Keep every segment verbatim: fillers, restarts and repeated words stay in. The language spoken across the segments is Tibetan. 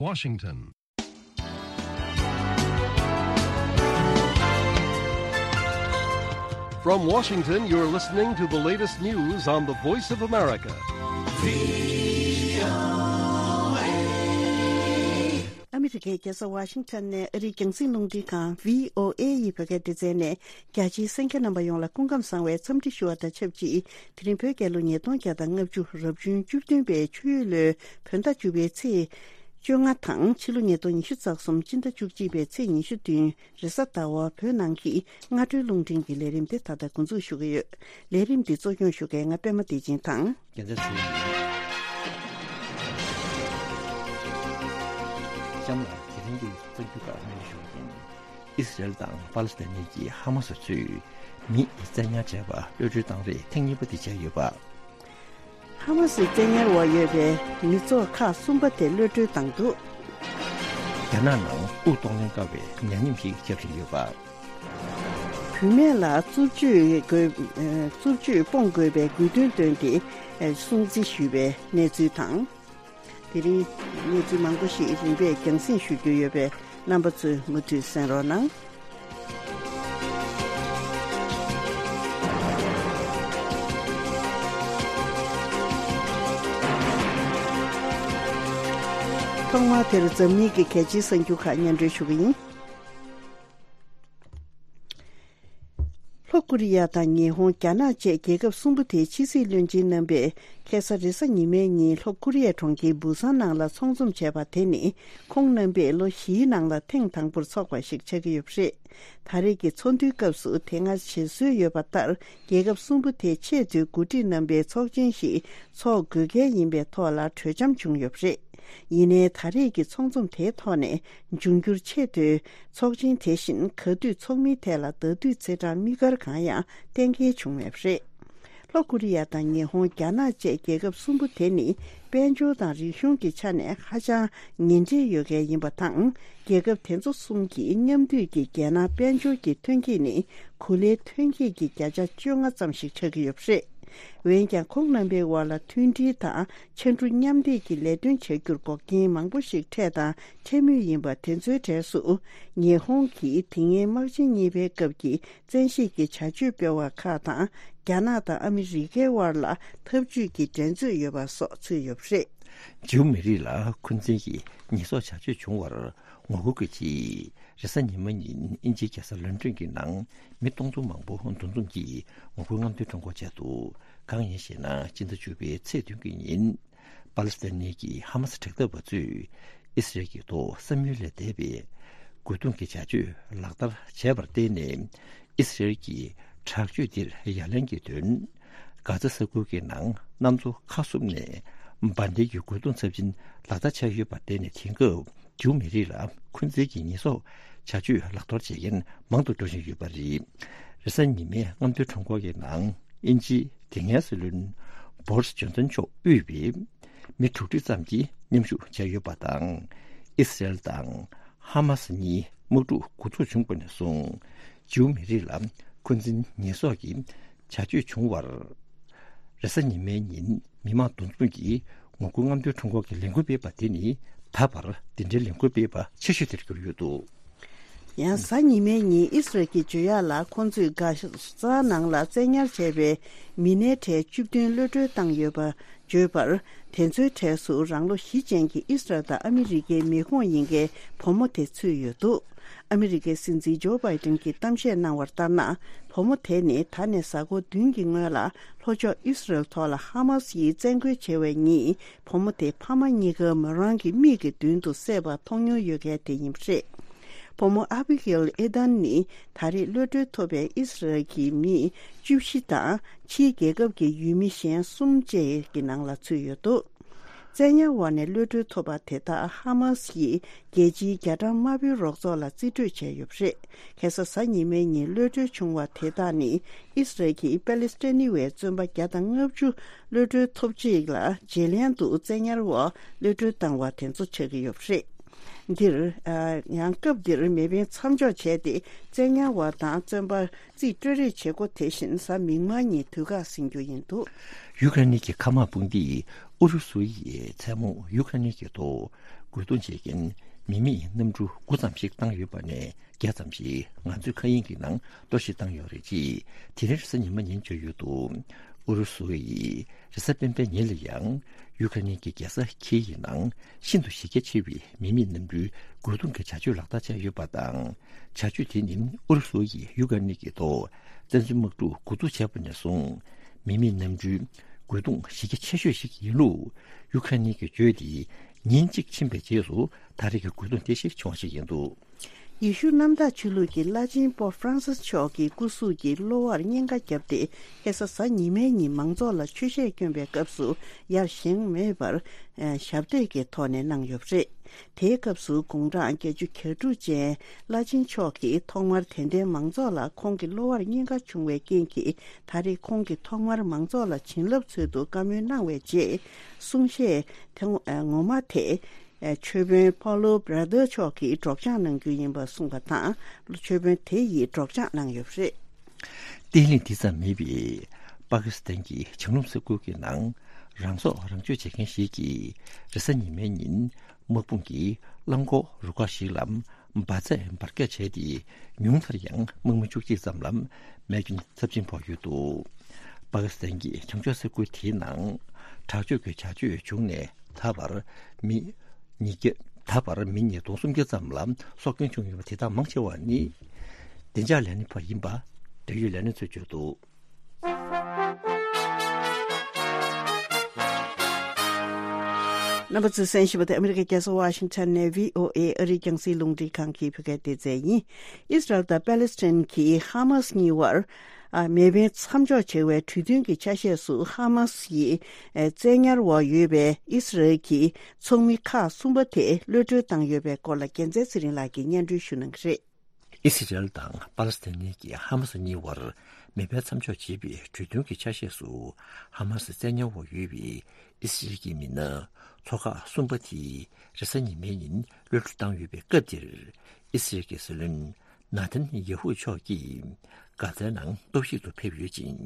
Washington. From Washington, you're listening to the latest news on the Voice of America. ཨ་མི་རི་ཀའི་རྒྱལ་ས་ཝ་ཤིང་ཊོན་ནས་ཨ་རིའི་རྒྱང་སྲིང་རླུང་འཕྲིན་ཁང་བྷི་ཨོ་ཨེ་ཡི་བོད་སྐད་སྡེ་ཚན་ནས། རྒྱ་ཆེའི་གསན་མཁན་རྣམ་པ་ཡོངས་ལ་སྐུ་ཁམས་བཟང་བའི་འཚམས་འདྲི་ཞུ་བ་དང་ཆབས་ཅིག་དེ་རིང་བོད་རྒྱལ་ལོ་ཉིས་སྟོང་བརྒྱ་དང་ལྔ་བཅུ་རབ་བྱུང་བཅུ་བདུན་པའི་ཆུ་ཡོས་ལོའི་བོད་ཟླ་བཅུ་པའི་ཚེས་བཅོ་ལྔ་དང་ཕྱི་ལོ་ཉིས་སྟོང་ཉི་ཤུ་རྩ་གསུམ་སྤྱི་ཟླ་བཅུ་གཅིག་པའི་ཚེས་ཉི་ཤུ་བདུན་རེས་གཟའ་ཟླ་བ་བོད་ནང་གི་སྔ་དྲོའི་རླུང་འཕྲིན་གྱི་ལས་རིམ་དེ་ད་ལྟ་འགོ་འཛུགས་ཞུ་གི་ཡོད། ལས་རིམ་འདི་གཙོ་སྐྱོང་ཞུ་མཁན་ང་པད་མ་བདེ་ཆེན་དང་། རྒྱལ་མཚན་ཚེ་རིང་། གཤམ་ལ་དེ་རིང་གི་གསར་འགྱུར་ཁག་སྙན་ཞུ་ཡིན། ཨི་སི་རེལ་དང་པ་ལི་སི་ཐན་གཉིས་ཀྱི་ཧ་མ་སི་ཚོས་མི་བཙན་ཉར་བྱས་པ་གློད་གྲོལ་བཏང་རེས་ཐེངས་གཉིས་པ་དེ་བྱས་ཡོད་པ། ཧ་མ་སིའི་བཙན་ཉར་འོག་ཡོད་པའི་མི་ཚོགས་ཁག་གསུམ་པ་དེ་གློད་གྲོལ་བཏང་འདུག། རྒྱ་ནག་ནང་དབུགས་གཏོང་ལེན་དཀའ་བའི་ཉ་ཉིམ་ཞིག་ཁྱབ་བཞིན་ཡོད་པ། བུད་མེད་ལ་རྩུབ་སྤྱོད་དགོས། ཨ། རྩུབ་སྤྱོད་སྤོང་དགོས་པའི་དགོས་འདུན་བཏོན་ཏེ་སྲུང་བརྩི་ཞུས་པའི་གནས་ཚུལ་དང་། དེ་རིང་གནས་ཚུལ་མང་པོ་ཞིག་རིམ་པས་རྒྱང་སྲིང་ཞུ་རྒྱུ་ཡོད་པས་རྣམ་པ་ཚོས་མུ་མཐུད་གསན་རོགས་གནང་། ཐོག་མར་དེར་འཛམ་གླིང་གི་གལ་ཆེའི་གསར་འགྱུར་ཁག་སྙན་སྒྲོན་ཞུ་གི་ཡིན། ལྷོ་ཀོ་རི་ཡ་དང་ཉི་ཧོང་། རྒྱ་ནག་བཅས་རྒྱལ་ཁབ་གསུམ་པོ་དེའི་ཕྱི་སྲིད་བློན་ཆེན་རྣམ་པས་ཁ་སང་རེས་གཟའ་ཉི་མའི་ཉིན་ལྷོ་ཀོ་རི་ཡའི་གྲོང་ཁྱེར་བུ་སཱན་ནང་ལ་ཚོགས་འཛོམས་བྱས་པ་དེ་ནི་ཁོང་རྣམ་པས་ལོ་བཞིའི་ནང་ལ་ཐེངས་དང་པོར་ཚོགས་པ་ཞིག་ཆགས་ཀྱི་ཡོད་པ་རེད། ད་རེས་ཀྱི་ཚོགས་འདུའི་སྐབས་སུ་དེ་སྔ་བྱེད་སྲོལ་ཡོད་པ་ལྟར་རྒྱལ་ཁབ་གསུམ་པོ་དེའི་ཆེས་མཐོའི་འགོ་ཁྲིད་རྣམ་པའི་ཚོགས་ཆེན་ཞིག་ཚོགས་དགོས་གལ་ཡིན་པའི་ཐོག་ལ་གྲོས་འཆམ་བྱུང་ཡོད་པ་རེད། ཡིན་ནའི་ད་རེས་ཀྱི་ཚོགས་འཛོམས་དེའི་ཐོག་ནས་འབྱུང་འགྱུར་ཆེས་མཐོའི་ཚོགས་ཆེན་དེ་བཞིན་ག་དུས་ཚོགས་མིན་ཐད་ལ་ཟླ་དུས་ཚེས་གྲངས་དམིགས་བཀར་གང་ཡང་གཏན་འཁེལ་བྱུང་མེད་པ་རེད། ལྷོ་ཀོ་རི་ཡ་དང་ཉི་ཧོང་། རྒྱ་ནག་བཅས་རྒྱལ་ཁབ་གསུམ་པོ་དེ་ནི་དཔལ་འབྱོར་དང་རིག་གཞུང་གི་ཆ་ནས་ཧ་ཅང་ཉེ་འབྲེལ་ཡོད་མཁན་ཡིན་པ་དང་། རྒྱལ་ཁབ་དེ་ཚོ་གསུམ་གྱིས་མཉམ་འདུས་ཀྱི་རྒྱལ་ནང་དཔལ་འབྱོར་གྱི་ཐོན་སྐྱེད་ནི་གོ་ལའི་ཐོན་སྐྱེད་ཀྱི་བརྒྱ་ཆ་བཅོ་ལྔ་ཙམ་ཞིག་ཆགས་ཀྱི་ཡོད་པ་རེད། འོན་ཀྱང་ཁོང་རྣམ་པའི་དབར་ལ་མཐུན་སྒྲིལ་དང་ཕྱར་གྲུ་མཉམ་འདེགས་ཀྱི་ལས་དོན་བྱ་རྒྱུར་འགོག་རྐྱེན་མང་པོ་ཞིག་འཕྲད་དང་འཕྲད་མུས་ཡིན་པ་དེ་ཚོའི་གྲས་སུ། ཉི་ཧོང་གིས་དེ་སྔའི་དམག་ཆེན་གཉིས་པའི་སྐབས་ཀྱི་བཙན་ཤེད་ཀྱི་བྱ་སྤྱོད་སྤེལ་བ་ཁག་དང་། རྒྱ་ནག་དང་ཨ་མི་རི་ཀའི་དབར་ལ་འཐབ་ཇུས་ཀྱི་འགྲན་རྩོད་ཡོད་པ་སོགས་ཚུད་ཡོད་པ་རེད། ཇིའུ་མེ་རི་ལ་འཁོན་འཛིན་གྱི་ཉེས་གསོག་བྱ་སྤྱོད་བྱུང་བར་ངོ་རྒོལ་གྱི་ཆེད། རེས་གཟའ་ཉི་མ་ཉིན་དབྱིན་ཇིའི་རྒྱལ་ས་ལོན་ཀྲོན་གྱི་ནང་མི་སྟོང་ཚོ་མང་པོ་འདུ་འཛོམས་ཀྱིས་ངོ་རྒོལ་རྔམ་སྟོན་ཁྲོམ་སྐོར་བྱས་འདུག། གང་ཡིན་ཞེ་ན། སྤྱི་ཟླ་བཅུ་པའི་ཚེས་བདུན་གྱི་ཉིན། པ་ལི་སི་ཐན་གྱི་ཧ་མ་སི་དྲག་འཐབ་པ་ཚོས་ཨི་སི་རེལ་གྱི་ཐོག་བསམ་ཡུལ་ལས་འདས་པའི་རྒོལ་རྡུང་གི་བྱ་སྤྱོད་ལག་བསྟར་བྱས་པར་བརྟེན་ནས། ཨི་སི་རེལ་གྱི་དྲག་སྤྱོད་འདིར་ཡ་ལན་གྱི་དོན། གྷ་ཛ་ས་ཁུལ་གྱི་ནང་གནམ་མཚོ་ཁ་གསུམ་ནས་འབར་མདེལ་གྱི་རྒོལ་རྡུང་ཚབས་ཆེན་ལག་བསྟར་བྱས་ཡོད་པར་བརྟེན་ནས། དེང་སྐབས་ཇིའུ་མེ་རི་ལ་འཁོན་འཛིན་གྱི་ཉེས་གསོག་བྱ་སྤྱོད་ལག་བསྟར་བྱེད་མཁན་མང་དུ་འགྲོ་བཞིན་ཡོད་པ་རེད། རེས་གཟའ་ཉི་མའི་རྔམ་སྟོན་ཁྲོམ་སྐོར་གྱི་ནང་། དབྱིན་ཇིའི་དེ་སྔའི་སྲིད་བློན་བོ་རིས་ཇོན་སན་མཆོག་དབུས་པའི་མི་དྲུག་ཁྲི་ཙམ་གྱིས་མཉམ་ཞུགས་བྱས་ཡོད་པ་དང་། ཨི་སི་རེལ་དང་ཧ་མ་སི་གཉིས་དམག་འཁྲུག་འགོ་འཛུགས་བྱུང་བ་ནས་བཟུང་། ཇིའུ་མེ་རི་ལ་འཁོན་འཛིན་ཉེས་གསོག་གི་བྱ་སྤྱོད་བྱུང་བར། རེས་གཟའ་ཉི་མའི་ཉིན་མི་མང་འདུ་འཛོམས་ཀྱིས་ངོ་རྒོལ་རྔམ་སྟོན་ཁྲོམ་སྐོར་གྱི་ལས་འགུལ་སྤེལ་བ་དེ་ནི་ད་བར་འདི་འདྲའི་ལས་འགུལ་སྤེལ་བ་ཆེ་ཤོས་དེར་གྱུར་ཡོད་འདུག། ཡང་གཟའ་ཉི་མའི་ཉིན་ཨི་སི་རལ་གྱི་བརྗོད་ཡག་ལ། ཁོང་ཚོས་གྷ་ཟ་ནང་ལ་བཙན་ཉར་བྱས་པའི་མི་སྣའི་གྲས་བཅུ་བདུན་གློད་གྲོལ་བཏང་ཡོད་པ་བརྗོད་པར། དེ་ཚོའི་གྲས་སུ་རང་ལོ་བཞི་ཅན་གྱི་ཨི་སི་རལ་དང་ཨ་མི་རི་ཀའི་མི་ཁོངས་ཡིན་མཁན་བུ་མོ་དེ་ཚུད་ཡོད་འདུག། ཨ་མི་རི་ཀའི་སྲིད་འཛིན་ཇོ་བྷའི་ཏིན་གྱིས་གཏམ་བཤད་གནང་བར་ལྟར་ན། བུ་མོ་དེ་ནི་ད་ནས་གཟའ་འཁོར་བདུན་གྱི་སྔོན་ལ་ལྷོ་ཕྱོགས་ཨི་སི་རལ་ཐོག་ལ་ཧ་མ་སི་ཡིས་བཙན་རྒོལ་བྱས་པའི་ཉིན། བུ་མོ་དེ་ཕ་མ་གཉིས་ཀ་མོ་རང་གི་མིག་གི་མདུན་དུ་བསད་པ་མཐོང་མྱོང་ཡོད་མཁན་དེ་ཡིན་པ་རེད། བུ་མོ་ཨ་བྷི་གྷེལ་ཨེ་དན་ནི་ད་རེས་གློད་གྲོལ་ཐོབ་པའི་ཨི་སི་རལ་གྱི་མི་བཅུ་བཞི་དང་ཕྱིའི་རྒྱལ་ཁབ་ཀྱི་ཡུལ་མི་གཞན་གསུམ་བཅས་ཀྱི་ནང་ལ་ཚུད་ཡོད་འདུག། བཙན་ཉར་འོག་ནས་གློད་གྲོལ་ཐོབ་པ་དེ་དག་ཧ་མ་སི་ཡིས་རྒྱལ་སྤྱིའི་རྒྱ་གྲམ་དམར་པོའི་རོགས་ཚོགས་ལ་རྩིས་སྤྲོད་བྱས་ཡོད་པ་རེད། ཁ་སང་གཟའ་ཉི་མའི་ཉིན་གློད་གྲོལ་བྱུང་བ་དེ་དག་ནི་ཨི་སི་རལ་གྱིས་པ་ལི་སི་ཐན་བའི་བཙོན་པ་བརྒྱ་དང་ལྔ་བཅུ་གློད་གྲོལ་ཐོབ་རྗེས་ལ་རྗེས་ལན་དུ་བཙན་ཉར་འོག་གློད་གྲོལ་བཏང་བ་དེ་ཚོ་ཆགས་ཀྱི་ཡོད་པ་རེད། འདིར། ཨ། ཡང་སྐབས་འདིར་མེ་འཕེན་མཚམས་འཇོག་བྱས་ཏེ་བཙན་ཉར་བ་དང་བཙོན་པ་རྩིས་སྤྲོད་རེས་བྱེད་སྒོ་དེ་བཞིན་གཟའ་མིག་དམར་ཉིན་དུས་བཀག་ཟིན་རྒྱུ་ཡིན་འདུག། ཡུ་ཀེ་རེན་གྱི་མཁའ་དམག་དཔུང་སྡེས་ཨུ་རུ་སུ་ཡིས་མཚན་མོ་ཡུ་ཀེ་རེན་གྱི་ཐོག་ རྒོལ་རྡུང་བྱེད་མཁན་མི་མེད་གནམ་གྲུ་དགུ་ཙམ་ཞིག་བཏང་ཡོད་པ་ནས་བརྒྱ་ཙམ་ཞིག་ང་ཚོའི་མཁའ་དབྱིངས་ཀྱི་ནང་གཏོར་བཤིག་བཏང་ཡོད་རེད་ཅེས་དེ་རིང་རེས་གཟའ་ཉི་མ་ཉིན་བརྗོད་ཡོད་འདུག་ཨུ་རུ་སུ་ཡིས་རེས་གཟའ་སྤེན་པའི་ཉིན་ལ་ཡང་ཡུ་ཁ་ནི་གི་རྒྱལ་ས་ཁིའི་ནང་ཤིན་ཏུ་གཞི་རྒྱ་ཆེ་བའི་མི་མེད་གནམ་གྲུའི་རྒོལ་རྡུང་གི་བྱ་སྤྱོད་ལག་བསྟར་བྱས་ཡོད་པ་དང་། བྱ་སྤྱོད་དེ་ནི་ཨུ་རུ་སུ་ཡིས་ཡུ་ཁ་ནི་གི་ཐོག་བཙན་འཛུལ་དམག་འཁྲུག་འགོ་འཛུགས་བྱས་པ་ནས་བཟུང་མི་མེད་གནམ་གྲུའི་རྒོལ་རྡུང་གཞི་རྒྱ་ཆེ་ཤོས་ཤིག་ཡིན་ལུགས་ཡུ་ཁ་ནི་གིས་བརྗོད་དེ། ཉིན་གཅིག་ཕྱིན་པའི་རྗེས་སུ་ད་རེས་ཀྱི་རྒོལ་རྡུང་དེ་ཞིག་བྱུང་བ་ཞིག་ཡིན་འདུག་ཡེ་ཤུ་གནམ་བདག་ཆོས་ལུགས་ཀྱི་བླ་ཆེན་པོབ་ཧྥ་རན་སིས་མཆོག་གི་སྐུ་གཟུགས་ཀྱི་གློ་བར་གཉན་ཁ་བརྒྱབ་སྟེ། ཁ་སང་གཟའ་ཉི་མའི་ཉིན་མང་ཚོགས་ལ་ཆོས་གཞས་སྐྱོན་པའི་སྐབས་སུ་ཡར་བཞེངས་མེད་པར། ཨ། ཞབས་སྟེགས་ཀྱི་ཐོག་ནས་གནང་ཡོད་པ་རེད། དེའི་སྐབས་སུ་དགུང་གྲངས་བརྒྱད་ཅུ་གྱ་དྲུག་ཅན་བླ་ཆེན་མཆོག་གིས་ཐོག་མར་དད་ལྡན་མང་ཚོགས་ལ་ཁོང་གི་གློ་བར་གཉན་ཁ་བྱུང་བའི་རྐྱེན་གྱིས། ད་རེས་ཁོང་གིས་ཐོག་མར་མང་ཚོགས་ལ་བྱིན་རླབས་འཚོལ་དུ་བཀའ་མོལ་གནང་བའི་རྗེས། གསུང་གཞས་དེ་ངོ་མ་དེ། ཆོས་དཔོན་པཱ་ལོ་བྷ་ར་དར་མཆོག་གིས་སྒྲོག་སྦྱང་གནང་རྒྱུ་ཡིན་པ་གསུངས་པ་དང་། ཆོས་དཔོན་དེ་ཡིས་སྒྲོག་སྦྱང་གནང་ཡོད་པ་རེད། བརྟན་ལྷིང་འདི་ཙམ་མེད་པའི་པ་ཀི་སི་ཐན་གྱི་བྱང་ལུང་ས་ཁུལ་གྱི་ནང་རང་སྲོག་རང་གཅོད་བྱེད་མཁན་ཞིག་གིས་རེས་གཟའ་ཉི་མའི་ཉིན་དམག་དཔུང་གིས་རླངས་འཁོར་རུ་ཁག་ཞིག་ལ་འབར་རྫས་འབར་གས་བྱས་ཏེ། ཉུང་མཐར་ཡང་དམག་མི་བཅུ་གཅིག་ཙམ་ལ་རྨས་སྐྱོན་ཚབས་ཆེན་ཕོག་ཡོད་འདུག་པ་ཀི་སི་ཐན་གྱི་བྱང་ཕྱོགས་ས་ཁུལ་དེའི་ནང་དྲག་སྤྱོད་ཀྱི་བྱ་སྤྱོད་བྱུང་ནས་ད་བར་མི་ཉིས་བརྒྱ། ད་བར་མི་ཉིས་སྟོང་སུམ་བརྒྱ་ཙམ་ལ་སྲོག་སྐྱོན་བྱུང་ཡོད་པ་དེ་དག་མང་ཆེ་བ་ནི་བདེ་འཇགས་ལས་སྣེ་བ་ཡིན་པ་འབྲེལ་ཡོད་ལས་སྣེ་ཚོས་བརྗོད་འདུག་རྣམ་པ་ཚོས་གསན་བཞིན་པ་དེ་ཨ་མི་རི་ཀའི་རྒྱལ་ས་ཝ་ཤིང་ཊོན་ནས་བྷི་ཨོ་ཨེ་ཨ་རིའི་རྒྱང་སྲིང་རླུང་འཕྲིན་ཁང་གི་བོད་སྐད་སྡེ་ཚན་ཡིན། ཨིས་རལ་དང་པེ་ལེ་སི་ཐན་གྱི་ཧ་མ་སི་གཉིས་བར། ཨ། མེ་འཕེན་མཚམས་འཇོག་བྱ་བའི་གྲོས་མཐུན་གྱི་ཆ་ཤས་སུ་ཧ་མ་སི་ཡི། ཨ། བཙན་ཉར་འོག་ཡོད་པའི་ཨིས་རལ་གྱི་ཚོགས་མི་ཁག་གསུམ་པ་དེ་གློད་གྲོལ་བཏང་ཡོད་པའི་སྐོར་ལ་རྒྱལ་མཚན་ཚེ་རིང་ལགས་ཀྱིས་སྙན་སྒྲོན་ཞུ་གནང་གི་རེད། ཨི་སི་རེལ་དང་པ་ལེ་སི་ཐན་གྱི་ཧ་མ་སི་གཉིས་བར་མེ་འཕེན་མཚམས་འཇོག་བྱེད་པའི་གྲོས་མཐུན་གྱི་ཆ་ཤས་སུ། ཧ་མ་སི་བཙན་ཉར་འོག་ཡོད་པའི་ཨི་སི་རེལ་གྱི་མི་སྣ་ཚོ་ཁག་གསུམ་པ་དེ་རེས་གཟའ་ཉི་མའི་ཉིན་གློད་གྲོལ་བཏང་ཡོད་པའི་སྐབས་དེར། ཨི་སི་རེལ་གྱི་སྲིད་བློན་ནཱ་ཐན་ཡེ་ཧུ་མཆོག་གིས་གྷ་ཛའི་ནང་སྟོབས་ཤིག་ཏུ་ཕེབས་ཡོད་ཅིང་།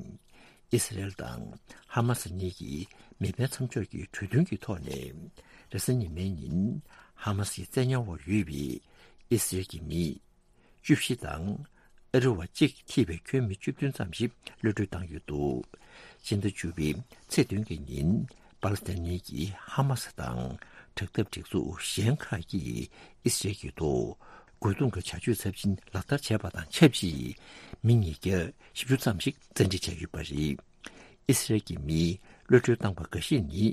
ཨི་སི་རེལ་དང་ཧ་མ་སི་གཉིས་ཀྱིས་མེ་འཕེན་མཚམས་འཇོག་གི་གྲོས་མཐུན་གྱི་ཐོག་ནས། རེས་གཟའ་ཉི་མའི་ཉིན་ཧ་མ་སི་བཙན་ཉར་འོག་ཡོད་པའི་ཨི་སི་རེལ་གྱི་མི་བཅུ་བཞི་དང་། ཨ་རི་བ་གཅིག་ཐེ་བའི་ཁྱོན་མི་བཅུ་བདུན་ཙམ་ཞིག་གློད་གྲོལ་བཏང་ཡོད་འདུག་ཕྱི་ཟླ་བཅུ་པའི་ཚེས་བདུན་གྱི་ཉིན་པ་ལེ་སི་ཐན་གྱི་ཧ་མ་སི་དང་དྲག་འཐབ་སྒྲིག་འཛུགས་གཞན་ཁག་གིས་ཨི་སི་རེལ་གྱི་ཐོག་རྒོལ་རྡུང་གི་བྱ་སྤྱོད་ཚབས་ཆེན་ལག་བསྟར་བྱས་པ་དང་ཆབས་ཅིག་མི་ཉིས་བརྒྱ་བཞི་བཅུ་ཙམ་ཞིག་བཙན་ཁྲིད་བྱས་ཡོད་པ་རེད། ཨི་སི་རེལ་གྱི་མིས་གློད་གྲོལ་བཏང་པ་འགའ་ཤས་ནི།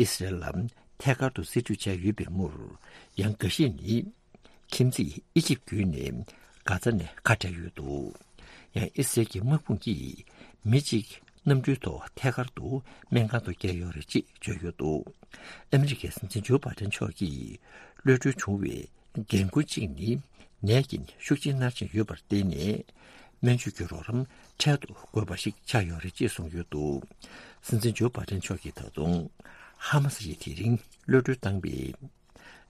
ཨི་སི་རེལ་ལ་ཐད་ཀར་དུ་རྩིས་སྤྲོད་བྱས་ཡོད་པའི་མུར། ཡང་འགའ་ཤས་ནི་ཁྱིམ་མཚེས་ཨི་ཇིབ་བརྒྱུད་ནས་གྷ་ཛ་ནས་ཁ་བྲལ་ཡོད་འདུག་ཡང་ཨི་སི་རེལ་གྱི་དམག་དཔུང་གིས་མི་གཅིག་གནམ་གྲུའི་ཐོག་ཐད་ཀར་དུ་སྨན་ཁང་དུ་བསྐྱལ་ཡོད་རེད་ཅེས་བརྗོད་ཡོད་འདུག་ཨ་མི་རི་ཀའི་སྲིད་འཛིན་ཇོ་བྷའི་ཌེན་མཆོག་གིས་གློད་གྲོལ་བྱུང་བའི་འགན་ཁུར་གཅིག་ནི་ནད་ཀྱིས་ཤུགས་ཆེན་མནར་བཞིན་ཡོད་པར་བརྟེན་ནས། སྨན་བཅོས་ཀྱི་རོགས་རམ་འཕྲལ་དུ་དགོས་པ་ཞིག་ཆགས་ཡོད་རེད་ཅེས་གསུངས་ཡོད་འདུག་སྲིད་འཛིན་ཇོ་བྷའི་ཌེན་མཆོག་གིས་ད་དུང་ཧ་མ་སི་ཡིས་དེ་རིང་གློད་གྲོལ་བཏང་བའི་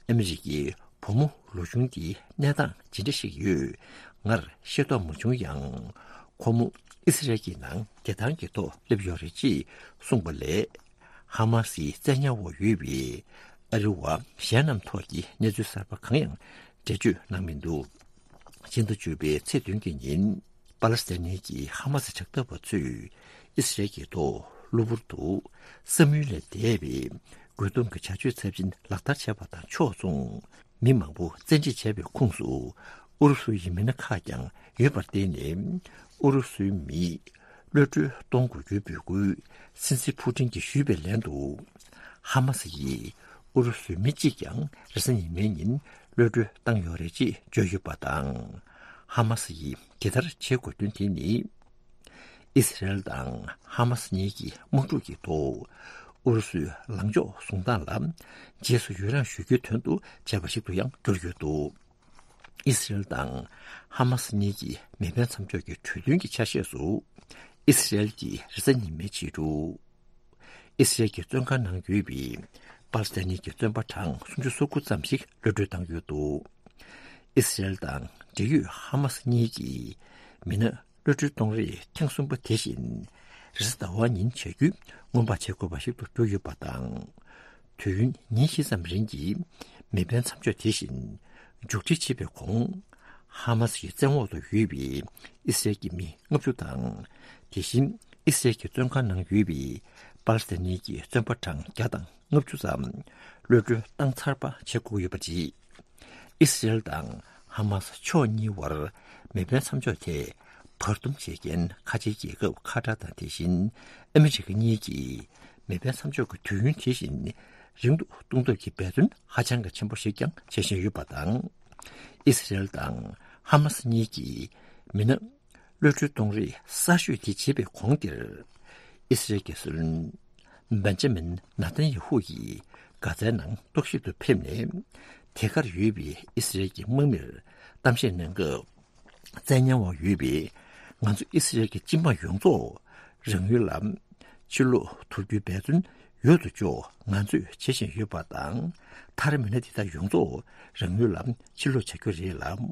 ཨ་མི་རི་ཀའི་བུ་མོ་ལོ་ཆུང་དེའི་གནས་སྟངས་ཇི་འདྲ་ཞིག་ཡོད་ངར་ཤེས་རྟོགས་མ་བྱུང་ཡང་། ཁོ་མོ་ཨི་སི་རེལ་གྱི་ནང་བདེ་ཐང་གི་ཐོག་སླེབས་ཡོད་རེད་ཅེས་གསུངས་པ་ལས། ཧ་མ་སིའི་བཙན་ཉར་འོག་ཡོད་པའི་ཨ་རི་བ་གཞན་རྣམས་ཐོག་གི་གནས་ཚུལ་གསར་པ་གང་ཡང་འགྲེལ་བརྗོད་གནང་མི་འདུག་ཕྱི་ཟླ་བཅུ་པའི་ཚེས་བདུན་གྱི་ཉིན་པ་ལེ་སི་ཐན་གྱི་ཧ་མ་སི་དྲག་འཐབ་པ་ཚོས་ཨི་སི་རེལ་གྱི་ཐོག་གློ་བུར་དུ་བསམ་ཡུལ་ལས་འདས་པའི་རྒོལ་རྡུང་གི་བྱ་སྤྱོད་ཚབས་ཆེན་ལག་བསྟར་བྱས་པ་དང་ཕྱོགས་མཚུངས། མི་མང་པོ་བཙན་ཁྲིད་བྱས་པའི་ཁོངས་སུ་ཨུ་རུ་སུའི་མི་སྣ་ཁག་ཀྱང་ཡོད་པར་བརྟེན་ནས། ཨུ་རུ་སུའི་མིས་གློད་གྲོལ་གཏོང་དགོས་རྒྱུའི་འབོད་སྐུལ་སྲིད་འཛིན་ཕུ་ཀྲིན་གྱིས་ཞུས་པའི་ལན་དུ། ཧ་མ་སི་ཡིས་ཨུ་རུ་སུའི་མི་གཅིག་ཀྱང་རེས་གཟའ་ཉི་མའི་ཉིན་གློད་གྲོལ་བཏང་ཡོད་རེད་ཅེས་བརྗོད་ཡོད་པ་དང་། ཧ་མ་སི་ཡིས་དེ་ལྟར་བྱེད་དགོས་དོན་དེ་ནི། ཨི་སི་རེལ་དང་ཧ་མ་སི་གཉིས་ཀྱི་དམག་འཁྲུག་གི་ཐོག་ཨུ་རུ་སུའི་ལངས་ཕྱོགས་བཟུང་སྟངས་ལ་རྗེས་སུ་ཡི་རང་ཞུ་རྒྱུའི་དོན་དུ་བྱས་པ་ཞིག་ཏུ་ཡང་གྱུར་ཡོད་འདུག་ཨི་སི་རེལ་དང་ཧ་མ་སི་གཉིས་ཀྱི་མེ་འཕེན་མཚམས་འཇོག་གི་གྲོས་མཐུན་གྱི་ཆ་ཤས་སུ། ཨི་སི་རེལ་གྱིས་རེས་གཟའ་ཉི་མའི་ཕྱི་དྲོ། ཨི་སི་རེལ་གྱི་བཙོན་ཁང་ནང་ཡོད་པའི་པ་ལེ་སི་ཐན་གྱི་བཙོན་པ་གྲངས་སུམ་ཅུ་སོ་དགུ་ཙམ་ཞིག་གློད་གྲོལ་བཏང་ཡོད་འདུག་ཨི་སི་རེལ་དང་འབྲེལ་ཡོད་ཧ་མ་སི་གཉིས་ཀྱིས་མི་སྣ་གློད་གྲོལ་གཏོང་རེས་ཐེངས་གསུམ་པ་དེ་བཞིན་རེས་གཟའ་ཟླ་བ་ཉིན་བྱ་རྒྱུ་སྔོན་དཔག་བྱེད་དགོས་པ་ཞིག་ཏུ་གྱུར་ཡོད་པ་དང་། དུས་ཡུན་ཉིན་བཞི་ཙམ་རིང་གི་མེ་འཕེན་མཚམས་འཇོག་དེ་བཞིན་མཇུག་སྒྲིལ་བྱེད་པའི་གོང་། ཧ་མ་སི་ཡི་བཙན་འོག་ཏུ་ཡོད་པའི་ཨི་སི་རེལ་གྱི་མི་ལྔ་བཅུ་དང་། དེ་བཞིན་ཨི་སི་རེལ་གྱི་བཙོན་ཁང་ནང་ཡོད་པའི་པ་ལི་སི་ཐན་ནི་གི་བཙོན་པ་གྲངས་བརྒྱ་དང་ལྔ་བཅུ་ཙམ་གློད་གྲོལ་བཏང་ཚར་བ་བྱེད་དགོས་ཡོད་པ་རེད། ཨི་སི་རེལ་དང་ཧ་མ་སི་ཕྱོགས་གཉིས་བར་མེ་འཕེན་མཚམས་འཇོག་དེ་བར་འདུམ་བྱེད་མཁན་ཁ་ཆེའི་རྒྱལ་ཁབ་ཁ་ཏར་དང་། དེ་བཞིན་ཨ་མི་རི་ཀ་གཉིས་ཀྱིས་མེ་འཕེན་མཚམས་འཇོག་གི་དུས་ཡུན་དེ་བཞིན་རིང་དུ་གཏོང་ཐབས་ཀྱི་འབད་བརྩོན་ཧ་ཅང་གི་ཆེན་པོ་ཞིག་ཀྱང་བྱེད་བཞིན་ཡོད་པ་དང་། ཨི་སི་རེལ་དང་ཧ་མ་སི་གཉིས་ཀྱིས་མི་སྣ་གློད་གྲོལ་གཏོང་རེས་གསར་ཤོས་དེ་བྱེད་པའི་གོང་དེར། ཨི་སི་རེལ་གྱི་སྲིད་བློན་བན་ཇ་མིན་ནཱ་ཐན་ཡ་ཧུ་ཡིས་གྷ་ཛའི་ནང་རྟོག་ཞིབ་ཏུ་ཕེབས་ནས། དེ་གར་ཡོད་པའི་ཨི་སི་རེལ་གྱི་དམག་མིར་གཏམ་བཤད་གནང་སྐབས། བཙན་ཉར་འོག་ཡོད་པའི་ང་ཚོ་ཨི་སི་རེལ་གྱི་སྤྱི་དམངས་ཡོངས་རྫོགས་རང་ཡུལ་ལ་ཕྱིར་ལོག་ཐུབ་རྒྱུའི་འབད་བརྩོན་ཡོད་དོ་ཅོག་ང་ཚོས་བྱེད་བཞིན་ཡོད་པ་དང་། མཐར་མི་སྣ་དེ་དག་ཡོངས་རྫོགས་རང་ཡུལ་ལ་ཕྱིར་ལོག་བྱ་རྒྱུ་རེད་ལ།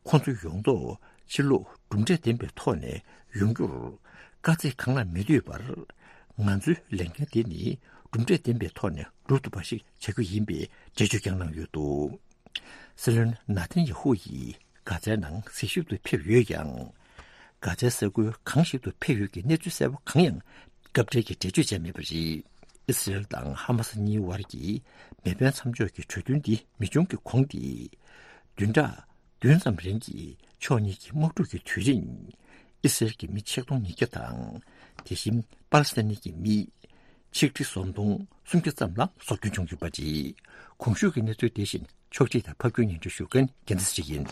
ཁོང་ཚོ་ཡོངས་རྫོགས་ཕྱིར་ལོག་གྲུབ་འབྲས་ལྡན་པའི་ཐོག་ནས་ཡོང་རྒྱུར་དཀའ་ཚེགས་གང་ལ་མི་ལྟོས་པར། ང་ཚོའི་ལས་འགན་དེ་ནི་གྲུབ་འབྲས་ལྡན་པའི་ཐོག་ནས་འགྲུབ་ཐུབ་པ་ཞིག་བྱ་རྒྱུ་ཡིན་པའི་འགྲེལ་བརྗོད་ཀྱང་གནང་ཡོད་འདུག། སྲིད་བློན་ནཱ་ཐན་ཡ་ཧུ་ཡིས་གྷ་ཛའི་ནང་གཟིགས་ཞིབ་ཏུ་ཕེབས་ཡོད་ཀྱང་། གྷ་ཛའི་ས་ཁུལ་གང་ཞིག་ཏུ་ཕེབས་ཡོད་ཀྱི་གནས་ཚུལ་གསལ་པོ་གང་ཡང་སྐབས་འབྲེལ་གྱི་འགྲེལ་བརྗོད་བྱས་མེད་པ་རེད། ཨི་སི་རེལ་དང་ཧ་མ་སི་གཉིས་བར་གྱི་མེ་འཕེན་མཚམས་འཇོག་གི་གྲོས་མཐུན་འདི་མི་འབྱུང་གི་གོང་དེ། བདུན་ཕྲག་བདུན་ཙམ་རིང་གི་ཕྱོགས་གཉིས་ཀྱི་དམག་འཁྲུག་གི་དུས་རིང་། ཨི་སི་རེལ་གྱི་མི་ཆིག་སྟོང་ཉིས་བརྒྱ་དང་། དེ་བཞིན་པ་ལི་སི་ཐན་གྱི་མི་ཆིག་ཁྲི་སུམ་སྟོང་སུམ་བརྒྱ་ཙམ་ལ་སྲོག་སྐྱོན་བྱུང་ཡོད་པ་རེད། གོང་ཞུས་ཀྱི་གནས་ཚུལ་དེ་བཞིན་ཕྱོགས་སྒྲིག་དང་ཕབ་སྒྱུར་སྙན་སྒྲོན་ཞུ་མཁན་རྒྱལ་མཚན་ཞིག་ཡིན།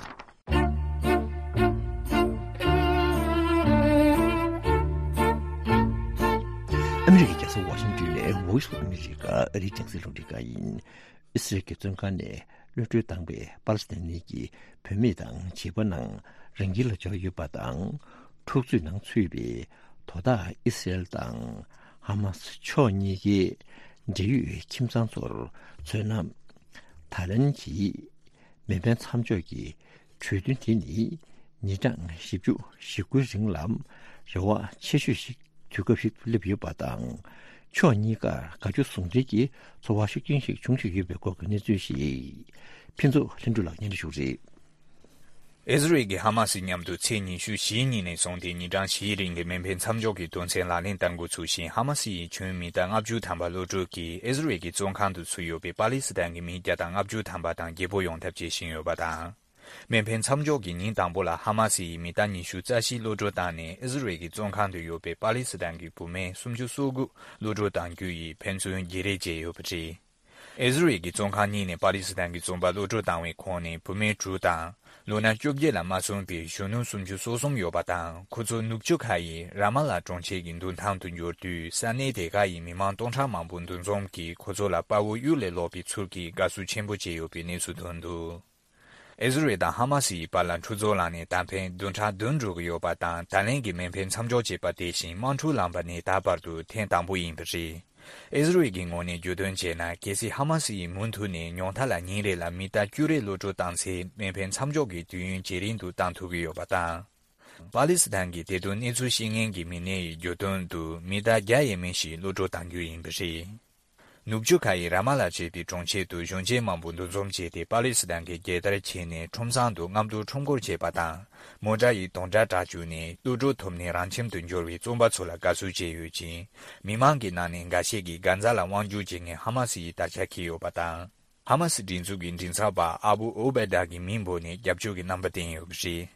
ཨ་མི་རི་ཀའི་རྒྱལ་ས་ཝ་ཤིང་ཏོན་ནས་Voice of America ཨ་རིའི་རྒྱང་སྲིང་རླུང་འཕྲིན་ཁང་ཡིན། ཨི་སི་རེལ་གྱི་བཙོན་ཁང་ནས་གློད་གྲོལ་བཏང་བའི་པ་ལི་སི་ཐན་གྱི་བུད་མེད་དང་བྱིས་པ་རྣམས་རང་ཁྱིམ་ལ་འབྱོར་ཡོད་པ་དང་། འཁྲུག་རྩོད་ནང་ཚུད་པའི་དོ་བདག་ཨི་སི་རེལ་དང་ཧ་མ་སི་ཕྱོགས་གཉིས་ཀའི་འབྲེལ་ཡོད་ཁྱིམ་ཚང་ཚོར་མཚོན་ན། ད་ལན་གྱི་མེ་འཕེན་མཚམས་འཇོག་གི་གྲོས་མཐུན་དེ་ནི་ཉིན་གྲངས་བཞི་བཅུ་ཞེ་དགུའི་རིང་ལ་རེ་བ་ཆེ་ཤོས་ཤིག་དུས་སྐབས་ཤིག་ཏུ་སླེབས་ཡོད་པ་དང་། ཕྱོགས་གཉིས་ཀར་དགའ་སྐྱོ་ཟུང་འབྲེལ་གྱི་ཚོར་བ་ཤུགས་ཆེན་ཞིག་བྱུང་བཞིན་ཡོད་པའི་སྐོར་གྱི་གནས་ཚུལ་ཞིག་ཕུན་ཚོགས་ལྷུན་གྲུབ་ལགས་སྙན་སྒྲོན་ཞུ་གི་རེད། ཨི་ཟི་རེལ་གྱིས་ཧ་མ་སི་མཉམ་དུ་ཚེས་ཉི་ཤུ་བཞིའི་ཉིན་ནས་བཟུང་སྟེ་ཉིན་གྲངས་བཞིའི་རིང་གི་མེ་འཕེན་མཚམས་འཇོག་གི་དོན་ཚན་ལག་ལེན་བསྟར་འགོ་ཚུགས་ཤིང་། ཧ་མ་སི་ཡིས་ཁྱོན་མི་གཏའ་ལྔ་བཅུ་ཐམ་པ་གློད་གྲོལ་གྱིས་ཨི་ཟི་རེལ་གྱི་བཙོན་ཁང་དུ་ཚུད་ཡོད་པའི་པ་ལི་སི་ཐན་གྱི་མི་བརྒྱ་དང་ལྔ་བཅུ་ཐམ་པ་དང་བརྗེ་པོ་ཡོང་ཐབས་བྱེད་བཞིན་ཡོད་པ་དང་། མེ་འཕེན་མཚམས་འཇོག་གི་ཉིན་དང་པོ་ལ་ཧ་མ་སི་ཡིས་མི་གཏའ་ཉི་ཤུ་རྩ་བཞི་གློད་གྲོལ་བཏང་ནས། ཨི་ཟི་རེལ་གྱི་བཙོན་ཁང་དུ་ཡོད་པའི་པ་ལི་སི་ཐན་གྱི་བུད་མེད་སུམ་ཅུ་སོ་དགུ་གློད་གྲོལ་གཏང་རྒྱུ་ཡིས་ཕན་ཚུན་བརྗེ་རེས་བྱས་ཡོད་པ་རེད། ཨི་ཟི་རེལ་གྱི་བཙོན་ཁང་གཉིས་ནས་པ་ལི་སི་ཐན་གྱི་བཙོན་པ་གློད་གྲོལ་བཏང་བའི་ཁོངས་ནས་བུད་མེད་དྲུག་དང་། ལོ་ན་བཅོ་བརྒྱད་ལ་མ་སོན་པའི་གཞོན་ནུ་སུམ་ཅུ་སོ་གསུམ་ཡོད་པ་དང་། ཁོ་ཚོ་ནུབ་ཕྱོགས་ཁ་ཡི་ར་མ་ལ་གྲོང་ཁྱེར་གྱི་མདུན་ཐང་དུ་འབྱོར་དུས། ས་གནས་དེ་ག་ཡི་མི་མང་སྟོང་ཕྲག་མང་པོ་འདུ་འཛོམས་ཀྱིས་ཁོ་ཚོ་ལ་དཔའ་བོ་གཡུལ་ལས་ལོག་པའི་ཚུལ་གྱིས་དགའ་བསུ་ཆེན་པོ་བྱས་ཡོད་པའི་གནས་ཚུལ་ཐོན་འདུག། ཨི་ཟི་རེལ་དང་ཧ་མ་སི་ཡི་བར་ལ་འཁྲུག་རྩོད་ལངས་ནས་ད་ཕན་བདུན་ཕྲག་བདུན་འགྲོ་གི་ཡོད་པ་དང་། ད་ལན་གྱི་མེ་འཕེན་མཚམས་འཇོག་བྱས་པ་དེ་བཞིན་དམག་འཁྲུག་ལངས་པ་ནི་ད་བར་དུ་ཐེངས་དང་པོ་ཡིན་པ་རེད། ཨི་ཟི་རེལ་གྱི་ངོས་ནས་བརྗོད་དོན་བྱས་ན། གལ་སྲིད་ཧ་མ་སི་ཡིས་མུ་མཐུད་ནས་ཉུང་མཐའ་ལ་ཉིན་རེ་ལ་མི་གཏའ་བཅུ་རེ་གློད་གྲོལ་བཏང་ཚེ། མེ་འཕེན་མཚམས་འཇོག་གི་དུས་ཡུན་ཇེ་རིང་དུ་བཏང་ཐུབ་ཀྱི་ཡོད་པ་དང་། པ་ལི་སི་ཐན་གྱི་དེ་དོན་གནས་ཚུལ་ཤེས་མཁན་གྱི་མི་སྣ་ཡིས་བརྗོད་དོན་དུ། མི་གཏའ་བརྒྱ་ཡས་མས་ཤིག་གློད་གྲོལ་གཏང་རྒྱུ་ཡིན་པ་རེད། ནུབ་ཕྱོགས་ཁ་ཡི་ར་མ་ལ་ཞེས་པའི་གྲོང་ཁྱེར་དུ་གཞོན་སྐྱེས་མང་པོ་འདུ་འཛོམས་བྱས་ཏེ། པ་ལི་སི་ཐན་གྱི་རྒྱལ་དར་འཁྱེར་ནས་ཁྲོམ་སྲང་དུ་རྔམ་སྟོན་ཁྲོམ་སྐོར་བྱས་པ་དང་། མོ་ཊ་ཡི་དུང་སྒྲ་གྲགས་བཅུག་ནས། གློད་གྲོལ་ཐོབ་ནས་རང་ཁྱིམ་དུ་འབྱོར་བའི་བཙོན་པ་ཚོ་ལ་དགའ་བསུ་བྱས་ཡོད་ཅིང་། མི་མང་གི་ནང་ནས་འགའ་ཤས་ཀྱིས་གྷ་ཛ་ལ་དབང་སྒྱུར་བྱེད་མཁན་ཧ་མ་སི་ཡི་དར་ཆ་འཁྱེར་ཡོད་པ་དང་། ཧ་མ་སི་སྒྲིག་འཛུགས་ཀྱི་མགྲིན་ཚབ་པ་ཨ་བུ་ཨུ་བེ་ད་གི་མིང་འབོད་ནས་རྒྱབ་སྐྱོར་གྱི་རྣམ་པ་བསྟན་ཡོད་པ་རེད།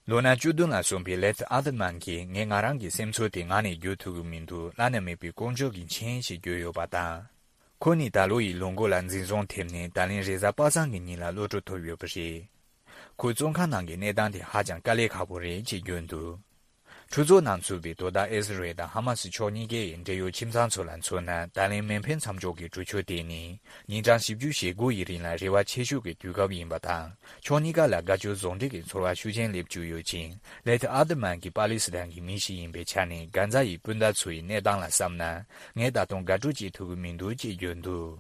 ལོ་ན་བཅུ་བདུན་ལ་སོན་པའི་ལེཐ་ཨ་དི་མན་གྱིས། ངས་ང་རང་གི་སེམས་ཚོར་དེ་ངག་ནས་བརྗོད་ཐུབ་ཀྱི་མི་འདུག། བླ་ན་མེད་པའི་དཀོན་མཆོག་གི་མཆན་ཞེས་བརྗོད་ཡོད་པ་དང་། ཁོ་ནི་ད་ལོ་ཡི་ལོ་མགོ་ལ་འཛིན་བཟུང་ཐེབས་ནས། ད་ལན་རེས་གཟའ་པ་སངས་ཀྱི་ཉིན་ལ་གློད་གྲོལ་ཐོབ་ཡོད་པ་རེད། ཁོས་བཙོན་ཁང་ནང་གི་གནས་སྟངས་དེ་ཧ་ཅང་དཀའ་ལས་ཁག་པོ་རེད་ཅེས་བརྗོད་འདུག། འཁྲུག་རྩོད་ནང་ཚུད་པའི་དོ་བདག་ཨི་ཟི་རེལ་དང་ཧ་མ་སི་ཕྱོགས་གཉིས་ཀའི་འབྲེལ་ཡོད་ཁྱིམ་ཚང་ཚོ་ལ་མཚོན་ན། ད་ལན་མེ་འཕེན་མཚམས་འཇོག་གི་གྲོས་ཆོད་དེ་ནི་ཉིན་གྲངས་བཞི་བཅུ་ཞེ་དགུ་ཡི་རིང་ལ་རེ་བ་ཆེ་ཤོས་ཀྱི་དུས་སྐབས་ཡིན་པ་དང་། ཕྱོགས་གཉིས་ཀ་ལ་དགའ་སྐྱོ་ཟུང་འབྲེལ་གྱི་ཚོར་བ་ཤུགས་ཆེན་སླེབས་བཅུག་ཡོད་ཅིང་། ལེཐ་ཨ་དི་མན་གྱིས་པ་ལི་སི་ཐན་གྱི་མི་ཞིག་ཡིན་པའི་ཆ་ནས། གྷ་ཛ་ཡི་སྤུན་ཟླ་ཚོ་ཡི་གནས་སྟངས་ལ་བསམ་ན། ངས་ད་དུང་དགའ་སྤྲོ་སྐྱེ་ཐུབ་ཀྱི་མི་འདུག་ཅེས་བརྗོད་འདུག།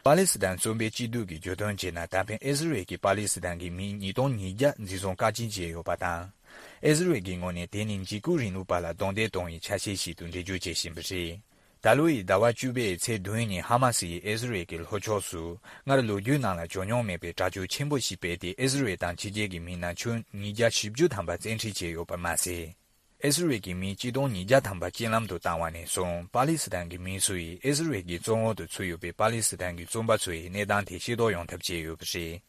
པ་ལི་སི་ཐན་བཙོན་པའི་སྐྱིད་སྡུག་གི་བརྗོད་དོན་བྱས་ན། ད་ཕན་ཨི་ཟི་རེལ་གྱིས་པ་ལི་སི་ཐན་གྱི་མི་ཉིས་སྟོང་ཉིས་བརྒྱ་འཛིན་བཟུང་བཀག་སྐྱིལ་བྱས་ཡོད་པ་དང་། ཨི་ཟི་རེལ་གྱི་ངོས་ནས་དེ་ནི་འཇིགས་སྐུལ་རིང་ལུགས་པ་ལ་རྡུང་རྡེག་གཏོང་བའི་ཆ་ཤས་ཤིག་ཏུ་འགྲེལ་བརྗོད་བྱེད་བཞིན་པ་རེད། ད་ལོ་ཡི་ཟླ་བ་བཅུ་པའི་ཚེས་བདུན་ཉིན་ཧ་མ་སི་ཡིས་ཨི་ཟི་རེལ་གྱི་ལྷོ་ཕྱོགས་སུ་སྔར་ལོ་རྒྱུས་ནང་ལ་བྱུང་མྱོང་མེད་པའི་དྲག་སྤྱོད་ཆེན་པོ་ཞིག་སྤེལ་ཏེ། ཨི་ཟི་རེལ་དང་ཕྱི་རྒྱལ་གྱི་མི་ན་ཆུང་ཉིས་བརྒྱ་བཞི་བཅུ་ཐམ་པ་བཙན་ཁྲིད་བྱས་ཡོད་པ་མ་ཟད། ཨི་ཟི་རེལ་གྱི་མི་སྤྱི་སྟོང་ཉིས་བརྒྱ་ཐམ་པ་རྐྱེན་ལམ་དུ་བཏང་བ་ནས་བཟུང་པ་ལི་སི་ཐན་གྱི་མི་ཚོ་ཡིས་ཨི་ཟི་རེལ་གྱི་བཙོན་འོག་ཏུ་ཚུད་ཡོད་པའི་པ་ལི་སི་ཐན་གྱི་བཙོན་པ་ཚོ་ཡི་གནས་སྟངས་དེ་ཤེས་རྟོགས་ཡོང་ཐབས་བྱས་ཡོད་པ་རེད།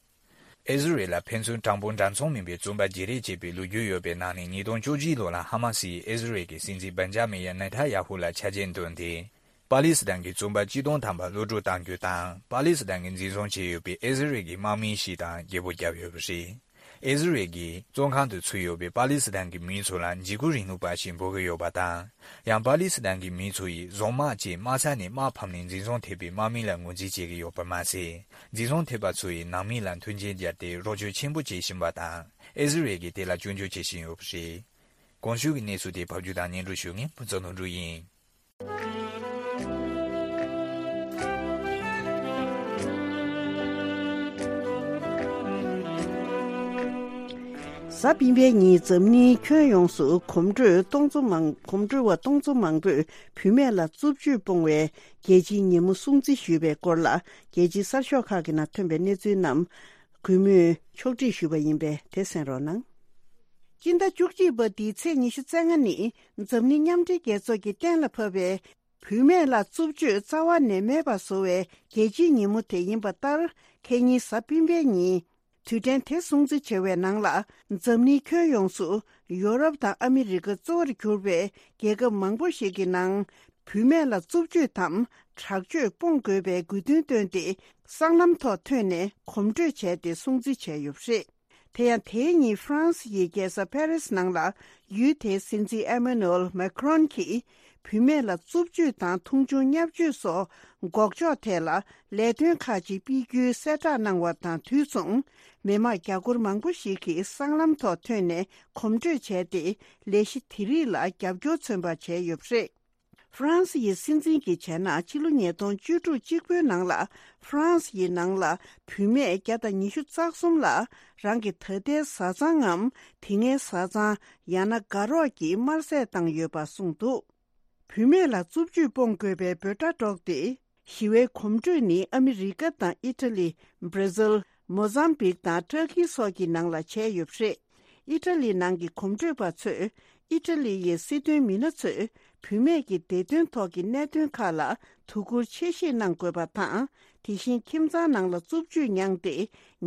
ཨི་ཟི་རེལ་ལ་ཕན་ཚུན་དྲང་པོ་འདྲ་མཚུངས་མིན་པའི་བཙོན་པ་བརྗེ་རེས་བྱས་པའི་ལོ་རྒྱུས་ཡོད་པའི་ནང་ནས་ཉིས་སྟོང་བཅུ་གཅིག་ལོ་ལ་ཧ་མ་སི་ཡིས་ཨི་ཟི་རེལ་གྱི་སྲིད་འཛིན་བན་ཇ་མི་ཡ་ནེ་ཐ་ཡ་ཧུ་ལ་ཆ་རྐྱེན་བཏོན་ཏེ། པ་ལི་སི་ཐན་གྱི་བཙོན་པ་གཅིག་སྟོང་ཐམ་པ་གློད་གྲོལ་གཏང་རྒྱུ་དང་། པ་ལི་སི་ཐན་གྱིས་འཛིན་བཟུང་བྱས་ཡོད་པའི་ཨི་ཟི་རེལ་གྱི་དམག་མི་ཞིག་དང་རྒྱལ་པོ་བརྒྱབ་ཡོད་པ་རེད། ཨི་ཟི་རེལ་གྱི་བཙོན་ཁང་དུ་ཚུད་ཡོད་པའི་པ་ལི་སི་ཐན་གྱི་མི་ཚོ་ལ་འཇིགས་སྐུལ་རིང་ལུགས་པ་ཞེས་འབོད་ཀྱི་ཡོད་པ་དང་། ཡང་པ་ལི་སི་ཐན་གྱི་མི་ཚོ་ཡིས་བཟུང་དམག་ཅེས་དམག་ས་ནས་དམག་ཕམ་ནས་འཛིན་བཟུང་ཐེབས་པའི་དམག་མི་ལ་ངོས་འཛིན་བྱེད་ཀྱི་ཡོད་པ་མ་ཟད། འཛིན་བཟུང་ཐེབས་པ་ཚོ་ཡི་ནང་མི་ལ་མཐུན་རྐྱེན་སྦྱར་ཏེ་རོགས་སྐྱོར་ཆེན་པོ་བྱེད་བཞིན་པ་དང་། ཨི་ཟི་རེལ་གྱིས་དེ་ལ་སྐྱོན་བརྗོད་བྱེད་བཞིན་ཡོད་པ་རེད། གོང་ཞུས་ཀྱི་གནས་ཚུལ་དེ་ཕབ་སྒྱུར་དང་སྙན་སྒྲོན་ཞུ་མཁན་ཕུན་ཚོགས་ལྷུན་གྲུབ་ཡིན། གཟའ་སྤེན་པའི་ཉིན་འཛམ་གླིང་ཁྱོན་ཡོངས་སུ་གོམ་བགྲོད་སྟོང་ཚོ་མང་གོམ་བགྲོད་པ་སྟོང་ཚོ་མང་པོས་བུད་མེད་ལ་རྩུབ་སྤྱོད་སྤོང་བའི་རྒྱལ་སྤྱིའི་ཉིན་མོ་སྲུང་བརྩི་ཞུས་པའི་སྐོར་ལ། རྒྱལ་སྤྱིའི་གསར་ཤོག་ཁག་གི་ནང་ཐོན་པའི་གནས་ཚུལ་རྣམས་གུས་མོས་ཕྱོགས་སྒྲིག་ཞུས་པ་ཡིན་པས་དེ་གསན་རོགས་གནང་། སྤྱི་ཟླ་བཅུ་གཅིག་པ་འདིའི་ཚེས་ཉི་ཤུ་རྩ་ལྔ་ནི་འཛམ་གླིང་མཉམ་འབྲེལ་རྒྱལ་ཚོགས་ཀྱིས་གཏན་ལ་ཕབ་པའི་བུད་མེད་ལ་རྩུབ་སྤྱོད་རྩ་བ་ནས་མེད་པ་བཟོ་བའི་རྒྱལ་སྤྱིའི་ཉིན་མོ་དེ་ཡིན་པ་ལྟར། ཁེ་ཉིན་གཟའ་སྤེན་པའི་ཉིན། དུས་དྲན་དེ་སྲུང་བརྩི་བྱ་བའི་ནང་ལ། འཛམ་གླིང་ཁྱོན་ཡོངས་སུ་ཡོ་རོབ་དང་ཨ་མི་རི་ཀ་གཙོ་བོར་གྱུར་པའི་རྒྱལ་ཁབ་མང་པོ་ཞིག་གི་ནང་། བུད་མེད་ལ་རྩུབ་སྤྱོད་དམ་དྲག་སྤྱོད་སྤོང་དགོས་པའི་དགོས་འདུན་བཏོན་ཏེ། སྲང་ལམ་ཐོག་ཐོན་ནས་གོམ་བགྲོད་བྱས་ཏེ་སྲུང་བརྩི་བྱས་ཡོད་པ་རེད། དེ་ཡང་དེའི་ཉིན་ཧྥ་རན་སི་ཡི་རྒྱལ་ས་ཕ་རི་སི་ནང་ལ་ཡུལ་དེའི་སྲིད་འཛིན་ཨེ་མ་ནུ་ཨེལ་མེ་ཁྲོན་གྱིས་བུད་མེད་ལ་རྩུབ་སྤྱོད་དང་མཐོང་ཆུང་བརྙས་བཅོས་སོགས་འགོག་ཕྱོགས་ཐད་ལ་ལས་དོན་ཁག་ཅིག་སྤེལ་རྒྱུའི་གསལ་བསྒྲགས་གནང་བ་དང་དུས་མཚུངས། མི་མང་རྒྱ་སྒོར་མང་པོ་ཞིག་གིས་སྲང་ལམ་ཐོག་ཐོན་ནས་གོམ་བགྲོད་བྱས་ཏེ། ལས་གཞི་དེ་རིགས་ལ་རྒྱབ་སྐྱོར་མཚོན་པ་བྱས་ཡོད་པ་རེད། ཧྥ་རན་སི་ཡི་སྲིད་འཛིན་གྱིས་བྱས་ན། ཕྱི་ལོ་ཉིས་སྟོང་བཅུ་དྲུག་གཅིག་པོའི་ནང་ལ་ཧྥ་རན་སི་ཡི་ནང་ལ་བུད་མེད་བརྒྱ་དང་ཉི་ཤུ་རྩ་གསུམ་ལ་རང་གི་ད་ལྟའི་བཟའ་ཚང་ངམ་དེ་སྔའི་བཟའ་ཚང་ཡང་ན་དགའ་རོགས་ཀྱིས་དམར་བསད་བཏང་ཡོད་པ་གསུངས་འདུག་བུད་མེད་ལ་རྩུབ་སྤྱོད་སྤོང་དགོས་པའི་འབོད་སྒྲ་སྒྲོག་སྟེ། ཞི་བའི་གོམ་བགྲོད་ནི་ཨ་མི་རི་ཀ་དང་ཨི་ཊ་ལི། བྷར་ཛིལ། མོ་ཛམ་བིག་དང་ཏུར་ཀི་སོགས་ཀྱི་ནང་ལ་བྱས་ཡོད་པ་རེད། ཨི་ཊ་ལི་ནང་གི་གོམ་བགྲོད་པ་ཚོས། ཨི་ཊ་ལི་ཡི་སྲིད་དོན་མི་སྣ་ཚོས་བུད་མེད་ཀྱི་བདེ་དོན་ཐོག་གི་གནད་དོན་ཁག་ལ་དོ་ཁུར་ཆེ་བཞེས་གནང་དགོས་པ་དང་། དེ་བཞིན་ཁྱིམ་ཚང་ནང་ལ་རྩུབ་སྤྱོད་མྱངས་ཏེ།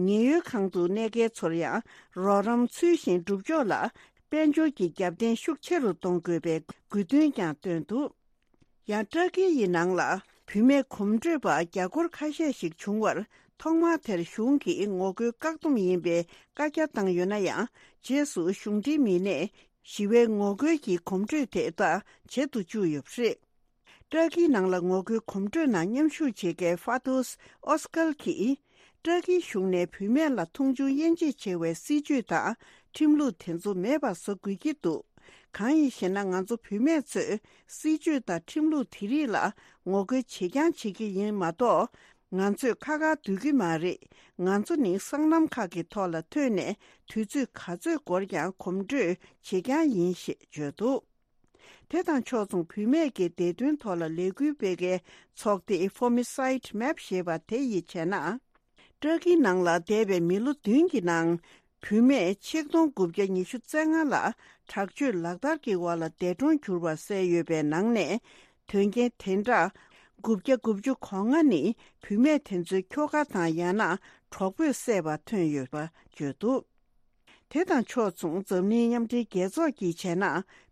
ཉེན་གཡོལ་ཁང་དུ་གནས་མཁན་ཚོར་ཡང་རོགས་རམ་ཚུལ་བཞིན་སྒྲུབ་ཕྱོགས་ལ་དཔལ་འབྱོར་གྱི་རྒྱབ་རྟེན་ཤུགས་ཆེ་རུ་གཏོང་དགོས་པའི་དགོས་འདུན་ཀྱང་བཏོན་འདུག་ཡང་ཏུར་ཀི་ཡི་ནང་ལ་བུད་མེད་གོམ་བགྲོད་པ་རྒྱ་སྒོར་ཁ་ཤས་ཤིག་བྱུང་བར། ཐོག་མར་དེར་གཞུང་གིས་ངོ་རྒོལ་བཀག་སྡོམ་ཡིན་པའི་བཀའ་རྒྱ་བཏང་ཡོད་ན་ཡང་། རྗེས་སུ་གཞུང་འབྲེལ་མི་སྣས་ཞི་བའི་ངོ་རྒོལ་གྱི་གོམ་བགྲོད་དེ་དག་བྱེད་དུ་བཅུག་ཡོད་པ་རེད། ཏུར་ཀིའི་ནང་ལ་ངོ་རྒོལ་གོམ་བགྲོད་ནང་མཉམ་ཞུགས་བྱེད་མཁན་ཧྥ་ཏུས་ཨོ་སི་ཀལ་གྱིས། ཏུར་ཀིའི་གཞུང་ནས་བུད་མེད་ལ་མཐོང་ཆུང་དབྱེ་འབྱེད་བྱེད་པའི་སྲིད་ཇུས་དང་ཁྲིམས་ལུགས་དེ་ཚོ་མེད་པ་བཟོ་དགོས་ཀྱི་འདུག་གང་ཡིན་ཞེ་ན། ང་ཚོ་བུད་མེད་ཚོས་སྲིད་ཇུས་དང་ཁྲིམས་ལུགས་དེ་རིགས་ལ་ངོ་རྒོལ་བྱེད་རྐྱང་བྱེད་ཀྱི་ཡིན་མ་གཏོགས། ང་ཚོས་ཁ་ཁ་སྡོད་ཀྱི་མ་རེད། ང་ཚོ་ནི་སྲང་ལམ་ཁག་གི་ཐོག་ལ་ཐོན་ནས་དུས་ཚོད་ག་ཚོད་འགོར་ཀྱང་གོམ་བགྲོད་བྱེད་རྐྱང་ཡིན་ཞེས་བརྗོད་འདུག་དེ་དང་ཕྱོགས་མཚུངས། བུད་མེད་ཀྱི་བདེ་དོན་ཐོག་ལ་ལས་འགུལ་སྤེལ་མཁན་ཚོགས་སྡེ་ཧྥོ་མི་སའིད་མེབ་ཞེས་པ་དེ་ཡིས་བྱས་ན། ཏུར་ཀིའི་ནང་ལ་འདས་པའི་མི་ལོ་བདུན་གྱི་ནང་། བུད་མེད་ཆིག་སྟོང་དགུ་བརྒྱ་ཉི་ཤུ་རྩ་ལྔ་ལ་དྲག་སྤྱོད་ལག་བསྟར་གྱི་འོག་ལ་འདས་གྲོངས་གྱུར་བ་གསལ་ཡོད་པའི་ནང་ནས། དོན་རྐྱེན་དེ་འདྲ་དགུ་བརྒྱ་དགུ་བཅུ་གོ་ལྔ་ནི་བུད་མེད་དེ་ཚོའི་ཁྱོ་ག་དང་ཡང་ན་གྲོགས་པོས་བསད་པ་ཐོན་ཡོད་པ་བརྗོད་འདུག་དེ་དང་ཕྱོགས་མཚུངས། འཛམ་གླིང་མཉམ་འབྲེལ་རྒྱལ་ཚོགས་ཀྱིས་བྱས་ན།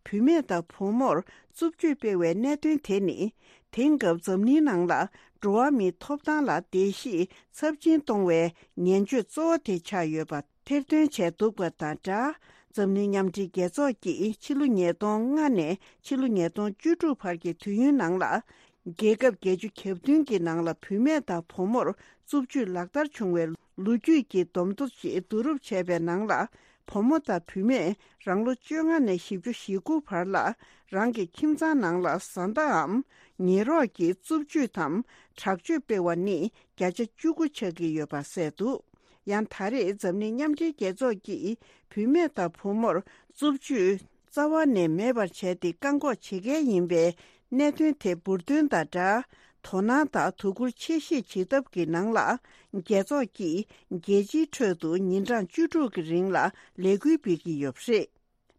བུད་མེད་དང་བུ་མོར་རྩུབ་སྤྱོད་སྤེལ་བའི་གནད་དོན་དེ་ནི། དེང་སྐབས་འཛམ་གླིང་ནང་ལ་འགྲོ་བ་མིའི་ཐོབ་ཐང་ལ་བརྡལ་བཤིག་ཚབས་ཆེན་གཏོང་བའི་ངན་སྤྱོད་གཙོ་བོ་དེ་ཆགས་ཡོད་པ་ཐེར་འདོན་བྱས་འདུག་པ་དང་སྦྲགས། འཛམ་གླིང་མཉམ་འབྲེལ་རྒྱལ་ཚོགས་ཀྱིས་ཕྱི་ལོ་ཉིས་སྟོང་ལྔ་ནས་ཕྱི་ལོ་ཉིས་སྟོང་བཅུ་དྲུག་བར་གྱི་དུས་ཡུན་ནང་ལ། རྒྱལ་ཁབ་བརྒྱད་ཅུ་གྱ་བདུན་གྱི་ནང་ལ་བུད་མེད་དང་བུ་མོར་རྩུབ་སྤྱོད་ལག་བསྟར་བྱུང་བའི་ལོ་རྒྱུས་ཀྱི་བསྡོམས་ཐོ་ཞིག་བསྡུ་རུབ་བྱས་པའི་ནང་ལ། བུ་མོ་དང་བུད་མེད་རང་ལོ་བཅོ་ལྔ་ནས་བཞི་བཅུ་ཞེ་དགུ་བར་ལ་རང་གི་ཁྱིམ་ཚང་ནང་ལ་བཟའ་ཟླའམ་ཉེ་རོགས་ཀྱིས་རྩུབ་སྤྱོད་དམ་དྲག་སྤྱོད་སྤེལ་བ་ནི་བརྒྱ་ཆ་བཅུ་དགུ་ཆགས་ཀྱི་ཡོད་པ་གསལ་འདུག་ཡང་ད་རེས་འཛམ་གླིང་མཉམ་འབྲེལ་རྒྱལ་ཚོགས་ཀྱིས་བུད་མེད་དང་བུ་མོར་རྩུབ་སྤྱོད་རྩ་བ་ནས་མེད་པར་བྱས་ཏེ་བཀག་འགོག་བྱེད་མཁན་ཡིན་པའི་ གནད་དོན་དེ་འབུར་འདོན་དང་སྦྲགས། དོ་སྣང་དང་དོ་ཁུར་ཆེ་བཞེས་བྱེད་ཐབས་ཀྱི་ནང་ལ། རྒྱལ་ཚོགས་ཀྱིས་རྒྱལ་སྤྱིའི་ཁྲོད་དུ་ཉིན་གྲངས་བཅུ་དྲུག་གི་རིང་ལ་ལས་འགུལ་སྤེལ་གྱི་ཡོད་པ་རེད།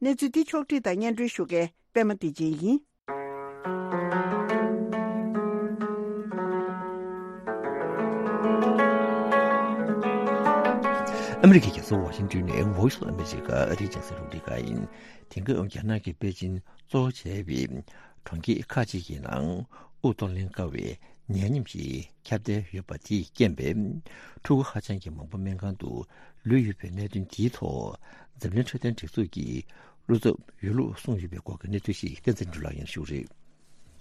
གནས་ཚུལ་འདི་ཕྱོགས་བསྒྲིགས་དང་སྙན་སྒྲོན་ཞུ་མཁན་པད་མ་བདེ་ཆེན་ཡིན། ཨ་མི་རི་ཀའི་རྒྱལ་ས་ཝ་ཤིང་ཏོན་ནས་Voice of America ཨ་རིའི་རྒྱང་སྲིང་རླུང་འཕྲིན་ཁང་ཡིན། དེང་སྐབས་རྒྱ་ནག་གི་པེ་ཅིན་གཙོ་བོ་བྱས་པའི་གྲོང་ཁྱེར་ཁག་ཅིག་གི་ནང་དབུགས་གཏོང་ལེན་དཀའ་བའི་ནད་ཡམས་ཤིག་ཁྱབ་གདལ་ཡོད་པ་དེས་རྐྱེན་པས། ཕྲུ་གུ་ཧ་ཅང་གི་མང་པོ་སྨན་ཁང་དུ་ལུས་ཡོད་པའི་གནད་དོན་འདིའི་ཐོག་འཛམ་གླིང་འཕྲོད་བསྟེན་སྒྲིག་འཛུགས་ཀྱི་བློ་འཚབ་ཡོད་ལུགས་གསུངས་ཡོད་པའི་སྐོར་གྱི་གནས་ཚུལ་ཞིག་བསྟན་འཛིན་འབྲུག་ལགས་སྙན་ཞུ་རེད།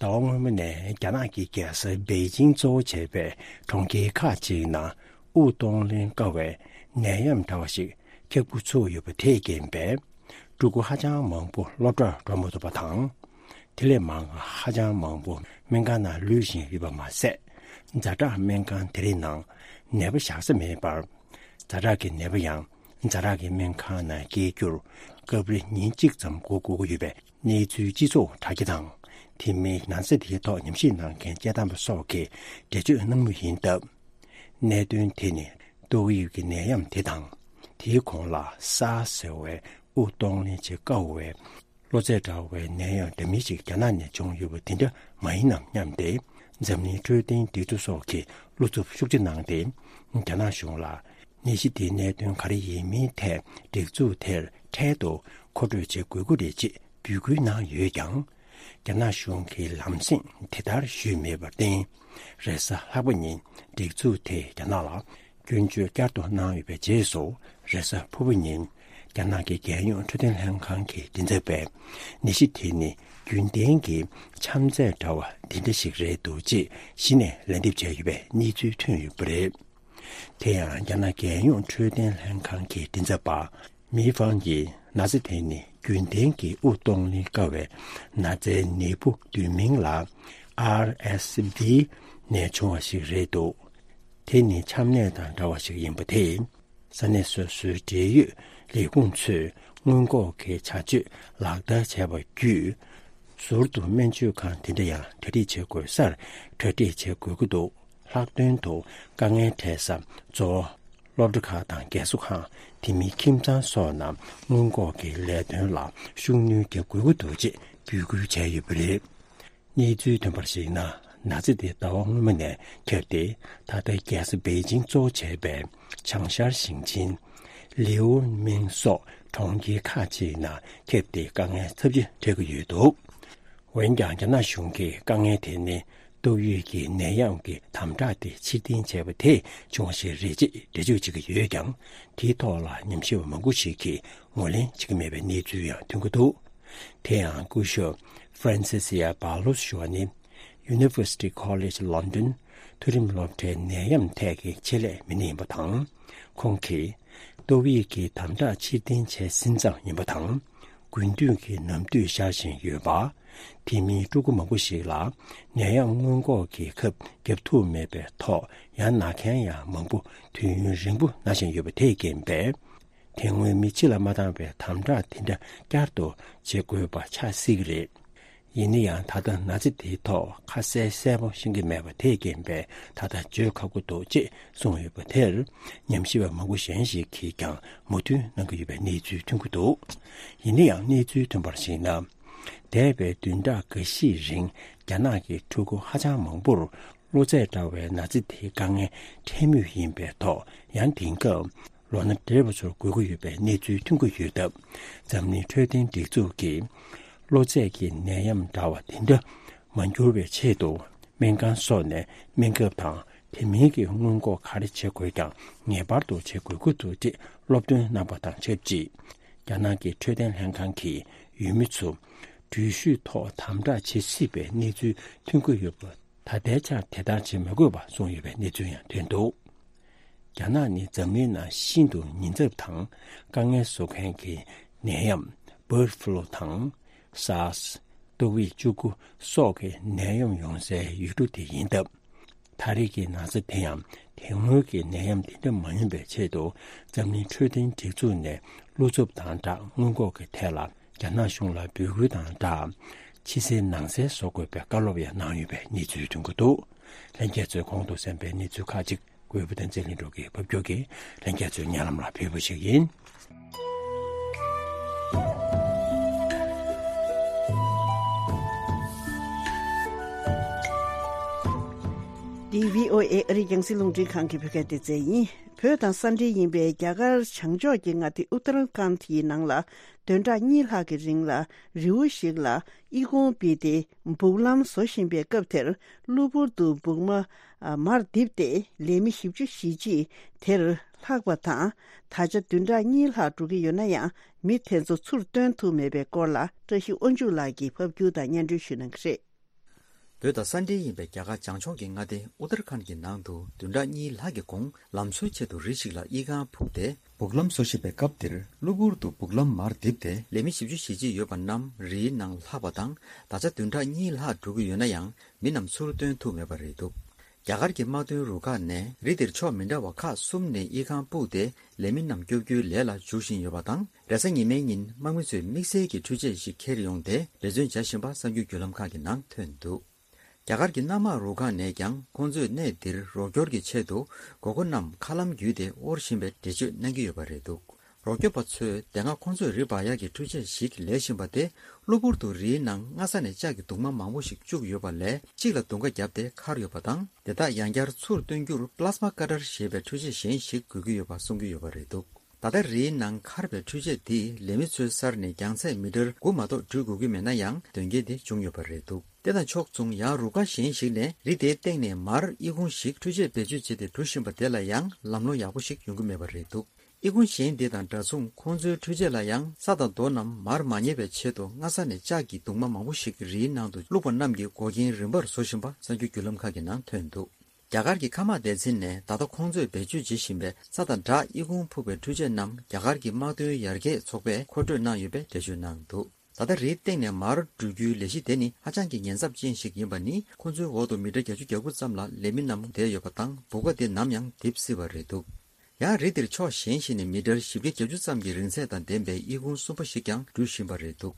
ཟླ་བ་སྔོན་མ་ནས་རྒྱ་ནག་གི་རྒྱལ་ས་པེ་ཅིང་གཙོ་བོ་བྱས་པའི་གྲོང་ཁྱེར་ཁག་ཅིག་ནང་དབུགས་གཏོང་ལེན་དཀའ་བའི་ནད་ཡམས་འདྲ་བ་ཞིག་ཁྱབ་འགུལ་ཚུགས་ཡོད་པ་དེས་རྐྱེན་པས། ཕྲུ་གུ་ཧ་ཅང་མང་པོ་སློབ་གྲྭར་འགྲོ་མ་ཐུབ་པ་དང་། དེ་ལས་མང་ཧ་ཅང་མང་པོ་སྨན་ཁང་ནང་ལུས་བཞིན་ཡོད་པ་མ་ཟད། ཛ་དྲག་སྨན་ཁང་དེ་རིགས་ནང་ནད་པ་བཞག་ས་མེད་པར། ཛ་དྲག་གི་ནད་པ་ཡང་ཛ་དྲག་གི་སྨན་ཁང་ནང་སྐྱེལ་རྒྱུར་སྐབས་རེ་ཉིན་གཅིག་ཙམ་འགོར་དགོས་ཀྱི་ཡོད་པའི་གནས་ཚུལ་སྤྱི་ཚོགས་དྲ་རྒྱ་དང་། དེ་མིན་ན་ཚ་དེའི་ཐོག་ཉམས་ཞིབ་གནང་མཁན་སྐད་བཏང་པ་སོགས་ཀྱིས་འགྲེལ་བརྗོད་གནང་མུས་ཡིན་སྟབས། གནད་དོན་དེ་ནི་ཏོག་དབྱིབས་ཀྱི་ནད་ཡམས་དེ་དང་། དེའི་གོང་ལ་SARS་ཟེར་བའི་དབུགས་གཏོང་ལེན་བྱེད་དཀའ་བའི་གློ་ཚད་འདྲ་བའི་ནད་ཡམས་འདྲ་མིན་ཞིག་རྒྱ་ནག་ནས་བྱུང་ཡོད་པ་དེ་འདྲ་མ་ཡིན་ནམ་སྙམ་སྟེ། འཛམ་གླིང་འཕྲོད་བསྟེན་སྒྲིག་འཛུགས་སོགས་ཀྱིས་བློ་འཚབ་ཤུགས་ཆེ་གནང་སྟེ། རྒྱ་ནག་གཞུང་ལ་ནད་གཞི་དེའི་གནད་དོན་ག་རེ་ཡིན་མིན་ཐད་སྒྲིག་འཛུགས་དེར་འཕྲལ་དུ་མཁོ་སྤྲོད་བྱེད་དགོས་ཀྱི་རེད་ཅེས་འབོད་སྐུལ་གནང་ཡོད་ཀྱང་། རྒྱ་ནག་གཞུང་གིས་ལམ་སེང་དེ་ལྟར་ཞུས་མེད་པར་བརྟེན། རེས་གཟའ་ལྷག་པ་ཉིན་སྒྲིག་འཛུགས་དེས་རྒྱ་ནག་ལ་སྐྱོན་བརྗོད་བསྐྱར་དུ་གནང་ཡོད་པའི་རྗེས་སུ། རེས་གཟའ་ཕུར་བུ་ཉིན་རྒྱ་ནག་གི་རྒྱལ་ཡོངས་འཕྲོད་བསྟེན་ལྷན་ཁང་གི་མགྲིན་ཚབ་པས། ནད་གཞི་དེ་ནི་རྒྱུན་ལྡན་གྱི་ཆམ་ཚད་འདྲ་བ་འདི་འདྲ་ཞིག་རེད་འདུག་ཅེས་གཞི་ནས་ལན་འདེབས་བྱས་ཡོད་པའི་གནས་ཚུལ་ཐོན་ཡོད་པ་རེད། དེ་ཡང་རྒྱ་ནག་རྒྱལ་ཡོངས་འཕྲོད་བསྟེན་ལྷན་ཁང་གི་མགྲིན་ཚབ་པ་མི་ཧྥང་གིས་ན་ཚ་དེ་ནི་རྒྱུན་ལྡན་གྱི་དབུགས་གཏོང་ལེན་དཀའ་བའི་ན་ཚའི་ནད་འབུ་བསྡུས་མིང་ལ་RSV་ནས་བྱུང་བ་ཞིག་རེད་འདུག་དེ་ནི་ཆམ་ནད་དང་འདྲ་བ་ཞིག་ཡིན་པ་དེས། ས་གནས་སོ་སོའི་འབྲེལ་ཡོད་ལས་ཁུངས་ཚོས་སྔོན་འགོག་གི་བྱ་སྤྱོད་ལག་བསྟར་བྱས་པ་བརྒྱུད། ཟུར་དུ་སྨན་བཅོས་ཁང་དེ་འདྲ་ཡང་གྲ་སྒྲིག་བྱེད་དགོས་སར་གྲ་སྒྲིག་བྱེད་དགོས་ཀྱི་འདུག་ལྷག་དོན་དུ་དཀའ་ངལ་འཕྲད་ས་གཙོ་བོ་སློབ་གྲྭ་ཁག་དང་རྒས་གསོ་ཁང་། དེ་མིན་ཁྱིམ་ཚང་སོགས་ནང་སྔོན་འགོག་གི་ལས་དོན་ལ་ཤུགས་སྣོན་རྒྱག་དགོས་ཀྱི་འདུག་ཅེས་འབོད་སྐུལ་བྱས་ཡོད་པ་རེད། གནས་ཚུལ་ཐོན་པར་གཞིགས་ན། ན་ཚ་དེ་ཟླ་བ་སྔོན་མ་ནས་ཁྱབ་སྟེ། ད་ལྟ་རྒྱལ་ས་པེ་ཅིང་གཙོ་བོ་བྱས་པའི་བྱང་ཤར་ཞིང་ཆེན་ལིའུ་མིང་སོགས་གྲོང་ཁྱེར་ཁག་ཅིག་ནང་ཁྱབ་སྟེ་དཀའ་ངལ་ཚབས་ཆེ་འཕྲད་ཀྱི་ཡོད་འདུག་འོན་ཀྱང་། རྒྱ་ནག་གཞུང་གིས་དཀའ་ངལ་དེ་ནི་ཏོག་དབྱིབས་ཀྱི་ནད་ཡམས་ཀྱི་དམ་དྲག་དེ་ཕྱིར་འཐེན་བྱས་པ་དེས་བྱུང་བ་ཞིག་རེད་ཅེས་འགྲེལ་བརྗོད་བྱེད་ཀྱི་ཡོད་ཀྱང་། དེའི་ཐོག་ལ་ཉམས་ཞིབ་པ་མང་པོ་ཞིག་གིས་ངོས་ལེན་བྱེད་ཀྱི་མེད་པའི་གནས་ཚུལ་ཡང་ཐོན་གྱི་འདུག་དེ་ཡང་སྐུ་ཞབས་Francesia Ballows་ཞུ་བ་ནི། University College London་མཐོ་རིམ་སློབ་གྲྭའི་ནད་ཡམས་ཐད་ཀྱི་ཆེད་ལས་མི་སྣ་ཡིན་པ་དང་། ཁོང་གིས་ཏོག་དབྱིབས་ཀྱི་དམ་དྲག་ཕྱིར་འཐེན་བྱས་ཟིན་ཙང་ཡིན་པ་དང་། དགུན་དུས་ཀྱི་ནམ་དུས་ཤར་བཞིན་ཡོད་པ། དེ་མིན་ཕྲུ་གུ་མང་པོ་ཞིག་ལ་ནད་ཡམས་སྔོན་འགོག་གི་ཁབ་བརྒྱབ་ཐུབ་མེད་པའི་ཐོག་ཡང་ན་མཁན་ཡང་མང་པོ་དུས་ཡུན་རིང་པོ་ན་བཞིན་ཡོད་པ་དེས་རྐྱེན་པས། དེ་སྔོན་མི་ཕྱི་ལ་མ་བཏང་བའི་དམ་དྲག་དེ་འདྲ་བསྐྱར་དུ་བྱེད་དགོས་པ་ཆགས་སྲིད་ཀྱི་རེད། ཡིན་ན་ཡང་། ད་ལྟ་ན་ཚ་དེའི་ཐོག་ཁ་གསལ་གསལ་པོ་ཤེས་ཀྱི་མེད་པ་དེས་རྐྱེན་པས། ད་ལྟ་བརྗོད་ཁག་པོ་འདུག་ཅེས་གསུངས་ཡོད་པ་དེར། ཉམས་ཞིབ་པ་མང་པོ་གཞན་ཞིག་གིས་ཀྱང་མོས་མཐུན་གནང་གི་ཡོད་པའི་གནས་ཚུལ་ཐོན་གྱི་འདུག་ཡིན་ན་ཡང་། གནས་ཚུལ་ཐོན་པར་གཞིགས་ན། འདས་པའི་བདུན་ཕྲག་འགའ་ཤས་རིང་། རྒྱ་ནག་གི་ཕྲུ་གུ་ཧ་ཅང་མང་པོར་གློ་ཚད་འདྲ་བའི་ན་ཚ་དེའི་དཀའ་ངལ་འཕྲད་མུས་ཡིན་པའི་ཐོག་ཡང་དེང་སྐབས། ལོ་ན་བགྲེས་པ་ཚོར་འགོས་ཀྱི་ཡོད་པའི་གནས་ཚུལ་ཐོན་གྱི་ཡོད་སྟབས། འཛམ་གླིང་འཕྲོད་བསྟེན་སྒྲིག་འཛུགས་ཀྱིས། གློ་ཚད་ཀྱི་ནད་ཡམས་འདྲ་བ་དེ་འདྲ་མ་འགྱུར་བའི་ཆེད་དུ། སྨན་ཁང་སོགས་ནས་སྨན་ཁབ་དང་དེ་མིན་གྱི་སྔོན་འགོག་ག་རེ་བྱེད་དགོས་ཀྱང་ངེས་པར་དུ་བྱེད་དགོས་ཀྱི་འདུག་ཅེས་སློབ་སྟོན་གནང་པ་དང་ཆབས་ཅིག་རྒྱ་ནག་གི་འཕྲོད་བསྟེན་ལྷན་ཁང་གིས་ཡུལ་མི་ཚོ་འགྲུལ་བཞུད་ཐོག་དམ་དྲག་བྱེད་སྲིད་པའི་གནས་ཚུལ་ཐོན་གྱི་ཡོད་པ། ད་ལྟའི་ཆར་དེ་ལྟར་བྱེད་མི་དགོས་པ་གསུངས་ཡོད་པའི་གནས་ཚུལ་ཡང་ཐོན་འདུག་རྒྱ་ནག་ནི་འཛམ་གླིང་ནང་ཤིན་ཏུ་ཉེན་ཚབས་དང་དཀའ་ངལ་བཟོ་མཁན་གྱི་ནད་ཡམས་Bird Flu་དང་། SARS། ཏོག་དབྱིབས་བཅུ་དགུ་སོགས་ཀྱི་ནད་ཡམས་ཡོང་སའི་ཡུལ་གྲུ་དེ་ཡིན་སྟབས། ད་རེས་ཀྱི་ན་ཚ་དེ་ཡང་དེ་སྔོན་གྱི་ནད་ཡམས་དེ་འདྲ་མ་ཡིན་པའི་ཆེད་དུ། འཛམ་གླིང་འཕྲོད་བསྟེན་སྒྲིག་འཛུགས་ནས་བློ་འཚབ་དང་སྦྲགས་སྔོན་འགོག་གི་ཐད་ལ་རྒྱ་ནག་གཞུང་ལ་འབོད་སྐུལ་དང་སྦྲགས། ཕྱི་གསལ་ནང་གསལ་བཟོ་དགོས་པའི་བཀའ་སློབ་ཡང་གནང་ཡོད་པའི་གནས་ཚུལ་ཐོན་གྱི་འདུག། ལྷན་རྒྱས་ཚོས་གོང་དུ་གསན་པའི་གནས་ཚུལ་ཁག་ཅིག་གུས་བུ་བསྟན་འཛིན་ལྷུན་གྲུབ་ཀྱིས་ཕབ་སྒྱུར་གྱིས་ལྷན་རྒྱས་ཚོའི་སྙན་ལམ་ལ་ཕུལ་བ་ཞིག་ཡིན། འདི་བྷི་ཨོ་ཨེ་ཨ་རིའི་རྒྱང་སྲིང་རླུང་འཕྲིན་ཁང་གི་བོད་སྐད་སྡེ་ཚན་ཡིན། བོད་དང་ས་འབྲེལ་ཡིན་པའི་རྒྱ་གར་བྱང་ཕྱོགས་ཀྱི་མངའ་སྡེ་ཨུ་ཏར་ཁཱན་ཡི་ནང་ལ་བདུན་ཕྲག་གཉིས་ལྷག་གི་རིང་ལ་རི་བོ་ཞིག་ལ་ཨི་ཁུང་ཕུབ་སྟེ་སྦུག་ལམ་བཟོ་བཞིན་པའི་སྐབས་དེར། གློ་བུར་དུ་སྦུག་མ་མར་རྡིབ་སྟེ་ལས་མི་བཞི་བཅུ་ཞེ་གཅིག་དེར་ལྷག་པ་དང་། ད་ཆ་བདུན་ཕྲག་གཉིས་ལྷག་འགྲོ་གི་ཡོད་ན་ཡང་། མི་དེ་ཚོ་ཚུར་བཏོན་ཐུབ་མེད་པའི་སྐོར་ལ་བཀྲ་ཤིས་དབང་ཕྱུག་ལགས་ཀྱིས་ཕབ་སྒྱུར་དང་སྙན་སྒྲོན་ཞུ་གནང་གི་རེད། བོད་དང་ས་འབྲེལ་ཡིན་པའི་རྒྱ་གར་བྱང་ཕྱོགས་ཀྱི་མངའ་སྡེ་ཨུ་ཏར་ཁཱན་གྱི་ནང་དུ་བདུན་ཕྲག་གཉིས་ལྷག་གི་གོང་ལམ་བཟོའི་ཆེད་དུ་རི་ཞིག་ལ་ཨི་ཁུང་ཕུབ་སྟེ། སྦུག་ལམ་བཟོ་བཞིན་པའི་སྐབས་དེར་གློ་བུར་དུ་སྦུག་ལམ་མར་རྡིབ་སྟེ་ལས་མི་བཞི་བཅུ་ཞེ་གཅིག་ཡོད་པ་རྣམས་རིའི་ནང་ལྷག་པ་དང་། ད་ཆ་བདུན་ཕྲག་གཉིས་ལྷག་འགྲོ་གི་ཡོད་ན་ཡང་མི་རྣམས་ཚུར་བཏོན་ཐུབ་མེད་པ་རེད་འདུག། རྒྱ་གར་གྱི་དམག་དོན་རུ་ཁག་ནས་རི་དེར་ཕྱོགས་མི་འདྲ་བ་ཁག་གསུམ་ནས་ཨི་ཁུང་ཕུབ་སྟེ་ལས་མི་རྣམས་སྐྱོབ་རྒྱུའི་ལས་ལ་འཇུག་བཞིན་ཡོད་པ་དང་། རེས་གཟའ་ཉི་མའི་ཉིན་དམག་མི་ཚོས་དམིགས་བསལ་གྱི་འཕྲུལ་ཆས་ཤིག་འཁྱེར་ཡོང་སྟེ་འབད་བརྩོན་བྱ་བཞིན་པ་གསར་འགྱུར་བརྒྱུད་ལམ་ཁག་གི་ནང་ཐོན་འདུག། རྒྱ་གར་གྱི་གནམ་དམག་རུ་ཁག་ནས་ཀྱང་ཁོང་ཚོས་གནས་འདིར་རོགས་སྐྱོར་གྱི་ཆེད་དུ་མགོ་སྐོར་རྣམས་མཁའ་ལམ་བརྒྱུད་དེ་དབོར་བཞིན་པའི་འགྲེལ་བརྗོད་གནང་གི་ཡོད་པ་རེད་འདུག། རོགས་སྐྱོབ་པ་ཚོས་དེ་སྔ་ཁོང་ཚོས་རི་འབག་ཡག་གི་འཕྲུལ་ཆས་ཤིག་ལས་བཞིན་པ་དེ་གློ་བུར་དུ་རིའི་ནང་སྔ་ས་ནས་ལྕགས་ཀྱི་གདུང་མ་མང་པོ་ཞིག་བཅུག་ཡོད་པ་ལས་གཅིག་ལ་གདུང་ཁ་བརྒྱབ་སྟེ་འཁར་ཡོད་པ་དང་། དེ་དག་ཡང་བསྐྱར་ཚུར་བཏོན་རྒྱུར་པླ་སྨ་ཀ་ཊར་ཞེས་པའི་འཕྲུལ་ཆས་གཞན་ཞིག་དགོས་ཀྱི་ཡོད་པ་གསུང་གི་ཡོད་པ་རེད་འདུག། ད་ལྟ་རིའི་ནང་འཁར་བའི་འཕྲུལ་ཆས་འདིས་ལས་མི་ཚོའི་སར་ནས་རྒྱང་ཚད་མི་ཊར་དགུ་མ་གཏོགས་འགྲུལ་དགོས་ཀྱི་མེད་ན་ཡང་། དོན་རྐྱེན་དེ་བྱུང་ཡོད་པ་རེད་འདུག། དེ་དང་ཕྱོགས་མཚུངས། ཡང་རུ་ཁག་གཞན་ཞིག་ནས་རི་དེའི་སྟེང་ནས་མར་ཨི་ཁུང་ཞིག་འཕྲུལ་ཆས་བེད་སྤྱོད་བྱས་ཏེ་འགྲོ་བཞིན་པ་དེ་ལ་ཡང་ལམ་ལྷོང་ཡག་པོ་ཞིག་ཡོང་གི་མེད་པ་རེད་འདུག། ཨི་ཁུང་གཞན་དེ་དང་འདྲ་མཚུངས། ཁོང་ཚོའི་འཕྲུལ་ཆས་ལ་ཡང་ས་དང་རྡོ་རྣམས་མར་མ་ཉལ་བའི་ཆེད་དུ་སྔ་ས་ནས་ལྕགས་ཀྱི་གདུང་མ་མང་པོ་ཞིག་རིའི་ནང་དུ་བླུགས་པ་རྣམས་ཀྱི་འགོག་རྐྱེན་རིམ་པར་བཟོ་བཞིན་པ་གསར་འགྱུར་བརྒྱུད་ལམ་ཁག་གི་ནང་ཐོན་འདུག། རྒྱ་གར་གྱི་མཁའ་དམག་སྡེ་ཚན་ནས་ད་ལྟ་ཁོང་ཚོས་བེད་སྤྱོད་བྱེད་བཞིན་པའི་ས་དང་བྲག་ཨི་ཁུང་ཕུབ་པའི་འཕྲུལ་ཆས་རྣམས་རྒྱ་གར་གྱི་དམག་དོན་ཡར་རྒྱས་ཚོགས་པས་མཁོ་སྤྲོད་གནང་ཡོད་པའི་འགྲེལ་བརྗོད་གནང་འདུག། ད་ལྟ་རིའི་སྟེང་ནས་མར་འགྲུལ་རྒྱུའི་ལས་གཞི་དེ་ནི་ཧ་ཅང་གི་ཉེན་ཚབས་ཅན་ཞིག་ཡིན་པ་ནི། ཁོང་ཚོའི་འོག་ཏུ་མི་ཊར་བརྒྱད་ཅུ་གྱ་དགུ་ཙམ་ལ་ལས་མི་རྣམས་བསྡད་ཡོད་པ་དང་། སྦུག་ཁ་དེ་ནམ་ཡང་རྡིབ་སྲིད་པ་རེད་འདུག། ཡང་རི་དེར་ཕྱོགས་གཞན་ཞིག་ནས་མི་ཊར་བཞི་བརྒྱ་བརྒྱད་ཅུ་ཙམ་གྱི་རིང་ཚད་དང་ལྡན་པའི་ཨི་ཁུང་གསུམ་པ་ཞིག་ཀྱང་འགྲུལ་བཞིན་པ་རེད་འདུག།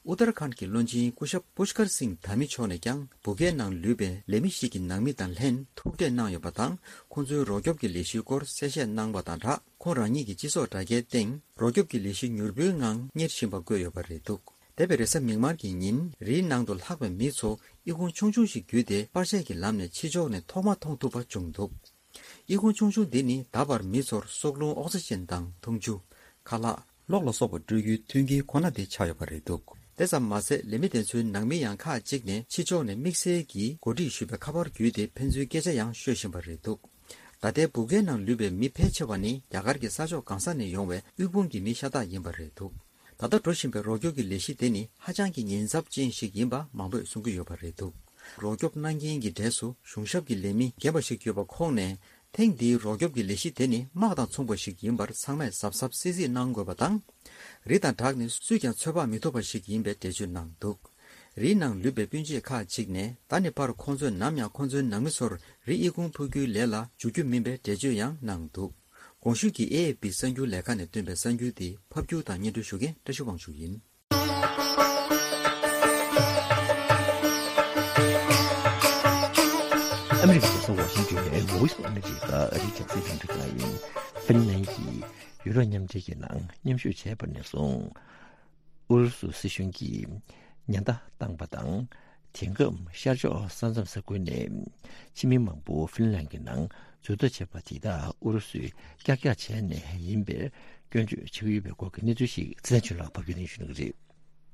ཨུ་ཏར་ཁཱན་གྱི་བློན་ཆེན་སྐུ་ཞབས་པུཤྐར་སིང་དྷ་མི་མཆོག་ནས་ཀྱང་སྦུག་ཁའི་ནང་ལུས་པའི་ལས་མི་ཞིག་གི་ནང་མི་དང་ལྷན་ཐུག་འཕྲད་གནང་ཡོད་པ་དང་། ཁོང་ཚོའི་རོགས་སྐྱོབ་ཀྱི་ལས་གཞིའི་སྐོར་གསལ་བཤད་གནང་བ་དང་སྦྲགས། ཁོང་རང་ཉིད་ཀྱི་སྤྱི་ཚོགས་དྲ་རྒྱའི་སྟེང་རོགས་སྐྱོབ་ཀྱི་ལས་གཞི་མྱུར་པོའི་ངང་གཉེར་བཞིན་པ་བཀོད་ཡོད་པ་རེད་འདུག། འདས་པའི་རེས་གཟའ་མིག་དམར་གྱི་ཉིན། རིའི་ནང་དུ་ལྷགས་པའི་མི་ཚོ་ཨི་ཁུང་ཆུང་ཆུང་ཞིག་བརྒྱུད་དེ་པར་ཆས་ཀྱི་ལམ་ནས་ཕྱི་ཕྱོགས་ནས་ཐོག་མ་མཐོང་ཐུབ་པ་བྱུང་འདུག། ཨི་ཁུང་ཆུང་ཆུང་འདི་ནི་ད་བར་མི་ཚོར་སྲོག་རླུང་ཨོག་སི་ཅན་དང་འཐུང་ཆུ། ཁ་ལག། གློག་ལ་སོགས་པ་སྤྲོད་རྒྱུའི་མཐུན་རྐྱེན་ཁོ་ན་དེ་ཆགས་ཡོད་པ་རེད་འདུག། དེ་ཙམ་མ་ཟད། ལས་མི་དེ་ཚོའི་ནང་མི་ཡང་ཁག་ཅིག་ནས་ཕྱི་ཕྱོགས་ནས་དམིགས་བསལ་གྱིས་གོ་སྒྲིག་ཞུས་པའི་ཁ་པར་བརྒྱུད་དེ་ཕན་ཚུན་སྐད་ཆ་ཡང་ཤོད་བཞིན་པ་རེད་འདུག། ད་ལྟའི་སྦུག་ཁའི་ནང་ལུས་པའི་མི་ཕལ་ཆེ་བ་ནི་རྒྱ་གར་གྱི་ས་ཕྱོགས་གང་ས་ནས་ཡོང་བའི་དབུལ་ཕོངས་ཀྱི་མི་ཤ་སྟག་ཡིན་པ་རེད་འདུག། ད་ལྟ་འགྲོ་བཞིན་པའི་རོགས་སྐྱོབ་ཀྱི་ལས་གཞི་དེ་ནི་ཧ་ཅང་གི་ཉེན་ཚབས་ཅན་ཞིག་ཡིན་པ་མང་པོས་གསུང་གི་ཡོད་པ་རེད་འདུག། རོགས་སྐྱོབ་གནང་མཁན་གྱི་གྲས་སུ་གཞུང་ཞབས་ཀྱི་ལས་མི་རྒན་པ་ཞིག་ཡོད་པ་ཁོང་ནས། ཐེངས་འདིའི་རོགས་སྐྱོབ་ཀྱི་ལས་གཞི་དེ་ནི་དམག་དང་མཚུངས་པ་ཞིག་ཡིན་པར་ཚང་མས་གཟབ་གཟབ་སིལ་སིལ་གནང་དགོས་པ་དང་། རི་དང་བྲག་ནི་སུས་ཀྱང་ཚོད་དཔག་མི་ཐུབ་པ་ཞིག་ཡིན་པའི་འགྲེལ་བརྗོད་གནང་འདུག། རིའི་ནང་ལུས་པའི་སྤུན་མཆེད་ཁག་ཅིག་ནས་ད་ནི་ཕར་ཁོང་ཚོས་ནམ་ཡང་ཁོང་ཚོའི་ནང་མི་ཚོར་རི་ཨི་ཁུང་ཕུབ་རྒྱུའི་ལས་ལ་འཇུག་རྒྱུ་མིན་པའི་འགྲེལ་བརྗོད་ཡང་གནང་འདུག། གོང་ཞུས་ཀྱི་ཨེ་ཨེ་པི་གསར་འགྱུར་ལས་ཁང་ནས་བཏོན་པའི་གསར་འགྱུར་འདི་ཕབ་སྒྱུར་དང་སྙན་སྒྲོན་ཞུ་མཁན་བཀྲ་ཤིས་དབང་ཕྱུག་ཡིན། ཨ་མི་རི་ཀའི་རྒྱལ་ས་ཝ་ཤིང་ཏོན་ནས་Voice of America ཨ་རིའི་རྒྱང་སྲིང་རླུང་འཕྲིན་ཁང་ཡིན། ཧྥིན་ལན་གྱིས་ཡུ་རོབ་མཉམ་འབྲེལ་གྱི་ནང་མཉམ་ཞུགས་བྱས་པ་ནས་བཟུང་། ཨུ་རུ་སུ་སྲིད་གཞུང་གིས་ཉེན་བརྡ་བཏང་པ་དང་། དེང་སྐབས་ཤར་ཕྱོགས་ས་མཚམས་ས་ཁུལ་ནས་ཕྱི་མི་མང་པོ་ཧྥིན་ལན་གྱི་ནང་འཛུལ་ཐབས་བྱས་པ་དེ་དག་ཨུ་རུ་སུས་ཀྱག་ཀྱག་བྱས་ནས་ཡིན་པའི་སྐྱོན་བརྗོད་བྱེད་ཀྱི་ཡོད་པའི་སྐོར་གྱི་གནས་ཚུལ་ཞིག་ཚེ་བརྟན་ཆོས་ལགས་ཕབ་སྒྱུར་གནང་ཞུ་གནང་གི་རེད།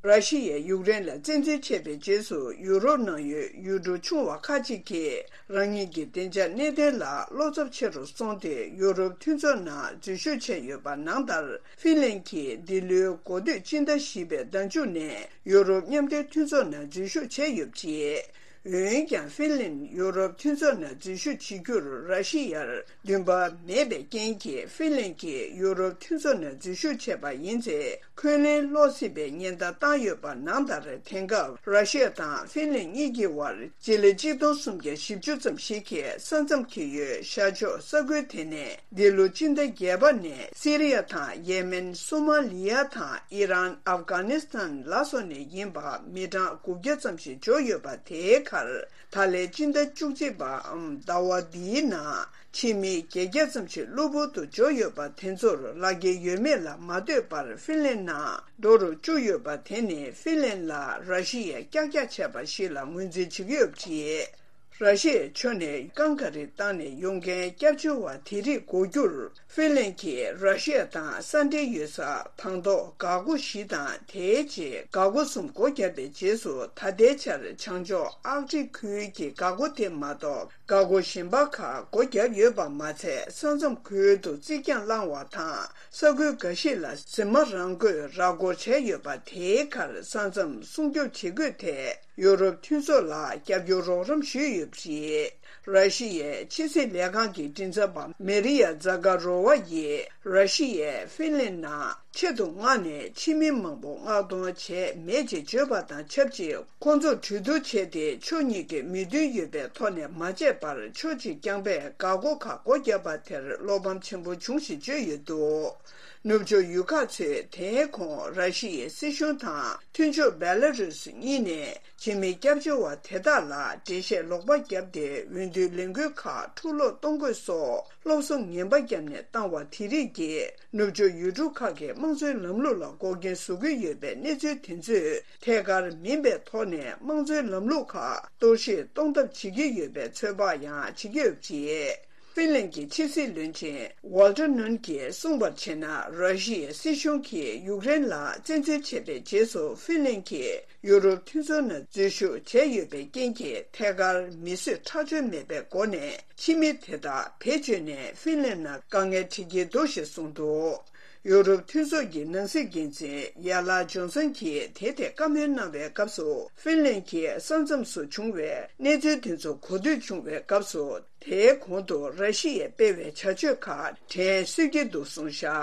ར་ཤི་ཡས་ཡུཀ་རེན་ལ་བཙན་འཛུལ་བྱས་པའི་རྗེས་སུ། ཡུ་རོབ་ནང་ཡོད་ཡུལ་གྲུ་ཆུང་བ་ཁག་ཅིག་གིས་རང་ཉིད་ཀྱི་བདེ་འཇགས་གནད་དོན་ལ་བློ་འཚབ་ཆེ་རུ་སོང་སྟེ། ཡུ་རོབ་མཐུན་ཚོགས་ནང་འཛུལ་ཞུགས་བྱས་ཡོད་པ་ནང་ལྟར། ཧྥིན་ལན་གྱིས་འདི་ལོའི་འགོ་སྟོད་སྤྱི་ཟླ་བཞི་པའི་ཟླ་མཇུག་ནས་ཡུ་རོབ་མཉམ་འབྲེལ་མཐུན་ཚོགས་ནང་འཛུལ་ཞུགས་བྱས་ཡོད་པ་རེད། འོན་ཀྱང་ཧྥིན་ལན་ཡུ་རོབ་མཐུན་ཚོགས་ནང་འཛུལ་ཞུགས་བྱེད་རྒྱུར་ར་ཤི་ཡར་འདུན་པ་མེད་པའི་རྐྱེན་གྱིས་ཧྥིན་ལན་གྱིས་ཡུ་རོབ་མཐུན་ཚོགས་ནང་འཛུལ་ཞུགས་བྱས་པ་ཡིན་ཚེ། འཁོན་ལན་སློག་སྲིད་པའི་ཉེན་བརྡ་བཏང་ཡོད་པ་ནང་ལྟར། དེང་སྐབས་ར་ཤི་ཡ་དང་ཧྥིན་ལན་གཉིས་ཀྱི་དབར་སྤྱི་ལེ་གཅིག་སྟོང་སུམ་བརྒྱ་བཞི་བཅུ་ཙམ་ཞིག་གིས་ས་མཚམས་འཁེལ་ཡོད། ཤར་ཕྱོགས་ས་ཁུལ་དེ་ནས་འདི་ལོ་སྤྱི་ཟླ་བརྒྱད་པ་ནས་སི་རི་ཡ་དང་ཡེ་མེན། སོ་མ་ལི་ཡ་དང་ཨི་རན། ཨབ་གྷ་ནི་སི་ཐན་ལ་སོགས་ནས་ཡིན་པ་མི་གྲངས་དགུ་བརྒྱ་ཙམ་ཞིག་འབྱོར་ཡོད་པ། དེའི་ཁར་ད་ལན་སྤྱི་ཟླ་བཅུ་གཅིག་པའམ་ཟླ་བ་འདིའི་ནང་ཕྱི་མི་བརྒྱད་བརྒྱ་ཙམ་ཞིག་གློ་བུར་དུ་འབྱོར་ཡོད་པ་དེ་ཚོར་ལག་འཁྱེར་ཡོད་མེད་ལ་མ་ལྟོས་པར་ཧྥིན་ལན་ནང་འགྲོ་རུ་བཅུག་ཡོད་པ་དེ་ནི་ཧྥིན་ལན་ལ་ར་ཤི་ཡས་ཀྱག་ཀྱག་བྱས་པ་ཞིག་ལ་ངོས་འཛིན་བྱེད་ཀྱི་ཡོད་པ་རེད། ར་ཤི་ཡའི་ཕྱོགས་ནས་རྐང་ག་རི་བཏང་ནས་ཡོང་མཁན་སྐྱབས་བཅོལ་བ་དེ་རིགས་འགོག་རྒྱུར་ཧྥིན་ལན་གྱིས་ར་ཤི་ཡ་དང་ས་འབྲེལ་ཡོད་ས་དང་ཐོག་འགག་སྒོ་བཞི་དང་དེའི་རྗེས་འགག་སྒོ་གསུམ་སྒོ་བརྒྱབ་པའི་རྗེས་སུ། ད་ལྟའི་ཆར་བྱང་ཕྱོགས་ཨག་ཀྲིག་ཁུལ་གྱི་འགག་སྒོ་དེ་མ་གཏོགས་འགག་སྒོ་གཞན་པ་ཁག་སྒོ་བརྒྱབ་ཡོད་པ་མ་ཚད། ས་མཚམས་ཁུལ་དུ་རྩིག་གྱང་བསླངས་པ་དང་ས་ཁུལ་འགའ་ཞིག་ལ་ཟི་མ་རང་འགོས་ར་སྐོར་བྱས་ཡོད་པ། དེའི་ཁར་ས་མཚམས་སྲུང་སྐྱོབ་བྱེད་དགོས་ཐད། ཡུ་རོབ་མཐུན་ཚོགས་ལ་རྒྱབ་སྐྱོར་རོགས་རམ་ཞུས་ཡོད་པ་རེད། ར་ཤི་ཡའི་ཕྱི་སྲིད་ལས་ཁང་གི་མགྲིན་ཚབ་པ་མེ་རི་ཡ་ཛ་ག་རོ་ཝ་ཡིས་ར་ཤི་ཡས་ཧྥིན་ལན་ནང་ཆེད་དུ་མངགས་ནས་ཕྱི་མི་མང་པོ་མངགས་གཏོང་བྱས་མེད་ཅེས་བརྗོད་པ་དང་ཆབས་ཅིག་ཁོང་ཚོར་གྲོས་བསྡུར་བྱས་ཏེ། ཕྱོགས་གཉིས་ཀས་མོས་མཐུན་ཡོད་པའི་ཐོག་ནས་མ་བྱས་པར་ཕྱོགས་གཅིག་རྐྱང་པས་འགག་སྒོ་ཁག་སྒོ་བརྒྱབ་པ་དེར་བློ་ཕམ་ཆེན་པོ་བྱུང་ཞེས་བརྗོད་ཡོད་འདུག་ནུབ་ཕྱོགས་ཡུལ་ཁག་ཚོས་དེའི་གོང་ར་ཤི་ཡའི་སྲིད་གཞུང་དང་མཐུན་ཕྱོགས་བེ་ལ་རུས་གཉིས་ནས་ཕྱི་མི་སྐྱབས་བཅོལ་བ་དེ་དག་ལ་འགྲེལ་བཤད་ལོག་པ་བརྒྱབ་སྟེ། འོས་བསྡུའི་ལས་འགུལ་ཁག་འཁྲུག་སློང་གཏོང་དགོས་སོགས་སློབ་གསོ་ངན་པ་བརྒྱབ་ནས་བཏང་བ་དེ་རིགས་ཀྱིས་ནུབ་ཕྱོགས་ཡུལ་གྲུ་ཁག་གི་དམངས་གཙོའི་ལམ་ལུགས་ལ་འགོག་རྐྱེན་བཟོ་གི་ཡོད་པའི་གནས་ཚུལ་དེ་ཚོས་ཐད་ཀར་མིན་པའི་ཐོག་ནས་དམངས་གཙོའི་ལམ་ལུགས་ཁག་གཏོར་བཤིག་གཏོང་ཐབས་བྱེད་ཀྱི་ཡོད་པའི་ཚོད་དཔག་ཡང་བྱེད་ཀྱི་ཡོད་པ་རེད། ཧྥིན་ལན་གྱི་ཕྱི་སྲིད་བློན་ཆེན་ཝོལ་ཏར་ནུན་གྱིས་གསུངས་པར་བྱས་ན། ར་ཤི་ཡའི་སྲིད་གཞུང་གིས་ཡུཀ་རེན་ལ་བཙན་འཛུལ་བྱས་པའི་རྗེས་སུ་ཧྥིན་ལན་གྱིས་ཡུ་རོབ་མཐུན་ཚོགས་ནང་འཛུལ་ཞུགས་བྱས་ཡོད་པའི་རྐྱེན་གྱིས། ཐད་ཀར་མི་གསོད་ཁྲག་སྦྱོར་མེད་པའི་སྒོ་ནས་ཕྱི་མི་དེ་དག་བེད་སྤྱོད་ནས་ཧྥིན་ལན་ནང་དཀའ་ངལ་འཕྲད་ཀྱི་འདུག་ཞེས་གསུངས་འདུག་ཡུ་རོབ་མཐུན་ཚོགས་ཀྱི་ནང་སྲིད་འགན་འཛིན་ཡ་ལ་ཇོན་སན་གྱིས་དེ་ཐད་བཀའ་མོལ་གནང་བའི་སྐབས་སུ། ཧྥིན་ལན་གྱིས་ས་མཚམས་སུ་བྱུང་བའི་གནས་ཚུལ་དེ་ཚོ་གོ་ཐོས་བྱུང་བའི་སྐབས་སུ། དེའི་གོང་དུ་ར་ཤི་ཡས་སྤེལ་བའི་བྱ་སྤྱོད་ཁག་དྲན་གསོས་ཀྱི་འདུག་གསུངས་བཞག་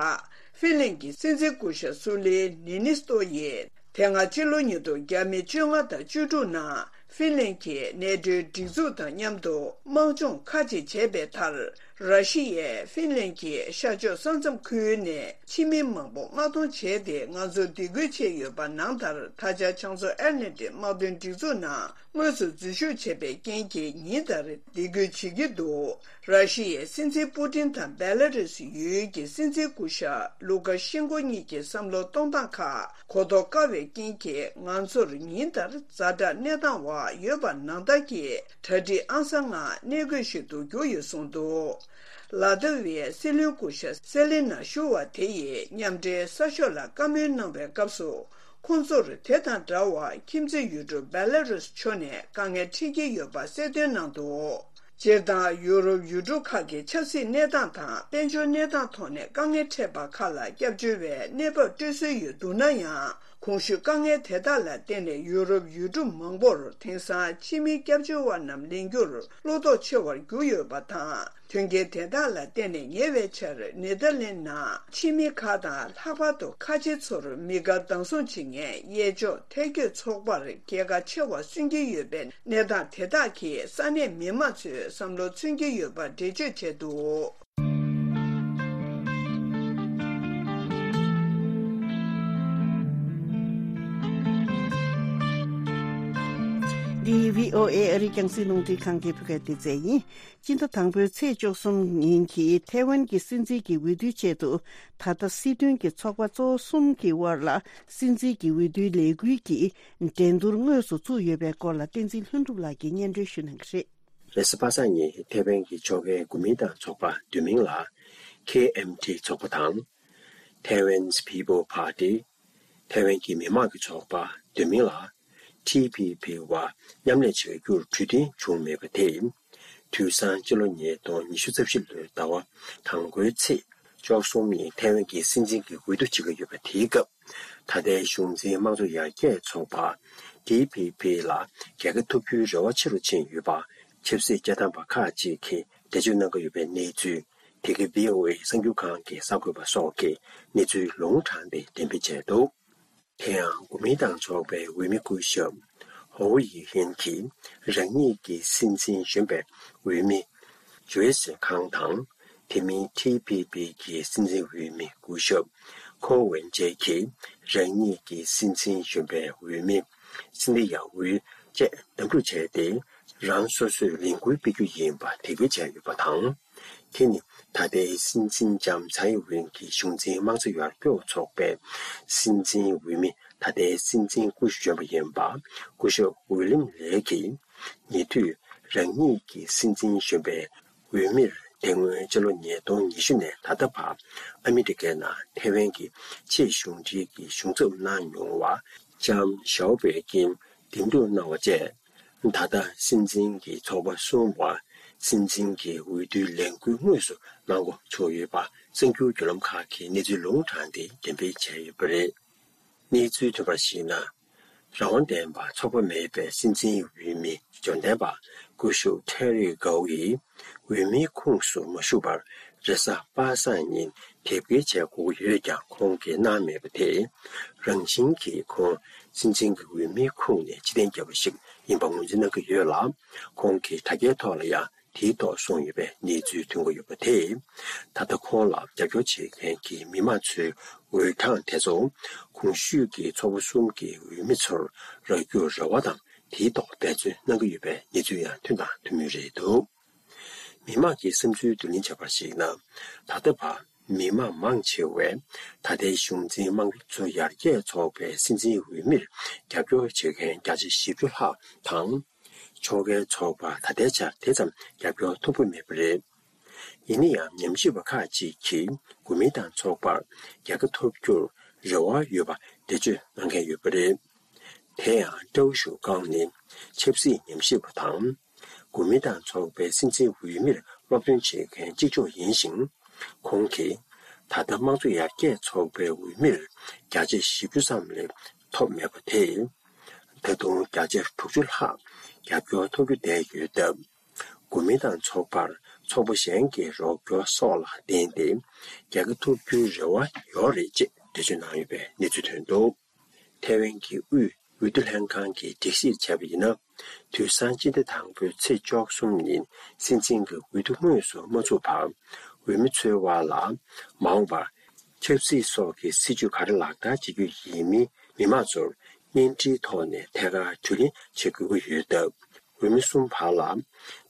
ཧྥིན་ལན་གྱི་སྲིད་འཛིན་སྐུ་ཞབས་སུ་ལི་ནི་ནི་སྟོ་ཡིས། དེ་སྔ་ཕྱི་ལོ་ཉིས་སྟོང་ཉི་ཤུ་རྩ་དྲུག་ནང་ཧྥིན་ལན་གྱིས་ནེ་ཏོའི་སྒྲིག་འཛུགས་དང་མཉམ་དུ་དམག་སྦྱོང་ཁག་ཅིག་བྱས་པའི་མཐར། ར་ཤི་ཡས་ཧྥིན་ལན་གྱི་ཤར་ཕྱོགས་ས་མཚམས་ཁུལ་ནས་ཕྱི་མི་མང་པོ་མངགས་གཏོང་བྱས་ཏེ། ང་ཚོར་སྡིགས་སྐུལ་བྱས་ཡོད་པ་ནང་ལྟར། ད་ཆ་བྱང་མཚོ་ཨེཊ་ལན་ཏིག་དམག་དོན་སྒྲིག་འཛུགས་ནང་དངོས་སུ་འཛུལ་ཞུགས་བྱས་པའི་རྐྱེན་གྱིས་ཉིན་ལྟར་སྡིགས་སྐུལ་བྱེད་ཀྱི་འདུག་ར་ཤི་ཡའི་སྲིད་འཛིན་པུ་ཏིན་དང་བེ་ལ་རུས་ཡུལ་གྱི་སྲིད་འཛིན་སྐུ་ཞབས་ལུ་ཀ་ཤེན་ཀོ་གཉིས་ཀྱི་བསམ་བློ་གཏོང་སྟངས་ཁག་གོ་རྟོགས་དཀའ་བའི་རྐྱེན་གྱིས། ང་ཚོར་ཉིན་ལྟར་ཛ་དྲག་གནས་སྟངས་འོག་ཡོད་པ་ནང་ལྟར་གྱི་གྲ་སྒྲིག་ཨང་གསར་ལྔ་གནས་དགོས་ཤིག་ཏུ་གྱུར་ཡོད་གསུངས་འདུག་ལ་ཏི་བི་ཡའི་སྲིད་བློན་སྐུ་ཞབས་སེ་ལི་ན་ཞུ་བ་དེ་ཡིས་མཉམ་འབྲེལ་གསར་ཤོག་ལ་བཀའ་མོལ་གནང་བའི་སྐབས་སུ། ཁོང་ཚོར་དེ་དང་འདྲ་བར་ཁྱིམ་མཚེས་ཡུལ་གྲུ་བེ་ལ་རུས་ཕྱོགས་ནས་དཀའ་ངལ་འཕྲད་ཀྱི་ཡོད་པ་གསལ་སྟོན་གནང་འདུག་སྤྱིར་བཏང་ཡུ་རོབ་ཡུལ་གྲུ་ཁག་གི་ཆབ་སྲིད་གནས་སྟངས་དང་དཔལ་འབྱོར་གནས་སྟངས་ཐོག་ནས་དཀའ་ངལ་འཕྲད་པ་ཁག་ལ་སྐྱབས་བཅོལ་བའི་གནས་བབ་སྤྲོད་སྲོལ་ཡོད་འདུག་ན་ཡང་། གོང་ཞུས་དཀའ་ངལ་དེ་དག་ལ་བརྟེན་ནས་ཡུ་རོབ་ཡུལ་གྲུ་མང་པོར་དེང་སང་ཕྱི་མི་སྐྱབས་བཅོལ་བ་རྣམས་ལེན་རྒྱུར་བློ་དོགས་ཆེ་བར་གྱུར་ཡོད་པ་དང་། མཐུན་རྐྱེན་དེ་དག་ལ་བརྟེན་ནས་ཉེ་བའི་ཆར་ནེ་དར་ལན་ནང་ཕྱི་མི་ཁག་དང་ལྷག་པར་དུ་ཁ་ཆེ་ཚོར་མི་དགའ་སྡང་ཟུག་བྱེད་མཁན་གཡས་ཕྱོགས་ཐལ་སྐྱོད་ཚོགས་པར་རྒྱལ་ཁ་ཆེ་བ་སོན་གྱི་ཡོད་པའི་གནས་སྟངས་དེ་དག་གིས་ས་གནས་མི་མང་ཚོའི་བསམ་བློ་མཚོན་གྱི་ཡོད་པ་འགྲེལ་བརྗོད་བྱས་འདུག་འདི་བྷི་ཨོ་ཨེ་ཨ་རིའི་རྒྱང་སྲིང་རླུང་འཕྲིན་ཁང་གི་བོད་སྐད་སྡེ་ཚན་ཡིན། སྤྱི་ཟླ་དང་པོའི་ཚེས་བཅུ་གསུམ་ཉིན་གྱི་ཐའེ་ཝན་གྱི་སྲིད་འཛིན་གྱི་འོས་བསྡུའི་ཆེད་དུ། ད་ལྟ་སྲིད་དོན་གྱི་ཚོགས་པ་གཙོ་བོ་གསུམ་གྱི་དབར་ལ་སྲིད་འཛིན་གྱི་འོས་བསྡུའི་ལས་འགུལ་གྱི་འགྲན་བསྡུར་དངོས་སུ་བཙུགས་ཡོད་པའི་སྐོར་ལ་བསྟན་འཛིན་ལྷུན་གྲུབ་ལགས་ཀྱིས་སྙན་སྒྲོན་ཞུ་གནང་གི་རེད། རེས་གཟའ་པ་སངས་ཉིན་ཐའེ་ཝན་གྱི་ཕྱོགས་འགལ་གོ་མིན་ཏང་ཚོགས་པ་བསྡུས་མིང་ལ་ཁེ་ཨེམ་ཐི་ཚོགས་པ་དང་། Taiwan's People Party། ཐའེ་ཝན་གྱི་མི་དམངས་ཀྱི་ཚོགས་པ་བསྡུས་མིང་ལ་ཐི་པི་པི་བར་མཉམ་ལས་བྱ་རྒྱུར་གྲོས་མཐུན་བྱུང་མེད་པ་དེས། དུས་སང་སྤྱི་ལོ་ཉིས་སྟོང་ཉི་ཤུ་རྩ་བཞི་ལོའི་ཟླ་བ་དང་པོའི་ཚེས་བཅུ་གསུམ་ཉིན་ཐའེ་ཝན་གྱི་སྲིད་འཛིན་གྱི་འོས་བསྡུ་བྱེད་ཀྱི་ཡོད་པ་དེའི་སྐབས། ད་ལྟའི་གཞུང་འཛིན་དམངས་གཙོ་ཡར་རྒྱས་ཚོགས་པ་ ཊི་ཕི་ཕི་ལ་རྒྱལ་ཁ་ཐོབ་རྒྱུའི་རེ་བ་ཆེ་རུ་ཕྱིན་ཡོད་པ། ཆབ་སྲིད་བཅའ་ཐམ་པ་ཁག་ཅིག་གིས་འགྲེལ་བརྗོད་གནང་གི་ཡོད་པའི་གནས་ཚུལ། དེ་གའི་བྷི་ཨོ་ཨེ་གསར་འགྱུར་ཁང་གིས་གསར་འགོད་པ་སོགས་ཀྱིས་གནས་ཚུལ་ལུང་དྲངས་ཏེ་འགྲེམས་སྤེལ་བྱས་འདུག་དེ་ཡང་གོ་མིན་ཏང་ཚོགས་པའི་འོས་མི་སྐུ་ཞབས་ཧོ་ཡི་ཧིན་གྱིས་རང་ཉིད་ཀྱི་སྲིད་འཛིན་གཞོན་པའི་འོས་མི་ཇོ་ཨེ་སི་ཁང་དང་། དེ་མིན་ཊི་ཕི་ཕི་གི་སྲིད་འཛིན་འོས་མི་སྐུ་ཞབས་ཁོ་ཝེན་ཅེ་གིས་རང་ཉིད་ཀྱི་སྲིད་འཛིན་གཞོན་པའི་འོས་མི་སིན་དི་ཡ་ཝུའུ་བཅས་བདམས་སྒྲུག་བྱས་ཏེ། རང་སོ་སོས་ལས་འགུལ་སྤེལ་རྒྱུ་ཡིན་པ་དེ་སྒྲ་བསྒྲགས་ཡོད་པ་དང་། དེ་ནི་ད་ལྟའི་སྲིད་འཛིན་ལྕམ་ཚའེ་ཝེན་གྱི་གཞུང་འཛིན་དམངས་གཙོ་ཡར་སྐྱོད་ཚོགས་པའི་སྲིད་འཛིན་འོས་མི། ད་ལྟའི་སྲིད་འཛིན་སྐུ་ཞབས་གཞོན་པ་ཡིན་པ་སྐུ་ཞབས་ཝི་ལིམ་ལེ་གིས། ཉེ་དུས་རང་ཉིད་ཀྱི་སྲིད་འཛིན་གཞོན་པའི་འོས་མིར་དེ་སྔོན་ཕྱི་ལོ་ཉིས་སྟོང་ཉི་ཤུ་ནས་ད་ལྟ་བར་ཨ་མི་རི་ཀའི་ནང་ཐའེ་ཝན་གྱི་ཆེས་གཞུང་འབྲེལ་གྱི་གཞུང་ཚབ་གནང་མྱོང་བ་ལྕམ་ཞའོ་པེ་ཀིན་འདེམས་སྒྲུག་གནང་བ་བཅས། ད་ལྟ་སྲིད་འཛིན་གྱི་ཚོགས་པ་གསུམ་བར་སྲིད་འཛིན་གྱི་འོས་བསྡུའི་ལས་འགུལ་དངོས་སུ་གནང་འགོ་ཚུགས་ཡོད་པ་གསར་འགྱུར་བརྒྱུད་ལམ་ཁག་གིས་གནས་ཚུལ་ལུང་དྲངས་ཏེ་འགྲེམས་སྤེལ་བྱས་ཡོད་པ་རེད། གནས་ཚུལ་ཐོན་པར་གཞིགས་ན། རང་དབང་ལྡན་པ་ཚོགས་པ་མེད་པའི་སྲིད་འཛིན་འོས་མི་འབྱོར་ལྡན་པ་སྐུ་ཞབས་ཁྲེ་རི་གའོ་ཡིས་འོས་མིའི་ཁོངས་སུ་མ་ཞུགས་པར་རེས་གཟའ་པ་སངས་ཉིན་དེབ་སྐྱེལ་བྱེད་དགོས་ཀྱི་ཡོད་ཀྱང་ཁོང་གིས་གནང་མེད་པ་དེས། རང་བཞིན་གྱིས་ཁོང་སྲིད་འཛིན་གྱི་འོས་མིའི་ཁོངས་ནས་ཕྱིར་འཐེན་བརྒྱབ་པ་ཞིག་ཡིན་པ་ངོས་འཛིན་གནང་གི་ཡོད་ལ། ཁོང་གིས་དྲ་རྒྱའི་ཐོག་ལ་ཡང་དེའི་ཐོག་གསུངས་ཡོད་པའི་གནས་ཚུལ་ཐོན་གྱི་ཡོད་པ་དེས། ད་ལྟ་ཁོང་ལ་རྒྱབ་སྐྱོར་བྱེད་མཁན་གྱི་མི་མང་ཚོའི་འོས་གྲངས་དེ་ཚོ་གོང་ཞུས་ཀྱི་ཚོགས་པ་གསུམ་གྱི་འོས་མི་ཚོར་རག་རྒྱུར་རེ་བ་དང་། དེའི་ཐོག་འབད་བརྩོན་གནང་གི་ཡོད་པའི་གནས་ཚུལ་ཡང་ཐོན་དང་ཐོན་མུས་རེད་འདུག་མི་མང་གི་བསམ་ཚུལ་བསྡུ་ལེན་བྱས་པར་གཞིགས་ན། ད་ལྟ་བར་མི་མང་མང་ཆེ་བས་ད་ལྟའི་གཞུང་འཛིན་དམངས་གཙོ་ཡར་རྒྱས་ཚོགས་པའི་སྲིད་འཛིན་འོས་མིར་རྒྱབ་སྐྱོར་བྱེད་མཁན་བརྒྱ་ཆ་བཞི་བཅུ་ལྷག་དང་། ཕྱོགས་འགལ་ཚོགས་པར་ད་ལྟའི་ཆར་དེ་ཙམ་རྒྱབ་སྐྱོར་ཐོབ་ཀྱི་མེད་པ་རེད། ཡིན་ན་ཡང་ཉམས་ཞིབ་པ་ཁག་ཅིག་གིས་གོ་མིན་ཏང་ཚོགས་པར་རྒྱལ་ཁ་ཐོབ་རྒྱུར་རེ་བ་ཡོད་པ་འགྲེལ་བརྗོད་གནང་མཁན་ཡོད་པ་རེད། དེ་ཡང་ཀྲའོ་ཞུ་ཀང་ནི་ཆབ་སྲིད་ཉམས་ཞིབ་པ་དང་། གོ་མིན་ཏང་ཚོགས་པའི་སྲིད་འཛིན་འོས་མིར་སློབ་སྟོན་བྱེད་མཁན་གཅིག་ལྕོགས་ཡིན་ཞིང་། ཁོང་གིས་ད་ལྟ་དམངས་གཙོ་ཡར་རྒྱས་ཚོགས་པའི་འོས་མིར་བརྒྱ་ཆ་བཞི་བཅུ་ཙམ་ལས་ཐོབ་མེད་པ་དེས། ད་དུང་བརྒྱ་ཆ་དྲུག་ཅུ་ལྷག་རྒྱབ་སྐྱོར་ཐོབ་རྒྱུ་བསྡད་ཡོད་སྟབས། གོ་མིན་ཏང་ཚོགས་པར་ཚོགས་པ་གཞན་གྱི་རོགས་སྐྱོར་སོགས་ལ་བརྟེན་ཏེ་རྒྱལ་ཁ་ཐོབ་རྒྱུའི་རེ་བ་ཡོད་རེད་ཅེས་འགྲེལ་བརྗོད་གནང་ཡོད་པའི་གནས་ཚུལ་ཐོན་འདུག་ཐའེ་ཝན་གྱི་དབུས་འོས་བསྡུ་ལྷན་ཁང་གིས་སྒྲིག་གཞིར་བྱས་པ་ཡིན་ན། དུས་སང་སྤྱི་ཟླ་དང་པོའི་ཚེས་བཅུ་གསུམ་ཉིན་སྲིད་འཛིན་གྱི་འོས་བསྡུ་དངོས་སུ་མ་ཚུགས་བར། འོས་མི་ཚོའི་དབར་ལ་མ་འོངས་པར་ཆབ་སྲིད་སོགས་ཀྱི་སྲིད་ཇུས་ག་རེ་ལག་བསྟར་བྱེད་རྒྱུ་ཡིན་མིན་མི་མང་ཚོར་བརྙན་འཕྲིན་ཐོག་ནས་ཐད་ཀར་དྲི་ལན་བྱེད་དགོས་ཀྱི་ཡོད་སྟབས། འོས་མི་གསུམ་བར་ལ་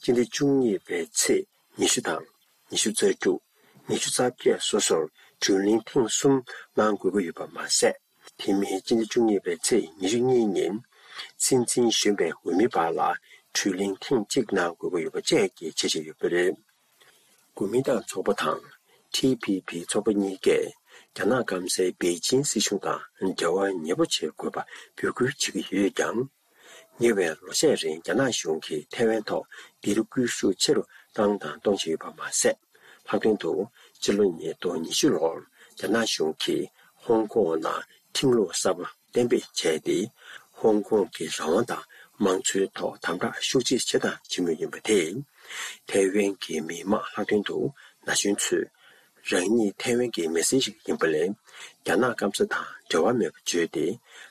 སྤྱི་ཟླ་བཅུ་གཉིས་པའི་ཚེས་ཉི་ཤུ་དང་། ཉི་ཤུ་རྩ་དྲུག་ཉི་ཤུ་རྩ་བརྒྱད་སོ་སོར་དྲི་ལན་ཐེངས་གསུམ་གནང་དགོས་ཀྱི་ཡོད་པ་མ་ཟད། དེ་མིན་སྤྱི་ཟླ་བཅུ་གཉིས་པའི་ཚེས་ཉི་ཤུ་གཉིས་ཉིན་སྲིད་འཛིན་གཞོན་པའི་འོས་མི་བར་ལ་དྲི་ལན་ཐེངས་གཅིག་གནང་དགོས་ཀྱི་ཡོད་པ་བཅས་ཀྱི་འཆར་གཞི་ཡོད་པ་རེད། གོ་མིན་ཏང་ཚོགས་པ་དང་ཊི་ཕི་ཕི་ཚོགས་པ་གཉིས་ཀས་རྒྱ་ནག་སྐམ་སའི་པེ་ཅིན་སྲིད་གཞུང་དང་འབྲེལ་བ་ཉེ་པོ་བྱེད་དགོས་པ་འབོད་སྐུལ་བྱེད་ཀྱི་ཡོད་ཀྱང་། ཉེ་བའི་ལོ་ཤས་རིང་རྒྱ་ནག་གཞུང་གིས་ཐའེ་ཝན་ཐོག་སྡིགས་ར་སྐུལ་ཤུགས་ཆེ་རུ་བཏང་དང་གཏོང་བཞིན་ཡོད་པ་མ་ཟད། ལྷག་དོན་དུ་ཕྱི་ལོ་ཉིས་སྟོང་ཉི་ཤུ་ལོར་རྒྱ་ནག་གཞུང་གིས་ཧོང་ཀོང་ནང་ཁྲིམས་ལུགས་གསར་པ་གཏན་འབེབས་བྱས་ཏེ། ཧོང་ཀོང་གི་རང་དབང་དང་མང་གཙོའི་ཐོག་དམ་དྲག་ཤུགས་ཆེ་བྱས་དང་བྱེད་མུས་ཡིན་པ་དེས། ཐའེ་ཝན་གྱི་མི་མང་ལྷག་དོན་དུ་ན་གཞོན་ཚོས། རང་ཉིད་ཐའེ་ཝན་གྱི་མི་སེར་ཞིག་ཡིན་པ་ལས། རྒྱ་ནག་སྐམ་ས་དང་འབྲེལ་བ་མེད་པ་བརྗོད་དེ།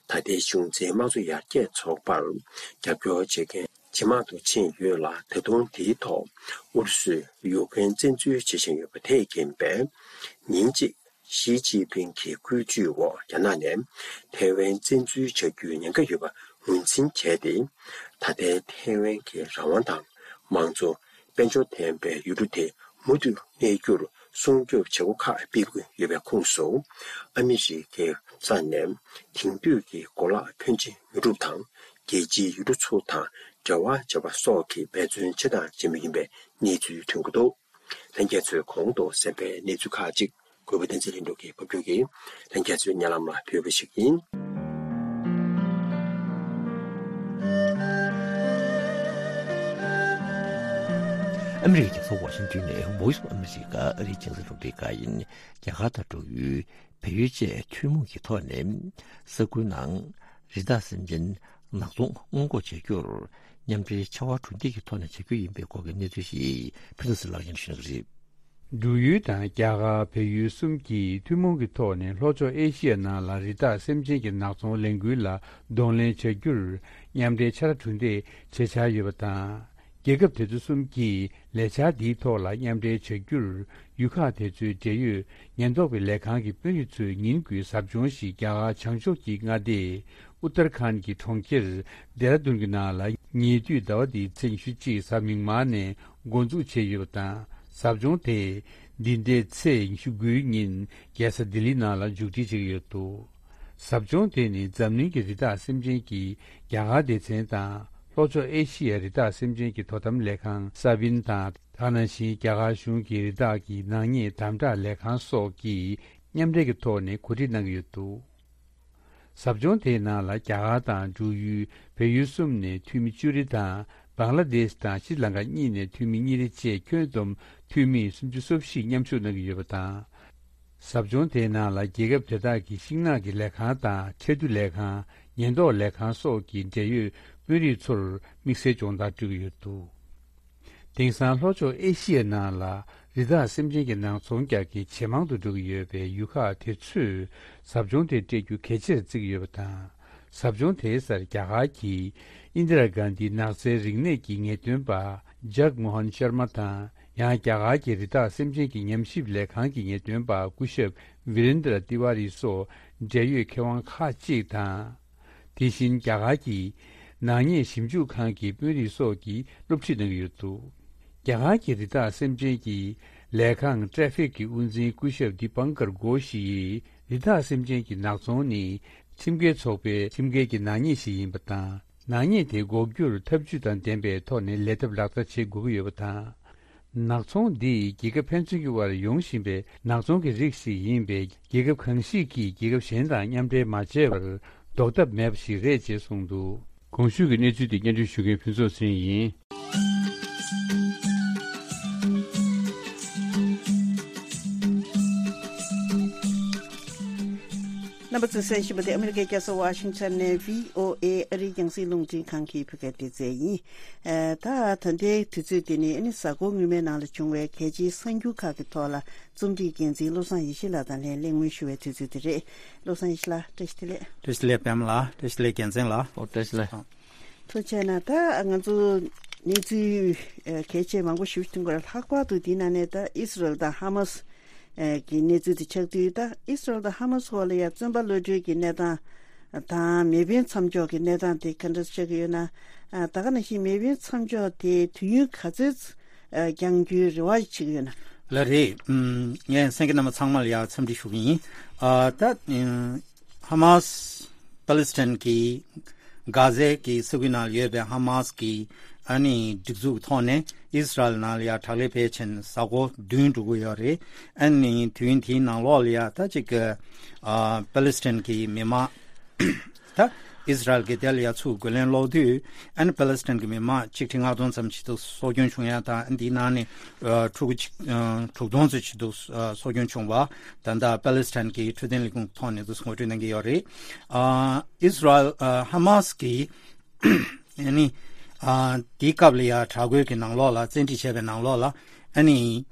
ད་ལྟའི་གཞུང་འཛིན་དམངས་གཙོ་ཡར་རྒྱས་ཚོགས་པར་རྒྱབ་སྐྱོར་བྱེད་མཁན་ཇེ་མང་དུ་ཕྱིན་ཡོད་ལ། ད་དུང་དེའི་ཐོག་ཨུ་རུ་སུས་ཡུཀ་རེན་བཙན་འཛུལ་བྱེད་བཞིན་ཡོད་པ་དེས་རྐྱེན་པས། ཉིན་གཅིག་ཞི་ཅིན་ཕིང་གི་བཀོད་ཇུས་འོག་རྒྱ་ནག་ནས་ཐའེ་ཝན་བཙན་འཛུལ་བྱ་རྒྱུའི་ཉེན་ཁ་ཡོད་པ་ངོས་འཛིན་བྱས་ཏེ། ད་ལྟའི་ཐའེ་ཝན་གྱི་རང་དབང་དང་མང་གཙོ། དཔལ་འབྱོར་ལྡན་པའི་ཡུལ་གྲུ་དེ་མུ་མཐུད་གནས་རྒྱུར་སྲུང་སྐྱོབ་བྱེད་སྒོ་ཁག་སྤེལ་དགོས་ཡོད་པའི་ཁོངས་སུ། ཨ་མི་རི་ཀའི་ས་ནས་དེང་དུས་ཀྱི་གོ་ལག་ཕོན་ཆེ་ཉོ་སྒྲུབ་དང་། རྒྱལ་སྤྱིའི་ཡུལ་གྲུ་ཚོ་དང་འབྲེལ་བ་བྱེད་པ་སོགས་ཀྱི་འབད་བརྩོན་བྱེད་དང་བྱེད་མུས་ཡིན་པའི་གནས་ཚུལ་ཐོན་གྱི་འདུག་ལྷན་རྒྱས་ཚོས་གོང་དུ་གསན་པའི་གནས་ཚུལ་ཁག་ཅིག་གུས་པ་བསྟན་འཛིན་ལྷུན་གྲུབ་ཀྱིས་ཕབ་སྒྱུར་གྱིས་ལྷན་རྒྱས་ཚོའི་སྙན་ལམ་ལ་ཕུལ་བ་ཞིག་ཡིན། ཨ་མི་རི་ཀའི་རྒྱལ་ས་ཝ་ཤིང་ཏོན་ནས་Voice of America ཨ་རིའི་རྒྱང་སྲིང་རླུང་འཕྲིན་ཁང་ཡིན། རྒྱ་གར་དང་འབྲུག་ཡུལ་བལ་ཡུལ་བཅས་ཐུན་མོང་གི་ཐོག་ནས་ས་ཁུལ་ནང་རི་དྭགས་སེམས་ཅན་ ནག་ཚོང་སྔོན་འགོག་བྱ་རྒྱུར་མཉམ་འབྲེལ་ཕྱར་བ་གྲུ་འདེགས་ཀྱི་ཐོག་ནས་བྱ་རྒྱུ་ཡིན་པའི་སྐོར་གྱི་གནས་ཚུལ་ཞིག་ཕུན་ཚོགས་ཚེ་རིང་ལགས་ཀྱིས་ཞུ་གནང་གི་རེད། འབྲུག་ཡུལ་དང་རྒྱ་གར་བལ་ཡུལ་གསུམ་གྱིས་ཐུན་མོང་གི་ཐོག་ནས་ལྷོ་ཕྱོགས་ཨེ་ཤི་ཡ་ནང་ལ་རི་དྭགས་སེམས་ཅན་གྱི་ནག་ཚོང་ལས་འགུལ་ལ་གདོང་ལེན་བྱ་རྒྱུར་མཉམ་འབྲེལ་ཕྱར་གྲུ་འདེགས་བྱེད་འཆར་ཡོད་པ་དང་། རྒྱལ་ཁབ་དེ་ཚོ་གསུམ་གྱིས་ལས་འཆར་འདིའི་ཐོག་ལ་མཉམ་འབྲེལ་བྱ་རྒྱུར་ཡུལ་ཁག་དེ་ཚོའི་འབྲེལ་ཡོད་ཉེན་རྟོག་པའི་ལས་ཁང་གི་དཔོན་རིགས་ཚོས་ཉིན་དགུའི་ཟབ་སྦྱོང་ཞིག་རྒྱ་གར་བྱང་ཕྱོགས་ཀྱི་མངའ་སྡེ་ཨུ་ཏར་ཁཱན་གྱི་གྲོང་ཁྱེར་ལྡེ་ར་ལྡུན་གྱི་ནང་ལ་ཉེ་དུས་ཟླ་བ་འདིའི་ཚེས་ཉི་ཤུ་གཅིག་གཟའ་མིག་དམར་ནས་འགོ་འཛུགས་བྱས་ཡོད་པ་དང་། ཟབ་སྦྱོང་དེ་འདི་ཟླའི་ཚེས་ཉི་ཤུ་དགུའི་ཉིན་རྒྱལ་ས་ལྡི་ལི་ནང་ལ་མཇུག་སྒྲིལ་བྱེད་ཀྱི་ཡོད་འདུག། ཟབ་སྦྱོང་དེ་ནི་འཛམ་གླིང་གི་རི་དྭགས་སེམས་ཅན་གྱི་རྒྱ་གར་སྡེ་ཚན་དང་ལྷོ་ཕྱོགས་ཨེ་ཤི་ཡའི་རི་དྭགས་སེམས་ཅན་གྱི་དོ་དམ་ལས་ཁང་ས་བིན་དང་། དེ་ནང་བཞིན་རྒྱ་གར་གཞུང་གི་རི་དྭགས་ཀྱི་ནག་ཉེས་དམ་དྲག་ལས་ཁང་སོགས་ཀྱིས་མཉམ་འབྲེལ་གྱི་ཐོག་ནས་གོ་སྒྲིག་གནང་གི་ཡོད་འདུག། ཟབ་སྦྱོང་དེའི་ནང་ལ་རྒྱ་གར་དང་འབྲུག་ཡུལ་བལ་ཡུལ་གསུམ་ནས་འཐུས་མི་བཅུ་རེ་དང་། བང་ལ་དེཤ་དང་ཤྲི་ལང་ཀ་གཉིས་ནས་འཐུས་མི་གཉིས་རེ་བཅས་ཁྱོན་བསྡོམས་འཐུས་མི་སུམ་ཅུ་སོ་བཞི་མཉམ་ཞུགས་གནང་གི་ཡོད་པ་དང་། ཟབ་སྦྱོང་དེའི་ནང་ལ་རྒྱལ་ཁབ་དེ་དག་གི་ཤིང་ནགས་ཀྱི་ལས་ཁང་དང་ཁྲལ་བསྡུ་ལས་ཁང་། ཉེན་རྟོག་ལས་ཁང་སོགས་ཀྱི་འབྲེལ་ཡོད་དཔོན་རིགས་ཚོར་དམིགས་བསལ་སྦྱོང་བརྡར་སྤྲོད་ཀྱི་ཡོད་འདུག། དེང་སང་ལྷོ་ཕྱོགས་ཨེ་ཤི་ཡའི་ནང་ལ་རི་དྭགས་སེམས་ཅན་གྱི་ནག་ཚོང་རྒྱག་མཁན་ཇེ་མང་དུ་འགྲོ་གི་ཡོད་པས། ཡུལ་ཁག་དེ་ཚོས་ཟབ་སྦྱོང་དེ་སྤྲད་རྒྱུ་གལ་ཆེར་བརྩི་གི་ཡོད་པ་དང་། ཟབ་སྦྱོང་དེའི་སར་རྒྱ་གར་གྱི་ཨིན་དི་ར་གྷན་དྷི་ནགས་ཚལ་རིག་གནས་ཀྱི་ངེས་སྟོན་པ་ཇག་མོ་ཧན་ཤར་མ་དང་། ཡང་རྒྱ་གར་གྱི་རི་དྭགས་སེམས་ཅན་གྱི་ཉམས་ཞིབ་ལས་ཁང་གི་ངེས་སྟོན་པ་སྐུ་ཞབས་ཝི་རེན་དྲ་ཏི་ཝཱ་རི་སོགས་འབྲེལ་ཡོད་མཁས་དབང་ཁག་ཅིག་དང་། དེ་བཞིན་རྒྱ་གར་གྱི་ནག་ཉེས་ཞིབ་འཇུག་ཁང་གི་དཔོན་རིགས་སོགས་ཀྱིས་སློབ་ཁྲིད་གནང་གི་ཡོད་འདུག། རྒྱ་གར་གྱི་རི་དྭགས་སེམས་ཅན་གྱི་ལས་ཁང་ཊེ་ཕིག་གི་དབུ་འཛིན་སྐུ་ཞབས་དི་པང་ཀར་གྷོ་ཤི་ཡིས། རི་དྭགས་སེམས་ཅན་གྱི་ནག་ཚོང་ནི་ཁྲིམས་འགལ་ཚོགས་པའི་ཁྲིམས་འགལ་གྱི་ནག་ཉེས་ཤིག་ཡིན་པ་དང་། ནག་ཉེས་དེ་འགོག་རྒྱུར་ཐབས་ཇུས་དང་ལྡན་པའི་ཐོག་ནས་ལས་ཐབས་ལག་བསྟར་བྱེད་དགོས་ཀྱི་ཡོད་པ་དང་། ནག་ཚོང་འདི་རྒྱལ་ཁབ་ཕན་ཚུན་གྱི་དབར་ཡོང་བཞིན་པའི་ནག་ཚོང་གི་རིགས་ཤིག་ཡིན་པས། རྒྱལ་ཁབ་གང་ཞིག་གིས་རྒྱལ་ཁབ་གཞན་དང་མཉམ་འབྲེལ་མ་བྱས་པར་ཟློག་ཐབས་མེད་པ་ཞིག་རེད་ཅེས་གསུངས་འདུག། གོང་ཞུས་ཀྱི་གནས་ཚུལ་དེ་སྙན་སྒྲོན་ཞུ་མཁན་ཕུན་ཚོགས་ཚེ་རིང་ཡིན། རྣམ་པ་ཚོས་གསན་བཞིན་པ་དེ་ཨ་མི་རི་ཀའི་རྒྱལ་ས་ཝ་ཤིང་ཊོན་ནས་བྷི་ཨོ་ཨེ་ཨ་རིའི་རྒྱང་སྲིང་རླུང་འཕྲིན་ཁང་གི་བོད་སྐད་སྡེ་ཚན་ཡིན། ཨ། ད་ད་ལྟའི་དུས་ཚོད་འདི་ནི་ཨ་ནི་གཟའ་འཁོར་སྔོན་མའི་ནང་ལ་བྱུང་བའི་གལ་ཆེའི་གསར་འགྱུར་ཁག་གི་ཐོག་ལ་རྩོམ་སྒྲིག་འགན་འཛིན་བློ་བཟང་ཡེ་ཤེས་ལགས་དང་ལྷན་གླེང་མོལ་ཞུ་བའི་དུས་ཚོད་དེ་རེད། བློ་བཟང་ཡེ་ཤེས་ལགས། བཀྲ་ཤིས་བདེ་ལེགས། བཀྲ་ཤིས་བདེ་ལེགས་པད་མ་ལགས། བཀྲ་ཤིས་བདེ་ལེགས་རྒྱལ་མཚན་ལགས། ཨོ། བཀྲ་ཤིས་བདེ་ལེགས། ཐུགས་རྗེ་གནང་། ད་ང་ཚོ་གནས་ཚུལ་ཨ་གལ་ཆེ་མང་པོ་ཞིག་ཐོན་གྱི་རེད། ལྷག་པར་དུ་དེའི་ནང་ནས་ད་ཨིས་རལ་དང་ཧ་མ་སི་ཨ་གི་གནས་ཚུལ་དེ་ཆགས་དུས། ད་ཨིས་རལ་དང་ཧ་མ་སི་བར་ལ་ཡ་བཙོན་པ་གློད་གྲོལ་གྱི་གནས་སྟངས་དང་མེ་འཕེན་མཚམས་འཇོག་གི་གནས་སྟངས་དེ་ག་འདྲ་ཆགས་ཀྱི་ཡོད་ན། ཨ། ད་ག་ནང་བཞིན་མེ་འཕེན་མཚམས་འཇོག་དེ་དུས་ཡུན་ག་ཚོད་ཨ་བསྐྱང་རྒྱུའི་རེ་བ་བྱེད་ཀྱི་ཡོད་ན། ལགས་རེད། ཨུམ། ངས་གསན་མཁན་རྣམ་པ་ཚང་མ་ལ་ཡ་འཚམས་འདྲི་ཞུ་གི་ཡིན། ཨ། ད་ཨུམ། ཧ་མ་སི། པ་ལི་སི་ཐན་གྱི་གྷ་ཛའི་གི་ས་ཁུལ་ནང་ལ་ཡོད་པའི་ཧ་མ་སི་གི་ཨ་ནི་སྒྲིག་འཛུགས་ཀྱི་ཐོག་ནས་ཨིས་རལ་ནང་ལ་ཡ་དྲག་ལས་འཕེལ་ཕྱིན་གཟའ་འཁོར་བདུན་འགྲོ་གི་ཡོད་རེད། ཨ་ནི་དུས་ཡུན་དེའི་ནང་ལོགས་ལ་ཡ་ད་ཅིག་གི་ཨ་པ་ལི་སི་ཐན་གྱི་མི་མང་ད་ཨིས་རལ་གྱིས་དེ་ལ་ཡ་ཚུར་རྒོལ་ལན་སློག་དུས། ཨ་ནི་པ་ལི་སི་ཐན་གྱི་མི་མང་ཆིག་ཁྲི་ལྔ་སྟོང་ཙམ་ཞིག་ཏུ་སྲོག་སྐྱོན་བྱུང་ཡ་དང་། འདིའི་ནང་ནས་ཨ་ཕྲུ་གུ་ཆིག་ཨ་དྲུག་སྟོང་ཙམ་ཞིག་ཏུ་ཨ་སྲོག་སྐྱོན་བྱུང་བ། ད་ལྟ་པ་ལི་སི་ཐན་གྱི་འཕྲོད་བསྟེན་ལས་ཁུངས་ཐོག་ནས་དུ་ངོ་སྤྲོད་གནང་གི་ཡོད་རེད། ཨ་ཨིས་རལ་ཨ་ཧ་མ་སི་གིས་ཨ་ནི་ཨ་དེའི་སྐབས་ལ་ཡ་དྲག་རྒོལ་གྱི་ནང་ལོགས་ལ། བཙན་ཁྲིད་བྱས་པའི་ནང་ལོགས་ལ་ཨ་ནི་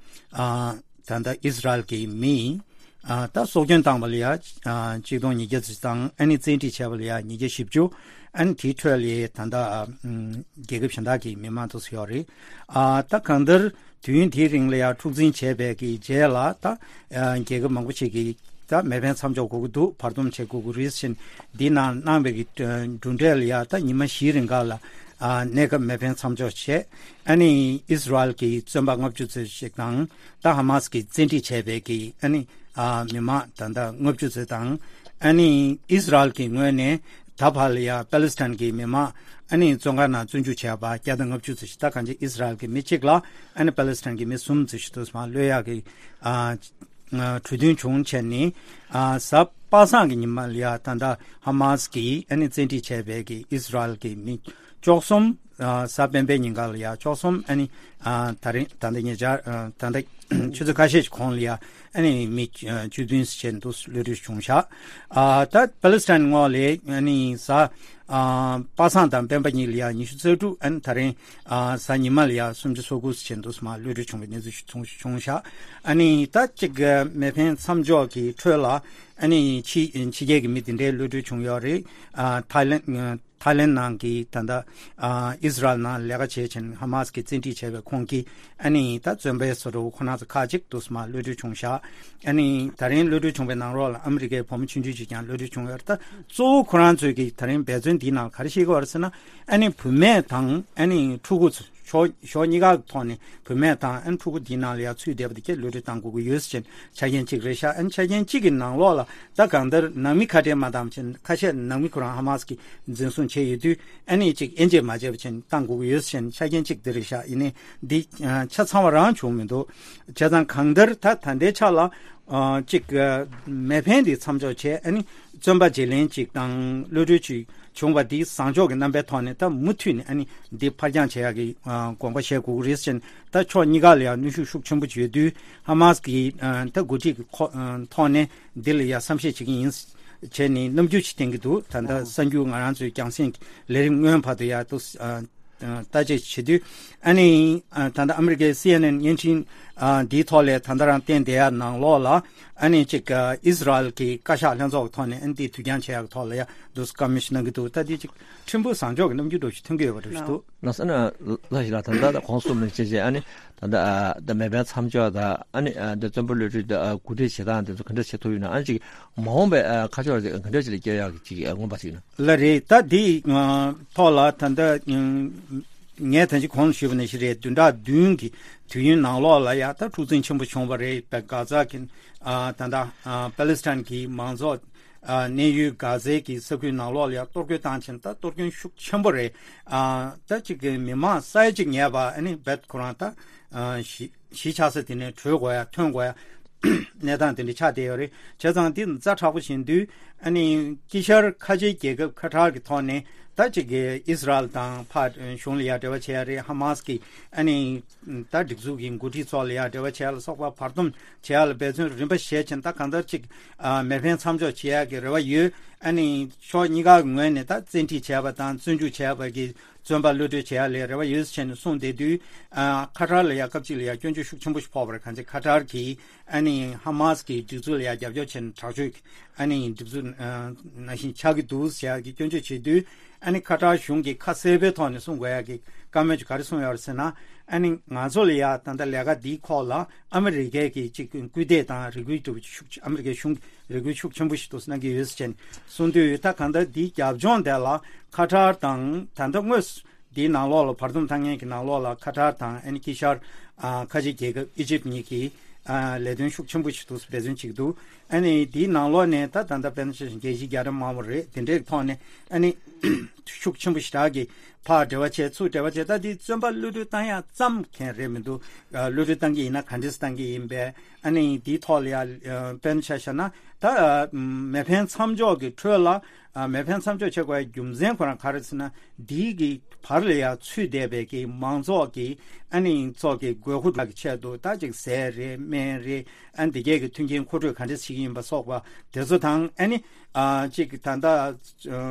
ཨ་ད་ལྟ་ཨིས་རལ་གྱི་མི་ཨ་ད་སྲོག་སྐྱོན་བཏང་བ་ལ་ཡ་ཨ་ཆིག་སྟོང་ཉིས་བརྒྱ་ཙམ་དང་། ཨ་ནི་བཙན་ཁྲིད་བྱས་པ་ལ་ཡ་ཉིས་བརྒྱ་བཞི་བཅུ། ཨ་ནི་དེའི་ཁྲོད་ལ་ད་ལྟ་ཨ་ཨམ་རྒྱལ་ཁབ་གཞན་དག་གི་མི་མང་དུ་ཡོད་རེད། ཨ་ད་གང་ལྟར་དུས་ཡུན་དེའི་རིང་ལ་ཡ་འཁྲུག་འཛིང་བྱས་པའི་གི་རྗེས་ལ། ད་ཨ་རྒྱལ་ཁབ་མང་པོ་ཞིག་གིས་ད་མེ་འཕེན་མཚམས་འཇོག་དགོས་ཀྱི་འདུག། བར་འདུམ་བྱེད་དགོས་ཀྱི་རེད་ཟེར་འདི་ནང་གནང་བའི་གི་གྲུབ་འབྲས་ལ་ཡ། ད་ཉི་མ་བཞིའི་རིང་ག་ལ་ཨ་གནས་སྐབས་མེ་འཕེན་མཚམས་འཇོག་བྱས། ཨ་ནི་ཨིས་རལ་གྱི་བཙོན་པ་ལྔ་བཅུ་ཙམ་ཞིག་དང་། ད་ཧ་མ་སི་གིས་བཙན་ཁྲིད་བྱས་པའི་གི་ཨ་ནི་ཨ་མི་མང་ད་ལྟ་ལྔ་བཅུ་ཙམ་དང་། ཨ་ནི་ཨིས་རལ་གྱི་ངོས་ནས་ད་བར་ལ་ཡ་པ་ལི་སི་ཐན་གྱི་མི་མང་ཨ་ནི་བཙོན་ཁང་ནང་བཙོན་འཇུག་བྱས་པ་བརྒྱ་དང་ལྔ་བཅུ་ཙམ་ཞིག། ད་གང་ཅི་ཨིས་རལ་གྱི་མི་གཅིག་ལ་ཨ་ནི་པ་ལི་སི་ཐན་གྱི་མི་གསུམ་ཙམ་ཞིག་ཏུ་མར་གློད་ཡག་གི་ཨ་གྲོས་མཐུན་བྱུང་བྱས་ནས། ཨ་གཟའ་པ་སངས་ཀྱི་ཉི་མ་ལ་ཡ་ད་ལྟ་ཧ་མ་སི་གིས་ཨ་ནི་བཙན་ཁྲིད་བྱས་པའི་གི་ཨིས་རལ་གྱི་མི་བཅུ་གསུམ་ ཨ་གཟའ་སྤེན་པའི་ཉིན་ཀ་ལ་ཡ་བཅུ་གསུམ་ཨ་ནི་ཨ་ད་རིང་ད་ལྟ་ཉེ་ཆར་ཨ་ད་ལྟ་ཆུ་ཚོད་ཁ་ཤས་ཀྱི་གོང་ལ་ཡ་ཨ་ནི་མི་བཅུ་བདུན་ཙམ་བྱས་འདུག་གློད་གྲོལ་བྱུང་ཤག་ཨ་ད་པ་ལི་སི་ཐན་ངོས་ལ་ཨ་ནི་གཟའ་ཨ་པ་སངས་དང་སྤེན་པ་གཉིས་ལ་ཡ་ཉི་ཤུ་རྩ་དྲུག་ཨ་ནི་ད་རིང་ཨ་གཟའ་ཉི་མ་ལ་ཡ་སུམ་ཅུ་སོ་དགུ་ཙམ་བྱས་འདུག་མ་གློད་གྲོལ་བྱུང་བའི་གནས་ཚུལ་ཞིག་བྱུང་ཤག་ཨ་ནི་ད་ཅིག་མེ་འཕེན་མཚམས་འཇོག་གི་ཁྲོད་ལ་ཨ་ནི་ཕྱི་ཕྱི་རྒྱལ་གྱི་མི་དེ་འདྲའི་གློད་གྲོལ་བྱུང་ཡོད་རེད། ཨ་ཐའི་ལེན་ཐའི་ལེན་ནང་གི་ད་ལྟ་ཨ་ཨི་སི་རལ་ནང་ལས་ཀ་བྱེད་བཞིན་ཧ་མ་སི་གིས་བཙན་ཁྲིད་བྱས་པའི་ཁོང་གིས་ཨ་ནི་ད་བཙོན་པའི་བཟོ་འདྲ་ཁོ་ན་ཚོ་ཁག་ཅིག་འདུག་མ་གློད་གྲོལ་བྱུང་ཤག་ཨ་ནི་ད་རིང་གློད་གྲོལ་བྱུང་བའི་ནང་ལོགས་ལ་ཨ་མི་རི་ཀའི་བུ་མོ་ཆུང་ཆུང་ཅིག་ཀྱང་གློད་གྲོལ་བྱུང་ཡོད་རེད། ད་གཙོ་བོ་ཁོ་རང་ཚོས་ཀྱི་ད་རིང་འབད་བརྩོན་འདིའི་ནང་ག་རེ་བྱེད་ཀྱི་ཡོད་རེད་ཟེར་ན་ཨ་ནི་བུད་མེད་དང་ཨ་ནི་ཕྲུ་གུ་ཚོ་ཕྱོགས་ཕྱོགས་གཉིས་ཀ་གི་ཐོག་ནས་བུད་མེད་དང་ཨ་ནི་ཕྲུ་གུ་འདིའི་ནང་ལ་ཡང་ཚུད་བསྡད་པ་དེ་གས་གློད་གྲོལ་བཏང་དགོས་ཀྱི་ཡོད་ཟེར་བྱས་ནས་ཆ་རྐྱེན་གཅིག་རེད་ཤག་ཨ་ནི་ཆ་རྐྱེན་གཅིག་གི་ནང་ལོགས་ལ་ད་གང་ལྟར་ནང་མི་ཁ་བྲལ་མ་བཏང་བ་བྱས་ནས་ཁ་ཤས་ནང་མི་ཁོ་རང་ཧ་མ་སི་གིས་འཛིན་བཟུང་བྱས་ཡོད་དུས་ཨ་ནི་ཅིག་དབྱེ་འབྱེད་མ་བྱས་པ་བྱས་ནས་བཏང་དགོས་ཀྱི་ཡོད་ཟེར་བྱས་ནས་ཆ་རྐྱེན་གཅིག་དེ་རེད་ཤག་ཡིན་ནའི་འདི་ཆ་ཚང་བ་རང་བྱུང་མི་འདུག་བྱས་ཙང་གང་ལྟར་ད་ད་ལྟའི་ཆ་ལ་ཨ་ཅིག་ཨ་མེ་འཕེན་འདི་མཚམས་འཇོག་བྱས་ཨ་ནི་བཙོན་པ་བརྗེ་ལེན་ཅིག་དང་གློད་གྲོལ་ཅིག་བྱུང་བ་འདི་བཟང་ཕྱོགས་ཀྱི་རྣམ་པའི་ཐོག་ནས་ད་མུ་མཐུད་ནས་ཨ་ནི་འདི་ཕར་འགྱངས་བྱེད་ཡག་གི་ཨ་དགོངས་པ་བཞེས་དགོས་ཀྱི་རེད་ཟེར་ནས་ད་ཕྱོགས་གཉིས་ཀ་ལ་ཡང་གནོན་ཤུགས་ཤུགས་ཆེན་པོ་ཡོད་དུས་ཧ་མ་སི་གི་ཨ་ད་འགོ་ཁྲིད་ཀྱི་ཁོ་ཨ་ཐོག་ནས་འདི་ལ་ཡང་བསམ་ཤེས་བྱེད་ཀྱི་ཡིན་བྱས་ནས་རྣམ་འགྱུར་ཅིག་བསྟན་གྱི་འདུག་ད་ལྟ་གསར་འགྱུར་ང་རང་ཚོའི་རྒྱང་སྲིང་གི་ལས་རིམ་སྔོན་བར་དུ་ཡང་ཏུ་ཨ་ཨ་བརྟག་དཔྱད་བྱེད་དུས་ཨ་ནི་ཨ་ད་ལྟ་ཨ་མི་རི་ཀའི་སི་ཨེན་ཨེན་བརྙན་འཕྲིན་ཨ་འདིའི་ཐོག་ལས་ད་ལྟ་རང་བསྟན་བསྡད་ཡ་ནང་ལོགས་ལ་ཨ་ནི་ཅིག་ཨ་ཨི་སི་རལ་གྱི་བཀའ་ཤག་ལྷན་ཚོགས་ཀྱི་ཐོག་ནས་ཨ་ནི་འདི་དུས་འགྱངས་བྱེད་ཡ་གི་ཐོག་ལ་ཡ་འདུག་བཀའ་མོལ་ཞིག་གནང་གི་འདུག་ད་འདི་ཅིག་ཕྲན་བུ་བཟང་ཕྱོགས་ཀྱི་རྣམ་འགྱུར་འདྲ་ཞིག་ཐོན་གྱི་ཡོད་པ་འདྲ་ཞིག་འདུག་ལགས་སོ་ན་ལགས་ཞིག་ལ་ད་ལྟ་གོང་གསུངས་ནང་བཞིན་བྱས་ཨ་ནི་ད་ལྟ་ཨ་ད་མེ་འཕེན་མཚམས་འཇོག་དང་ཨ་ནི་ཨ་ད་བཙོན་པ་གློད་གྲོལ་དང་ཨ་གོ་སྒྲིག་བྱེད་སྟངས་དེ་ཚོ་ག་འདྲ་བྱེད་ཐུབ་ཡོད་ན་ཨ་ནི་ཅིག་མ་འོངས་པའི་ཨ་ཁ་ཕྱོགས་ཅིག་ག་འདྲ་ཅིག་ལ་སྐྱོད་ཡག་གི་ཅིག་ཨ་མངོན་པ་ཞིག་ན། ལ་རེད། ད་འདི་ཨ་ཐོག་ལ་ད་ལྟ་ཨ་ངས་ད་ཅི་གོང་ལ་ཞུས་པ་ནང་བཞིན་རེད། བདུན་ཕྲག་བདུན་གྱི་དུས་ཡུན་ནང་ལོགས་ལ་ཡ་ད་འཁྲུག་འཛིང་ཆེན་པོ་བྱུང་བ་རེད། པ་གྷ་ཛ་གི་ཨ་ད་ལྟ་ཨ་པ་ལི་སི་ཐན་གྱི་མང་ཚོགས་ཨ་གནས་ཡུལ་གྷ་ཛའི་གི་ས་ཁུལ་ནང་ལོགས་ལ་ཡ་གཏོར་རྒོལ་བཏང་ཕྱིན། ད་གཏོར་སྐྱོན་ཤུགས་ཆེན་པོ་རེད། ཨ་ད་ཅིག་གི་མི་མང་ས་ཡ་གཅིག་ཉེ་བ་ཨ་ནི་བེད་ཁོ་རང་ད་ཨ་གཞིས་གཞིས་ཆགས་ས་དེ་ནས་བྲོས་དགོས་ཡ་ཐོན་དགོས་ཡ་གནས་སྟངས་དེ་འདྲ་ཆགས་བསྡད་ཡོད་རེད། བྱས་ཙང་འདི་ཛ་དྲག་པོ་ཞིག་ཡིན་དུས་ཨ་ནི་དཀྱིལ་ཤར་ཁ་ཆེའི་རྒྱལ་ཁབ་ཁ་ཐར་གྱི་ཐོག་ནས་ད་ཅིག་གི་ཨི་སི་རལ་དང་ཕར་གཞུང་ལ་ཡ་འབྲེལ་བ་བྱེད་ཡ་རེད། ཧ་མ་སི་གི་ཨ་ནི་ད་སྒྲིག་འཛུགས་ཀྱི་འགོ་ཁྲིད་ཚོ་ལ་ཡ་འབྲེལ་བ་བྱེད་ཡ་ལ་སོགས་པ་བར་འདུམ་བྱེད་ཡ་ལ་འབད་བརྩོན་རིམ་པ་བྱས་ཕྱིན། ད་གང་ལྟར་ཅིག་ཨ་མེ་འཕེན་མཚམས་འཇོག་བྱེད་ཡ་གི་རེ་བ་ཡོད། ཨ་ནི་ཕྱོགས་གཉིས་ཀ་གི་ངོས་ནས་ད་བཙན་ཁྲིད་བྱས་པ་དང་བཙོན་འཇུག་བྱས་པ་གི་བཙོན་པ་གློད་གྲོལ་བྱེད་ཡ་ལ་རེ་བ་ཡོད་ཟེར་ནས་གསུངས་བསྡད་དུས། ཨ་ཁ་ཐར་ལ་ཡ་སྐབས་གཅིག་ལ་ཡ་སྐྱོན་བརྗོད་ཤུགས་ཆེན་པོ་ཞིག་ཕོག་པ་རེད། གང་ཅི་ཁ་ཐར་གྱིས་ཨ་ནི་ཧ་མ་སི་གི་སྒྲིག་འཛུགས་ལ་ཡ་རྒྱབ་སྐྱོར་བྱས་ནས་དྲག་སྤྱོད་ཀྱི་ཨ་ནི་སྒྲིག་འཛུགས་ཨ་ནང་བཞིན་ཆགས་ཀྱི་འདུག་ཟེར་ཡ་གི་སྐྱོན་བརྗོད་བྱེད་དུས། ཨ་ནི་ཁ་ཐར་གཞུང་གིས་ཁ་གསལ་པོའི་ཐོག་ནས་གསུང་དགོས་ཡ་གི་བཀའ་མོལ་ཅིག་ག་རེ་གསུངས་ཡོད་རེད་ཟེར་ན། ཨ་ནི་ང་ཚོ་ལ་ཡ་ད་ལྟ་ལས་ཀ་འདིའི་ཁོག་ལ་ཨ་མི་རི་ཀའི་གི་ཅིག་སྐུལ་འདེད་དང་རེ་སྐུལ་འདྲ་བོ་ཤུགས་ཨ་མི་རི་ཀའི་གཞུང་རེ་སྐུལ་ཤུགས་ཆེན་པོ་ཞིག་འདུག་གནང་གི་ཡོད་ཟེར་བྱས་ནས་གསུངས་དུས། ད་གང་ལྟར་འདིའི་རྒྱབ་ལྗོངས་དེ་ལ་ཁ་ཐར་དང་ད་ལྟ་དངོས་སུ་འདིའི་ནང་ལོགས་ལ་བར་འདུམ་བཏང་མཁན་གྱི་ནང་ལོགས་ལ་ཁ་ཐར་དང་ཨ་ནི་དཀྱིལ་ཤར་ཨ་ཁ་ཆེ་རྒྱལ་ཁབ་ཨི་ཇིབ་གཉིས་ཀྱིས་ཨ་ལས་དོན་ཤུགས་ཆེན་པོ་ཞིག་འདུག་འབད་བརྩོན་བྱེད་ཀྱི་འདུག་ཨ་ནི་འདིའི་ནང་ལོགས་ནས་ད་ད་ལྟ་དཔེར་ན་ཆ་བཞག་རྒྱལ་སྤྱིའི་རྒྱལ་ཁབ་མང་པོ་རེད། དེ་འདྲའི་ཐོག་ནས་ཨ་ནི་ཤུགས་ཆེན་པོ་ཞེ་དྲག་གིས་ཕར་འབྲེལ་བ་བྱས་ཚུར་འབྲེལ་བ་བྱས། ད་འདི་བཙོན་པ་གློད་གྲོལ་བཏང་ཡག་ཙམ་མཁན་རེད་མི་འདུག་ཨ་གློད་གྲོལ་བཏང་གི་ཡིན་ན་ག་འདྲས་བཏང་གི་ཡིན་པས། ཨ་ནི་འདིའི་ཐོག་ལ་ཡ་ཨ་དཔེར་ན་ཆ་བཞག་ན་ད་ཨ་མེ་འཕེན་མཚམས་འཇོག་གི་ཁྲོད་ལ་ཨ་མེ་འཕེན་མཚམས་འཇོག་བྱེད་དགོས་པའི་རྒྱུ་མཚན་ཁོ་རང་ག་རེ་ཟེར་ན། འདིའི་གི་བར་ལ་ཡ་ཚུད་བསྡད་པའི་གི་མང་ཚོགས་ཀྱི་ཨ་ནི་ཚོགས་ཀྱི་དགོས་མཁོ་གི་ཆེད་དུ་ད་ཅིག་ཟས་རེད་སྨན་རེད། ཨ་ནི་འདི་གས་ཀྱི་མཐུན་རྐྱེན་མཁོ་སྤྲོད་ག་འདྲས་བྱེད་ཀྱི་ཡིན་པ་སོགས་པ་དེ་ཚོ་དང་། ཨ་ནི་ཨ་ཅིག་ད་ལྟ་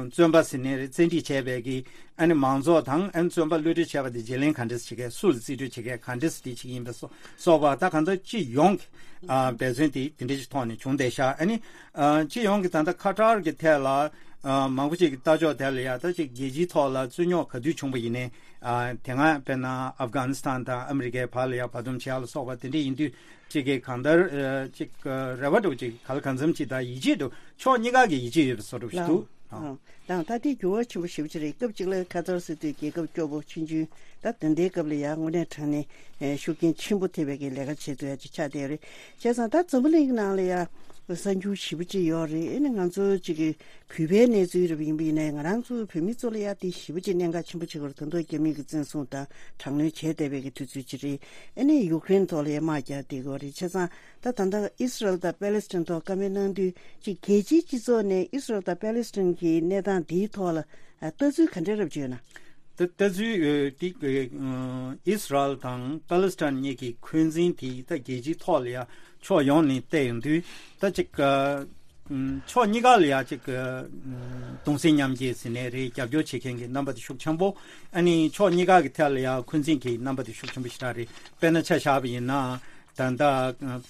བཙོན་པ་ཟེར་ནའི་རེད། བཙན་ཁྲིད་བྱས་པའི་གི་ཨ་ནི་མང་ཚོགས་དང་ཨ་ནི་བཙོན་པ་གློད་གྲོལ་བྱས་པ་དེ་བརྗེ་ལེན་ག་འདྲས་བྱེད་མཁན། སུ་ལ་རྩིས་སྤྲོད་བྱེད་མཁན། ག་འདྲས་དེ་བྱེད་ཀྱི་ཡིན་པ་སོགས་སོགས་པ་ད་གང་ལྟར་སྤྱི་ཡོངས་ཀྱི་ཨ་འབད་བརྩོན་དེ་དེ་འདྲ་ཞིག་ཐོག་ནས་བྱུང་བསྡད་ཤག་ཨ་ནི་ཨ་སྤྱི་ཡོངས་ཀྱི་ད་ལྟ་ཁ་ཐར་གྱི་ཐད་ལ་ཨ་མང་པོ་ཅིག་གི་ལྟ་ཕྱོགས་དེ་ལ་ཡ་ད་ཅིག་རྒྱལ་སྤྱིའི་ཐོག་ལ་རྩོད་རྙོག་ག་དུས་བྱུང་བ་ཡིན་ནའི་ཨ་དེ་སྔ་དཔེར་ན་ཨབ་གྷ་ནི་སི་ཐན་དང་ཨ་མི་རི་ཀའི་བར་ལ་ཡ་བར་འདུམ་བྱེད་ཡ་ལ་སོགས་པ་དེ་འདྲ་ཡིན་དུས། གཅིག་གིས་གང་ལྟར་ཨ་གཅིག་ཨ་རེ་བ་འདྲ་བོ་གཅིག་ག་ལ་གང་འཚམ་གཅིག་དང་ཡིད་ཆེས་འདྲ་བོ་ཕྱོགས་གཉིས་ཀ་གི་ཡིད་ཆེས་ཡོད་པའི་བཟོ་འདྲ་བོ་ཞིག་འདུག་ཨ། དང་ད་ལྟའི་འགྱུར་བ་ཆེན་པོ་ཞེ་པོ་ཅིག་རེད། སྐབས་གཅིག་ལ་ཁ་ཐར་ཟེར་དུས་རྒྱལ་ཁབ་སྐྱོ་པོ་ཆུང་ཆུང་ད་དེ་འདྲའི་སྐབས་ལ་ཡ་དངོས་གནས་དྲང་གནས་ཨེ་ཤུགས་རྐྱེན་ཆེན་པོ་ཐེབས་པའི་གི་ལས་ཀ་བྱེད་ཐུབ་ཡ་ཅིག་ཆགས་བསྡད་ཡོད་རེད། བྱས་ཙང་ད་འཛམ་བུ་གླིང་གི་ནང་ལ་ཡ་གསར་འགྱུར་ཞེ་པོ་ཅིག་ཡོད་རེད། ཨེ་ནི་ང་ཚོ་ཅིག་གི་བོད་པའི་གནས་ཚུལ་རེད་པ་ཡིན་པ་ཡིན་ནའི་ང་རང་ཚོ་བོད་མི་ཚོ་ལ་ཡ་དེ་ཞེ་པོ་ཅིག་གནད་འགག་ཆེན་པོ་ཆགས་ཀྱི་རེད། ད་དུང་རྒྱ་མི་གིས་བཙན་བཟུང་དང་དྲག་གནོན་བྱས་བསྡད་པའི་གི་དུས་ཚོད་ཅིག་རེད། ཨ་ནི་ཡུཀ་རེན་ཐོག་ལ་ཡ་དམག་རྒྱག་བསྡད་ཀྱི་ཡོད་རེད། བྱས་ཙང་ད་ད་ལྟ་ཨི་སི་རལ་དང་པེ་ལེ་སི་ཐན་ཐོག་བཀའ་མོལ་གནང་དུས་ཅིག་རྒྱལ་སྤྱིའི་སྤྱི་ཚོགས་ནས་ཨི་སི་རལ་དང་པེ་ལེ་སི་ཐན་གྱི་གནས་སྟངས་འདིའི་ཐོག་ལ་ལྟ་ཚུལ་ག་འདྲ་རབ་ཅིག་ཡོད་ན། ད་ལྟ་ཚུལ་འདི་ཨི་སི་རལ་དང་པ་ལི་སི་ཐན་གཉིས་ཀྱི་འཁོན་འཛིན་དེ་ད་རྒྱལ་སྤྱིའི་ཐོག་ལ་ཡང་ཕྱོགས་ཡོངས་ནས་བལྟས་ཡོང་དུས་ད་ཅིག་ཕྱོགས་གཉིས་ཀ་ལ་ཡང་ཅིག་གདུང་སེམས་མཉམ་སྐྱེད་ཟེར་ནའི་རེད། རྒྱབ་སྐྱོར་བྱེད་མཁན་གྱི་རྣམ་པ་དེ་ཤུགས་ཆེན་པོ། ཨ་ནི་ཕྱོགས་གཉིས་ཀ་གི་ཐད་ལ་ཡང་འཁོན་འཛིན་གྱི་རྣམ་པ་དེ་ཤུགས་ཆེན་པོ་ཞེ་དྲག་རེད། དཔེར་ན་ཆ་བཞག་པ་ཡིན་ན། ད་ལྟ་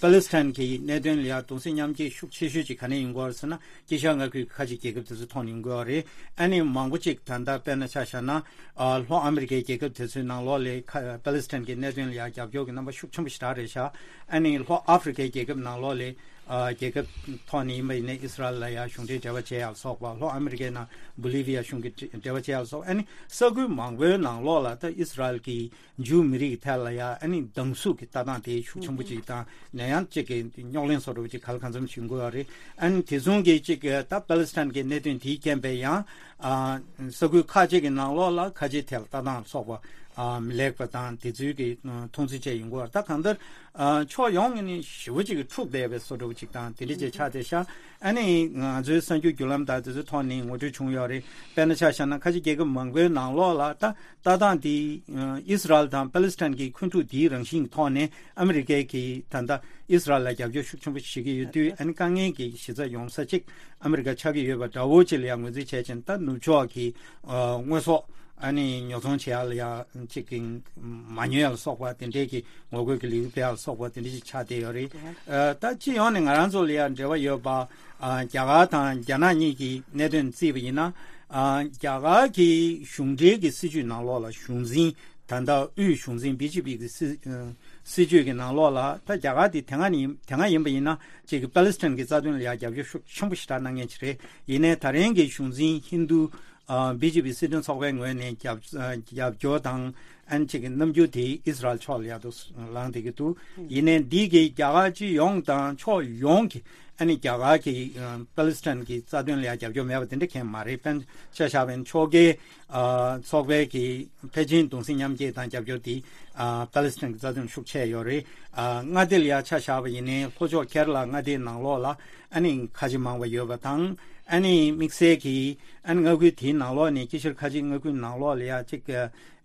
པ་ལི་སི་ཐན་གྱི་གནད་དོན་ལ་ཡང་གདུང་སེམས་མཉམ་སྐྱེད་ཤུགས་ཆེ་ཤོས་ཅིག་ག་ནས་ཡོང་གི་ཡོད་རེད་ཟེར་ན། དཀྱིལ་ཤར་མངའ་ཁུལ་ཁ་ཆེ་རྒྱལ་ཁབ་དེ་ཚོའི་ཐོག་ནས་ཡོང་གི་ཡོད་རེད། ཨ་ནི་མང་པོ་ཅིག་ད་ལྟ་དཔེར་ན་ཆ་བཞག་ན། ཨ་ལྷོ་ཨ་མི་རི་ཀའི་རྒྱལ་ཁབ་དེ་ཚོའི་ནང་ལོགས་ལ་ཁ་པ་ལི་སི་ཐན་གྱི་གནད་དོན་ལ་ཡང་རྒྱབ་སྐྱོར་གྱི་རྣམ་པ་ཤུགས་ཆེན་པོ་ཞེ་དྲག་རེད་ཤག་ཨ་ནི་ལྷོ་ཨ་ཧྥི་རི་ཀའི་རྒྱལ་ཁབ་ནང་ལོགས་ལ་ཨ་རྒྱལ་ཁབ་ཐོག་ནས་ཡིན་པ་ཡིན་ན་ཨི་སི་རལ་ལ་ཡང་གཞུང་འབྲེལ་འབྲེལ་བ་བྱེད་ཡག་ལ་སོགས་པ། ལྷོ་ཨ་མི་རི་ཀའི་ནང་བོ་ལི་བི་ཡ་གཞུང་གི་འབྲེལ་བ་བྱེད་ཡག་ལ་སོགས། ཨ་ནི་ས་ཁུལ་མང་པོའི་ནང་ལོགས་ལ་ད་ཨི་སི་རལ་གྱི་ཇུའུ་མི་རིགས་ཐད་ལ་ཡང་ཨ་ནི་སྡང་ཟུག་གི་ལྟ་སྟངས་དེ་ཤུགས་ཆེན་པོ་ཅིག་དང་ནད་ཡམས་གཅིག་གི་རྙོག་གླེང་བཟོ་འདྲ་བོ་ཅིག་ག་ལ་གང་འཚམ་བྱུང་དགོས་པ་རེད། ཨ་ནི་དེ་མཚུངས་ཀྱི་ཅིག་ད་པ་ལི་སི་ཐན་གྱི་གནད་དོན་དེའི་རྐྱེན་པས་ཡང་ཨ་ས་ཁུལ་ཁག་ཅིག་གི་ནང་ལོགས་ལ་ཁ་ཆེའི་ཐད་ལ་ལྟ་སྟངས་སོགས་པ་ཨ་མི་ལེགས་པ་དང་དེ་ཚོའི་གི་མཐོང་ཚུལ་བཅས་ཡོང་གི་ཡོད་རེད། ད་གང་ལྟར་ཨ་ཕྱོགས་ཡོངས་ནས་ཞེ་པོ་ཅིག་གི་འཁྲུག་བསྡད་པའི་བཟོ་འདྲ་བོ་ཅིག་དང་དེ་འདྲ་ཅིག་ཆགས་བསྡད་ཤག་ཨ་ནི་ང་ཚོའི་གསར་འགྱུར་བརྒྱུད་ལམ་དང་དེ་ཚོའི་ཐོག་ནས་ངོ་སྤྲོད་བྱུང་ཡོད་རེད། དཔེར་ན་ཆ་བཞག་ན་ཁ་ཆེ་རྒྱལ་ཁབ་མང་པོའི་ནང་ལོགས་ལ་ད་ལྟ་སྟངས་འདི་ཨ་ཨི་སི་རལ་དང་པ་ལི་སི་ཐན་གྱི་འཁོན་འཁྲུག་འདིའི་རང་བཞིན་གྱི་ཐོག་ནས་ཨ་མི་རི་ཀས་ཀྱིས་ད་ལྟ་ཨི་སི་རལ་ལ་རྒྱབ་སྐྱོར་ཤུགས་ཆེན་པོ་བྱེད་ཀྱི་ཡོད་དུས། ཨ་ནི་དཀའ་ངལ་གྱི་གཞི་རྩ་ཡོང་ས་གཅིག་ཨ་མི་རི་ཀ་ཆགས་ཀྱི་ཡོད་པ་འདྲ་བོ་ཅིག་ལ་ཡང་ངོས་འཛིན་བྱས་ཕྱིན། ད་ནུབ་ཕྱོགས་ཀྱི་ཨ་དངོས་ཟོག་ཨ་ནི་ཉོ་ཚོང་བྱེད་ཡག་ལ་ཡང་གཅིག་གི་མ་ཉོ་ཡག་ལ་སོགས་པ་དེ་འདྲའི་གི་ངོ་རྒོལ་གྱི་ལས་འགུལ་སྤེལ་ཡག་ལ་སོགས་པ་དེ་འདྲ་ཞིག་ཆགས་བསྡད་ཡོད་རེད། ཨ་ད་སྤྱི་ཡོངས་ནས་ང་རང་ཚོ་ལ་ཡང་འབྲེལ་བ་ཡོད་པ་ཨ་རྒྱ་གར་དང་རྒྱ་ནག་གཉིས་ཀྱི་གནད་དོན་བརྩིས་པ་ཡིན་ན། ཨ་རྒྱ་གར་གྱི་གཞུང་འབྲེལ་གྱི་སྲིད་བྱུས་ནང་ལོགས་ལ་གཞུང་འཛིན་ད་ལྟ་དབུས་གཞུང་འཛིན་བི་ཇེ་པི་གི་སྲིད་ཨ་སྲིད་བྱུས་ཀྱི་ནང་ལོགས་ལ་ད་རྒྱ་གར་དེ་དེ་སྔ་ནས་དེ་སྔ་ཡིན་པ་ཡིན་ན་ཅིག་གི་པ་ལི་སི་ཐན་གྱི་རྩ་དོན་ལ་ཡང་རྒྱབ་སྐྱོར་ཤུགས་ཆེན་པོ་ཞེ་དྲག་གནང་མཁན་ཅིག་རེད། ཡིན་ནའི་ད་རིང་གི་གཞུང་འཛིན་ཧིན་རྡུ་ཨ་བི་ཇེ་པི་སྲིད་དོན་ཚོགས་པའི་ངོས་ནས་རྒྱབ་ཨ་རྒྱབ་སྐྱོར་དང་ཨ་ནི་ཅིག་གི་རྣམ་འགྱུར་དེ་ཨི་སི་རལ་ཕྱོགས་ལ་ཡར་དུ་ལངས་བསྡད་ཀྱི་འདུག་ཡིན་ནའི་འདི་གི་རྒྱ་གར་སྤྱི་ཡོངས་དང་ཕྱོགས་ཡོངས་ཀྱི་ཨ་ནི་རྒྱ་གར་གྱི་ཨ་པ་ལི་སི་ཐན་གྱི་རྩ་དོན་ལ་ཡང་རྒྱབ་སྐྱོར་མེད་པ་དེ་འདྲ་གང་ཡང་མ་རེད། དཔེར་ན་ཆ་བཞག་པ་ཡིན་ན་ཕྱོགས་འགལ་ཨ་ཚོགས་པའི་གི་ཕལ་ཆེར་གདུང་སེམས་མཉམ་སྐྱེད་དང་རྒྱབ་སྐྱོར་དེ་ཨ་པ་ལི་སི་ཐན་གྱི་རྩ་དོན་ཤུགས་ཆེ་ཡོད་རེད། ཨ་མངའ་སྡེ་ལ་ཡང་ཆ་བཞག་པ་ཡིན་ནའི་ལྷོ་ཕྱོགས་ཁེ་ར་ལ་མངའ་སྡེའི་ནང་ལོགས་ལ་ཨ་ནི་ཁ་ཆེ་མང་བ་ཡོད་པ་དང་། ཨ་ནི་དམིགས་བསལ་གྱི་ཨ་ནི་མངའ་ཁུལ་དེའི་ནང་ལོགས་ནས་དཀྱིལ་ཤར་ཁ་ཆེ་མངའ་ཁུལ་ནང་ལོགས་ལ་ཡང་གཅིག་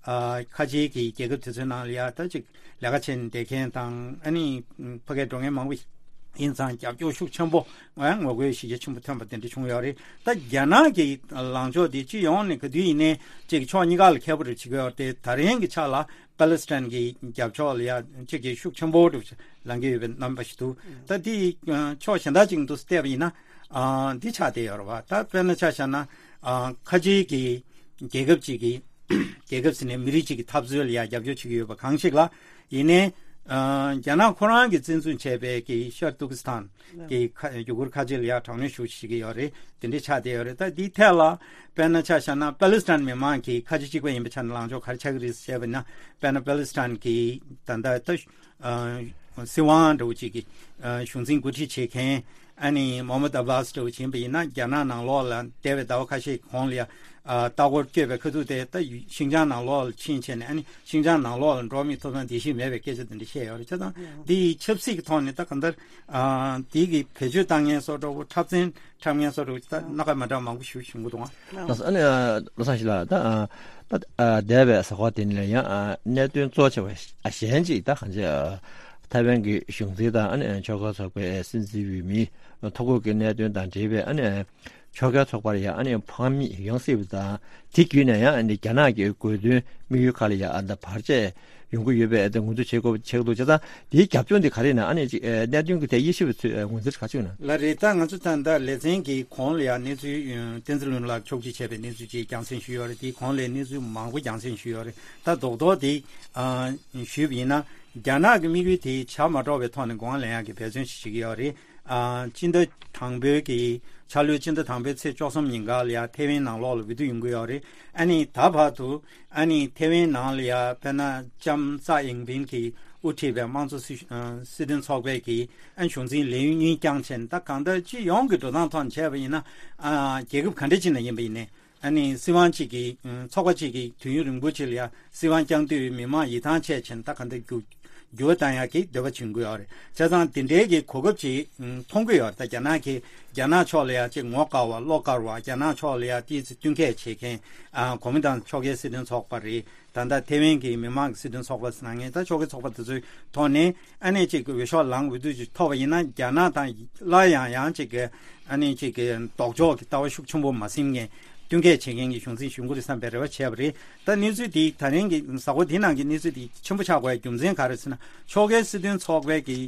ཨ་ཁ་ཆེའི་གི་རྒྱལ་ཁབ་དེ་ཚོའི་ནང་ལ་ཡང་ད་ཅིག་ལས་ཀ་བྱས་ནས་བསྡད་མཁན་དང་། ཨ་ནི་ཕ་གིར་འགྲོ་མཁན་མང་པོ་ཡིན་ཙང་རྒྱབ་སྐྱོར་ཤུགས་ཆེན་པོ་ང་ངོ་རྒོལ་གཞི་རྒྱ་ཆེན་པོ་ཐོན་པ་དེ་འདྲ་བྱུང་ཡོད་རེད། ད་རྒྱ་ནག་གི་ལངས་ཕྱོགས་དེ་སྤྱི་ཡོངས་ནས་ག་དུས་ཡིན་ནའི་ཅིག་ཕྱོགས་གཉིས་ཀ་ལ་ཁྱད་པར་བྱེད་ཀྱི་ཡོད་རེད། ད་རིང་གི་ཆ་ལ་པ་ལི་སི་ཐན་གྱི་རྒྱབ་ཕྱོགས་ལ་ཡང་ཅིག་གི་ཤུགས་ཆེན་པོ་འགྲོ་ལངས་ཀྱི་ཡོད་པའི་རྣམ་པ་ཞིག་འདུག་ད་དེ་ཕྱོགས་གཞན་དག་ཅིག་འདུག་བལྟས་པ་ཡིན་ན་ཨ་འདི་ཆགས་བསྡད་ཡོད་རེད་བ། ད་དཔེར་ན་ཆ་བཞག་ན་ཨ་ཁ་ཆེའི་གི་རྒྱལ་ཁབ་ཅིག་གི་རྒྱལ་ཁབ་ཟེར་ནས་མི་རིགས་གཅིག་གི་འཐབ་རྩོད་ལ་ཡང་རྒྱབ་སྐྱོར་བྱེད་ཀྱི་ཡོད་པ་གང་ཞིག་ལ། ཡིན་ནའི་ཨ་རྒྱ་ནག་ཁོ་རང་གིས་བཙན་འཛུལ་བྱས་པའི་གི་ཤར་ཏུར་ཀི་སི་ཐན་གྱི་ཁ་ཡུ་གུར་ཁ་ཆེ་ལ་ཡང་དྲག་གནོན་ཤུགས་ཆེ་བྱེད་ཀྱི་ཡོད་རེད། དེ་འདྲའི་ཆགས་བསྡད་ཡོད་རེད། ད་འདིའི་ཐད་ལ་དཔེར་ན་ཆ་བཞག་ན་པ་ལི་སི་ཐན་མི་མང་གིས་ཁ་ཆེ་གཅིག་པ་ཡིན་པའི་ཆ་ནས་ལངས་ཕྱོགས་ག་རེ་ཆགས་ཀྱི་རེད་ཟེར་བ་ན། དཔེར་ན་པ་ལི་སི་ཐན་གྱི་ད་ལྟ་ད་ཨ་སྲིད་དབང་འདྲ་བོ་ཅིག་གི་ཨ་གཞུང་འཛིན་འགོ་ཁྲིད་བྱེད་མཁན་ཨ་ནི་མོ་ཧམ་མད་ཨ་བྷ་སི་འདྲ་བོ་ཅིག་ཡིན་པ་ཡིན་ན། རྒྱ་ནག་ནང་ལོགས་ལ་འདས་པའི་ཟླ་བ་ཁ་ཤས་གོང་ལ་ཡ་ཨ་ལྟ་སྐོར་བསྐྱོད་པའི་ཁ་ཐུག་དེ་ད་ཤིན་ཅང་ནང་ལོགས་ལ་ཕྱིན་བྱས་ནས། ཨ་ནི་ཤིན་ཅང་ནང་ལོགས་ལ་འགྲོ་བ་མིའི་ཐོབ་ཐང་བརྡལ་བཤིག་མེད་པའི་སྐད་ཆ་དེ་འདྲ་བཤད་ཡོད་རེད། བྱས་ཙང་འདི་ཡི་ཆབ་སྲིད་ཀྱི་ཐོག་ནས་ད་གང་ལྟར་ཨ་འདི་གི་བེད་སྤྱོད་བཏང་མཁན་བཟོ་འདྲ་བོ། འཁྲབ་ཚན་འཁྲབ་མཁན་བཟོ་འདྲ་བོ་ད་སྣ་ཁ་མ་འདྲ་མང་པོ་ཞིག་བྱུང་གི་འདུག་ཨང་། ལགས་སོ། ཨ་ནི་ཨ་བློ་བཟང་ཞིག་ལགས། ད་ཨ་ད་ཨ་འདས་པའི་གཟའ་འཁོར་དེ་ནས་ཡང་ཨ་གནད་དོན་གཙོ་ཆེ་བ་ཨ་གཞན་ཅིག་ད་གང་ཅི་ཨ་ཐའེ་ཝན་གྱི་གཞུང་འཛིན་དང་ཨ་ནི་ཕྱོགས་འགལ་ཚོགས་པའི་སྲིད་འཛིན་འོས་མིའི་ཐོ་འགོད་ཀྱི་གནད་དོན་དང་འབྲེལ་བའི་ཨ་ནི་ཕྱོགས་འགལ་ཚོགས་པར་ཡང་ཨ་ནི་ཕངས་མེད་ཡོང་སྲིད་པ་དང་། དེ་བརྒྱུད་ནས་ཡང་ཨ་ནི་རྒྱ་ནག་གི་དགོས་འདུན་དམིགས་ཡུལ་ཁག་ལ་ཡང་ཨ་ད་བར་ཆད་ཡོང་གི་ཡོད་པའི་ཨ་ད་ངོས་འཛིན་བྱེད་དགོས་བྱེད་དགོས་འདུག་བྱས་ཙང་དེའི་རྒྱབ་ལྗོངས་དེ་ག་རེ་ཡིན་ན། ཨ་ནི་ཅིག་ཨ་གནད་དོན་གྱི་ཐད་དབྱེ་ཞིབ་ཚོས་ཨ་ངོས་འཛིན་ག་ཚོད་ཡོད་ན། ལགས་རེད། ད་ང་ཚོ་ད་ལྟ་ལེ་ཚན་གྱི་གོང་ལ་ཡང་གནས་ཚུལ་ཨ་བསྟན་འཛིན་ལྷུན་ལགས་ཕྱོགས་སྒྲིག་བྱས་པའི་གནས་ཚུལ་ཅིག་རྒྱང་སྲིང་ཞུས་ཡོད་རེད། དེའི་གོང་ལ་གནས་ཚུལ་མང་པོ་རྒྱང་སྲིང་ཞུས་ཡོད་རེད། ད་རྡོག་རྡོག་དེ་ཨ་ཞུས་པ་ཡིན་ན། རྒྱ་ནག་གི་དམིགས་ཡུལ་དེ་བྱ་མ་འགྲོ་བའི་ཐོག་ནས་དགོངས་པ་ལེན་ཡག་གི་འབད་བརྩོན་ཞིག་བྱེད་ཀྱི་ཡོད་རེད། ཨ་སྤྱི་ཟླ་དང་པོའི་གི་འཆར་ལོའི་སྤྱི་ཟླ་དང་པོའི་ཚེས་བཅུ་གསུམ་ཉིན་ག་ལ་ཡང་ཐེ་ཝན་ནང་ལོགས་ལ་འོས་བསྡུ་ཡོང་གི་ཡོད་རེད། ཨ་ནི་ད་བར་དུ་ཨ་ནི་ཐེ་ཝན་ནང་ལ་ཡང་དཔེར་ན་ལྕམ་ཙའེ་ཡིང་ཕིང་གིས་དབུ་ཁྲིད་པའི་དམངས་གཙོ་སྲིད་ཨ་སྲིད་དོན་ཚོགས་པས་ཀྱིས་ཨ་ནི་གཞུང་འཛིན་ལས་ཡུན་གཉིས་བསྐྱངས་བྱས་ནས། ད་གང་ལྟར་སྤྱི་ཡོངས་ཀྱི་འགྲོ་སྟངས་ཐོག་ནས་བྱས་པ་ཡིན་ན། ཨ་རྒྱལ་ཁབ་ག་འདྲ་ཅིག་ནང་ཡིན་པ་ཡིན་ནའི། ཨ་ནི་སྲིད་དབང་གཅིག་གིས་ཨ་ཚོགས་པ་གཅིག་གིས་དུས་ཡུན་རིང་པོ་ཅིག་ལ་ཡང་སྲིད་དབང་བསྐྱང་དུས་མི་མང་ཡིད་ཐང་ཆད་བྱས་ནས། ད་ག་འདྲ་རྒྱུག་ འགྱུར་བ་བཏང་ཡག་གི་འདོད་པ་བྱུང་གི་ཡོད་རེད། བྱས་ཙང་དེ་འདྲའི་གི་གོ་སྐབས་ཅིག་ཨུམ་མཐོང་གི་ཡོད་རེད། ད་རྒྱ་ནག་གི་རྒྱ་ནག་ཕྱོགས་ལ་ཡ་ཅིག་ངོ་དགའ་བ་བློ་དཀར་བ། རྒྱ་ནག་ཕྱོགས་ལ་ཡ་ཏོག་ཙམ་བསྟུན་མཁས་བྱེད་མཁན། ཨ་གོ་མིན་ཏང་ཕྱོགས་འགལ་སྲིད་དོན་ཚོགས་པ་རེད། ད་ལྟ་ཐེ་ཝན་གྱི་མི་མང་གི་སྲིད་དོན་ཚོགས་པ་ཟེར་ན་ངས་ད་ཕྱོགས་འགལ་ཚོགས་པ་དེ་ཚོའི་ཐོག་ནས་ཨ་ནེ་ཅིག་འོས་ཤོག་ལངས། འོས་བསྡུ་ཅིག་ཐོབ་པ་ཡིན་ན་རྒྱ་ནག་དང་སླར་ཡང་ཡང་ཅིག་གི་ཨ་ནེ་ཅིག་གི་ལྡོག་ཕྱོགས་ཀྱི་ལྟ་བ་ཤུགས་ཆེན་པོ་མ་ཟིན་མཁན་བསྟུན་མཁས་བྱེད་མཁན་གྱི་གཞུང་འཛིན་ཞུ་གི་རེད་བསམ་པའི་རེ་བ་བྱས་པ་རེད། ད་གནས་ཚུལ་འདི་ད་རིང་གི་གཟའ་འཁོར་འདི་ནང་གི་གནས་ཚུལ་འདི་ཆེན་པོ་ཆགས་དགོས་ཡ་རྒྱུ་མཚན་ག་རེ་ཟེར་ན། ཕྱོགས་འགལ་སྲིད་དོན་ཚོགས་པའི་གི་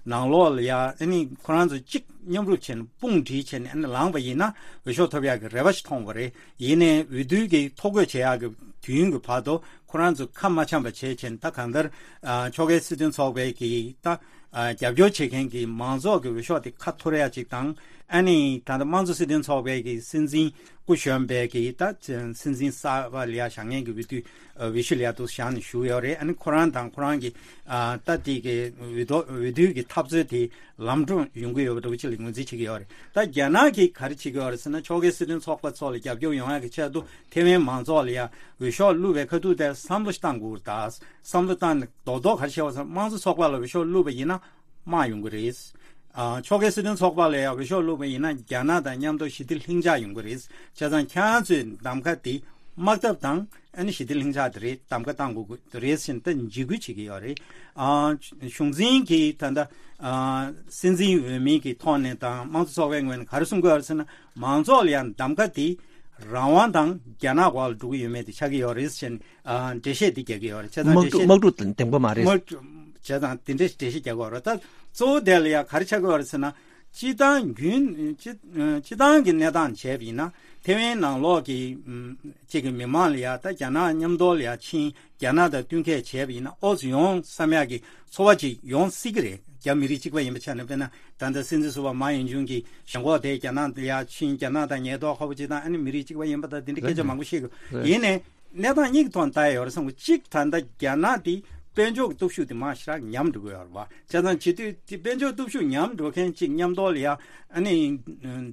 ནང་ལོགས་ལ་ཡ་ཨ་ནི་ཁོ་རང་ཚོ་གཅིག་མཉམ་རུབ་བྱས་ནས་དཔུང་སྒྲིལ་བྱས་ནས་ཨ་ནི་ལངས་པ་ཡིན་ན་འོས་ཤོག་ཐོབ་ཡག་གི་རེ་བ་ཞིག་མཐོང་བ་རེད། ཡིན་ནའི་འོས་བསྡུ་གི་ཐོ་འགོད་བྱེད་ཡག་གི་དུས་ཡུན་གི་བར་དུ་ཁོ་རང་ཚོ་ཁ་མ་འཆམ་པ་བྱས་བྱས་ནས། ད་གང་ལྟར་ཨ་ཕྱོགས་འགལ་སྲིད་དོན་ཚོགས་པའི་གི་ད་ཨ་རྒྱབ་སྐྱོར་བྱེད་མཁན་གྱི་མང་ཚོགས་ཀྱི་འོས་ཤོག་དེ་ཁ་འཐོར་ཡ་ཅིག་དང་། ཨ་ནི་ད་ལྟ་དམངས་གཙོ་སྲིད་དོན་ཚོགས་པའི་གི་སྲིད་འཛིན་སྐུ་གཞོན་པའི་གི་ད་སྲིད་འཛིན་གསར་པ་ལ་ཡ་བཞེངས་མཁན་གྱི་འོས་བསྡུ་ཨ་འོས་གཞི་ལ་ཡ་འདུག་བཞེངས་ནས་བཞུགས་ཡོད་རེད། ཨ་ནི་ཁོ་རང་དང་ཁོ་རང་གི་ཨ་ད་དེ་གི་འོས་ཐོ་འོས་བསྡུ་གི་འཐབ་རྩོད་དེ་ལམ་འགྲོ་ཡོང་གི་ཡོད་པ་འདྲ་བོ་ཅིག་ལ་ངོས་འཛིན་བྱེད་ཀྱི་ཡོད་རེད། ད་རྒྱ་ནག་གིས་ག་རེ་བྱེད་ཀྱི་ཡོད་རེད་ཟེར་ན། ཕྱོགས་འགལ་སྲིད་དོན་ཚོགས་པ་ཚོ་ལ་རྒྱབ་སྐྱོར་ཡོང་ཡག་གི་ཆེད་དུ་ཐེ་ཝན་མང་ཚོགས་ལ་ཡ་འོས་ཤོག་བླུགས་པའི་ཁ་ཐུག་དེར་བསམ་བློ་ཞིག་བཏང་དགོས་རེད། ད་བསམ་བློ་བཏང་ནས་རྡོག་རྡོག་ག་རེ་བྱས་པ་ཟེར་ན། དམངས་གཙོ་ཚོགས་པ་ལ་འོས་ཤོག་བླུགས་པ་ཡིན་ན་དམག་ཡོང་གི་རེད། ཨ་ཕྱོགས་འགལ་སྲིད་དོན་ཚོགས་པ་ལ་ཡ་འོས་ཤོག་བླུགས་པ་ཡིན་ན་རྒྱ་ནག་དང་མཉམ་དུ་ཞི་བདེ་ལྷིང་འཇགས་ཡོང་གི་རེད། བྱས་ཙང་ཁྱེད་རང་ཚོའི་གདམ་ག་དེ་དམག་འཐབ་དང་ཨ་ནི་ཞི་བདེ་ལྷིང་འཇགས་དེ་རེད། གདམ་ག་བཏང་དགོས་ཀྱི་རེད་ཟེར་ནས་ད་འཇིགས་སྐུལ་བྱེད་ཀྱི་ཡོད་རེད། ཨ་གཞུང་འཛིན་གྱི་ད་ལྟ་ཨ་སྲིད་འཛིན་འོས་མི་གི་ཐོག་ནས་དང་དམངས་གཙོ་ཚོགས་པའི་ངོས་ནས་ག་རེ་གསུང་གི་ཡོད་རེད་ཟེར་ན། མང་ཚོགས་ལ་ཡང་གདམ་ག་དེ་རང་དབང་དང་རྒྱ་ནག་འོག་ལ་འགྲོ་གི་ཡོད་མེད་དེ་ཆགས་ཀྱི་ཡོད་རེད་ཟེར་ནས་ཨ་འགྲེལ་བཤད་འདི་རྒྱག་གི་ཡོད་རེད། བྱས་ཙང་དམག་འཁྲུག་འགྲེལ་བཤད་དམག་འཁྲུག་དང་ལྡན་པ་མ་རེད། དམག་འཁྲུག་བྱས་ཙང་དེ་འདྲའི་འགྲེལ་བཤད་རྒྱག་གི་ཡོད་རེད། ད་གཙོ་བོ་དེ་ལ་ཡང་ག་རེ་ཆགས་ཀྱི་ཡོད་རེད་ཟེར་ན། སྤྱི་བཏང་རྒྱུན་སྤྱི་སྤྱི་བཏང་གི་གནས་སྟངས་བྱས་པ་ཡིན་ན། ཐེ་ཝན་ནང་ལོགས་ཀྱི་ཨམ་གཅིག་གི་མི་མང་ལ་ཡ་ད་རྒྱ་ནག་མཉམ་དུ་ལ་ཡ་ཕྱིན། རྒྱ་ནག་དང་བསྟུན་མཁས་བྱས་པ་ཡིན་ན་ཨོ་ཙི་ཡོང་བསམ་ཡག་གི་ཚོར་བ་ཅིག་ཡོང་སྲིད་ཀྱི་རེད། རྒྱ་མི་རིགས་གཅིག་པ་ཡིན་པ་ཆ་ནས། དཔེར་ན་ད་ལྟ་སྲིད་འཛིན་ཟུར་པ་མའོ་ཡིན་ཅུང་གིས་ཞེན་ཁོག་དེ་རྒྱ་ནག་ལ་ཡ་ཕྱིན། རྒྱ་ནག་དང་ཉེན་རྟོག་ཁ་པོ་ཅིག་དང་ཨ་ནི་མི་རིགས་གཅིག་པ་ཡིན་པ་དང་དེ་འདྲའི་སྐད་ཆ་མང་པོ་བཤད་དགོས། ཡིན་ནའི་གནས་སྟངས་གཉིས་ཀྱི་ཐོག་ནས་ལྟ་ཡ་ཡོད་རེད་བསམ་གི། གཅིག་ད་ལྟ་རྒྱ་ནག་དེ་དཔལ་འབྱོར་གྱི་སྟོབས་ཤུགས་དེ་མར་ཞེ་དྲག་ཉམས་འགྲོ་གི་ཡོད་རེད་བ། བྱས་ཙང་བྱེད་དུས་དེ་དཔལ་འབྱོར་སྟོབས་ཤུགས་ཉམས་འགྲོ་མཁན་གཅིག་མཉམ་དུ་ལ་ཡ་ཨ་ནི་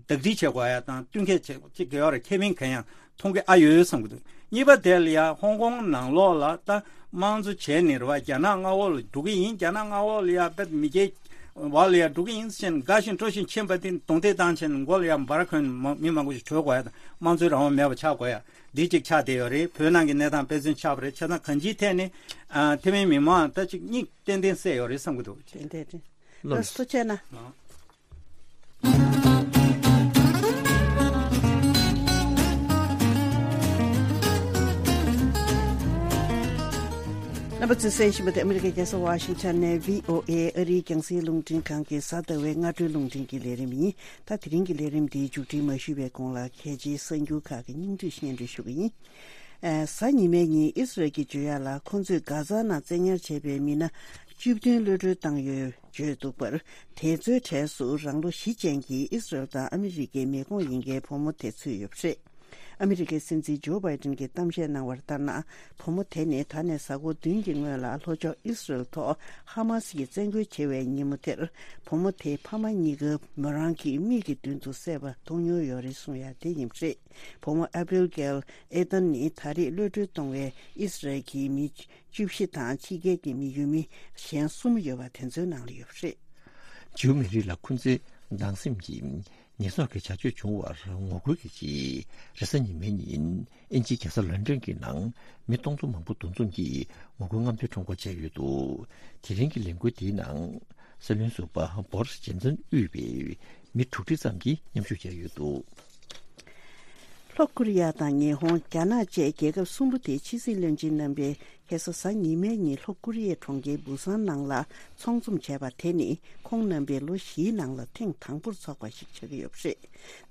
བདག་སྒྲིག་བྱེད་དགོས་ཡ་དང་བསྟུན་མཁས་བྱེད་ཅིག་ཡོད་རེད། ཁེ་ཕན་གང་ཡང་མཐོང་གི་ཨ་ཡོད་བསམ་གི་འདུག་གཉིས་པ་དེ་ལ་ཡ་ཧོང་ཀོང་ནང་ལོགས་ལ་ད་དམངས་གཙོ་བྱས་ནས་རེད་བ། རྒྱ་ནག་མངའ་འོག་ལ་འགྲོ་གི་ཡིན། རྒྱ་ནག་མངའ་འོག་ལ་ཡ་དཔེ་མི་སྐྱའི་འོག་ལ་ཡ་འགྲོ་གི་ཡིན་ཟེར་ནས་དགའ་བཞིན་སྤྲོ་བཞིན་ཕྱིན་པ་དེ་རྡུང་རྡེག་བཏང་བྱས་ནས་མགོ་ལ་ཡ་འབར་གོན་མ་མི་མང་པོ་ཞིག་བྲོས་དགོས་ཡ་དང་དམངས་གཙོའི་རང་དབང་མེད་པ་ཆགས་དགོས་ཡ། འདི་གཅིག་ཆགས་བསྡད་ཡོད་རེད། བོད་ནང་གི་གནས་སྟངས་དཔེ་མཚོན་ཆགས་པ་རེད། བྱས་ཙང་གང་ཅིའི་ཐད་ནས་ཨ་ཐེ་ཝན་མི་མང་ད་ཅིག་སྙིང་ཏན་ཏན་གསལ་ཡོད་རེད་བསམ་གྱི་འདུག་ཏན་ཏན་ཏན། ལགས་སོ། ཐུགས་རྗེ་གནང་། རྣམ་པ་ཚོས་གསན་བཞིན་པ་དེ་ཨ་མི་རི་ཀའི་རྒྱལ་ས་ཝ་ཤིང་ཊོན་ནས་བྷི་ཨོ་ཨེ་ཨ་རིའི་རྒྱང་སྲིང་རླུང་འཕྲིན་ཁང་གི་གཟའ་ཟླ་བའི་སྔ་དྲོའི་རླུང་འཕྲིན་གྱི་ལས་རིམ་ཡིན། ད་དེ་རིང་གི་ལས་རིམ་འདིའི་མཇུག་སྒྲིལ་མ་ཞུས་པའི་གོང་ལ་གལ་ཆེའི་གསར་འགྱུར་ཁག་གི་སྙིང་བསྡུས་སྙན་སྒྲོན་ཞུ་གི་ཡིན། ཨ་གཟའ་ཉི་མའི་ཉིན་ཨི་སི་རལ་གྱིས་བརྗོད་ཡག་ལ། ཁོང་ཚོས་གྷ་ཛ་ནང་བཙན་ཉར་བྱས་པའི་མི་སྣ་བཅུ་བདུན་གློད་བཀྲོལ་བཏང་ཡོད་བརྗོད་འདུག་པར། དེ་ཚོའི་གྲས་སུ་རང་ལོ་བཞི་ཅན་གྱི་ཨི་སི་རལ་དང་ཨ་མི་རི་ཀའི་མི་ཁོངས་ཡིན་མཁན་བུ་མོ་དེ་ཚུད་ཡོད་པ་རེད། ཨ་མི་རི་ཀའི་སྲིད་འཛིན་ཇོ་བྷའི་ཏིན་གྱིས་གཏམ་བཤད་གནང་བར་ལྟར་ན། བུ་མོ་དེ་ནི་ད་ནས་གཟའ་འཁོར་བདུན་གྱི་སྔོན་ལ་ལྷོ་ཕྱོགས་ཨི་སི་རལ་ཐོག་ཧ་མ་སི་ཡིས་བཙན་རྒོལ་བྱེད་པའི་ཉིན་མོ་དེར། བུ་མོ་དེའི་ཕ་མ་གཉིས་ཀ་མོ་རང་གི་མིག་གི་མདུན་དུ་བསད་པ་མཐོང་མྱོང་ཡོད་རེད་གསུང་ཡ་དེ་ཡིན་པ་རེད། བུ་མོ་ཨ་བྷི་གེལ་ཨེ་ཏན་ནི་ད་རེས་གློད་བཀྲོལ་གཏོང་བའི་ཨི་སི་རལ་གྱི་མི་བཅུ་བཞི་དང་ཕྱི་རྒྱལ་གྱི་མི་ཡུལ་མི་གཞན་གསུམ་ཡོད་པ་དེ་ཚོའི་ནང་ལ་ཡོད་པ་རེད། ཇིའུ་མི་རིགས་ལ་ཁོ་ཚོའི་སྡང་སེམས་ཀྱིས་ཉེས་གསོག་གི་བྱ་སྤྱོད་བྱུང་བར་ངོ་རྒོལ་གྱི་ཆེད། རེས་གཟའ་ཉི་མའི་ཉིན་དབྱིན་ཇིའི་རྒྱལ་ས་ལོན་ཌོན་གྱི་ནང་མི་སྟོང་ཚོ་མང་པོ་འདུ་འཛོམས་ཀྱིས་ངོ་རྒོལ་རྔམ་སྟོན་ཁྲོམ་སྐོར་བྱས་ཡོད་འདུག་དེ་རིང་གི་ལས་འགུལ་དེའི་ནང་སྲིད་བློན་ཟུར་པ་བོ་རིས་ཇོན་སན་དབུས་པའི་མི་དྲུག་ཁྲི་ཙམ་གྱིས་མཉམ་ཞུགས་བྱས་ཡོད་འདུག་ལྷོ་ཀོ་རི་ཡ་དང་ཉི་ཧོང་། རྒྱ་ནག་བཅས་རྒྱལ་ཁབ་གསུམ་པོ་དེའི་ཕྱི་སྲིད་བློན་ཆེན་རྣམ་པས་ཁ་སང་གཟའ་ཉི་མའི་ཉིན་ལྷོ་ཀོ་རི་ཡའི་གྲོང་ཁྱེར་བུ་སཱན་ནང་ལ་ཚོགས་འཛོམས་བྱས་པ་དེ་ནི་ཁོང་རྣམ་པའི་ལོ་བཞིའི་ནང་ལ་ཐེངས་དང་པོར་ཚོགས་པ་ཞིག་ཆགས་ཀྱི་ཡོད་པ་རེད།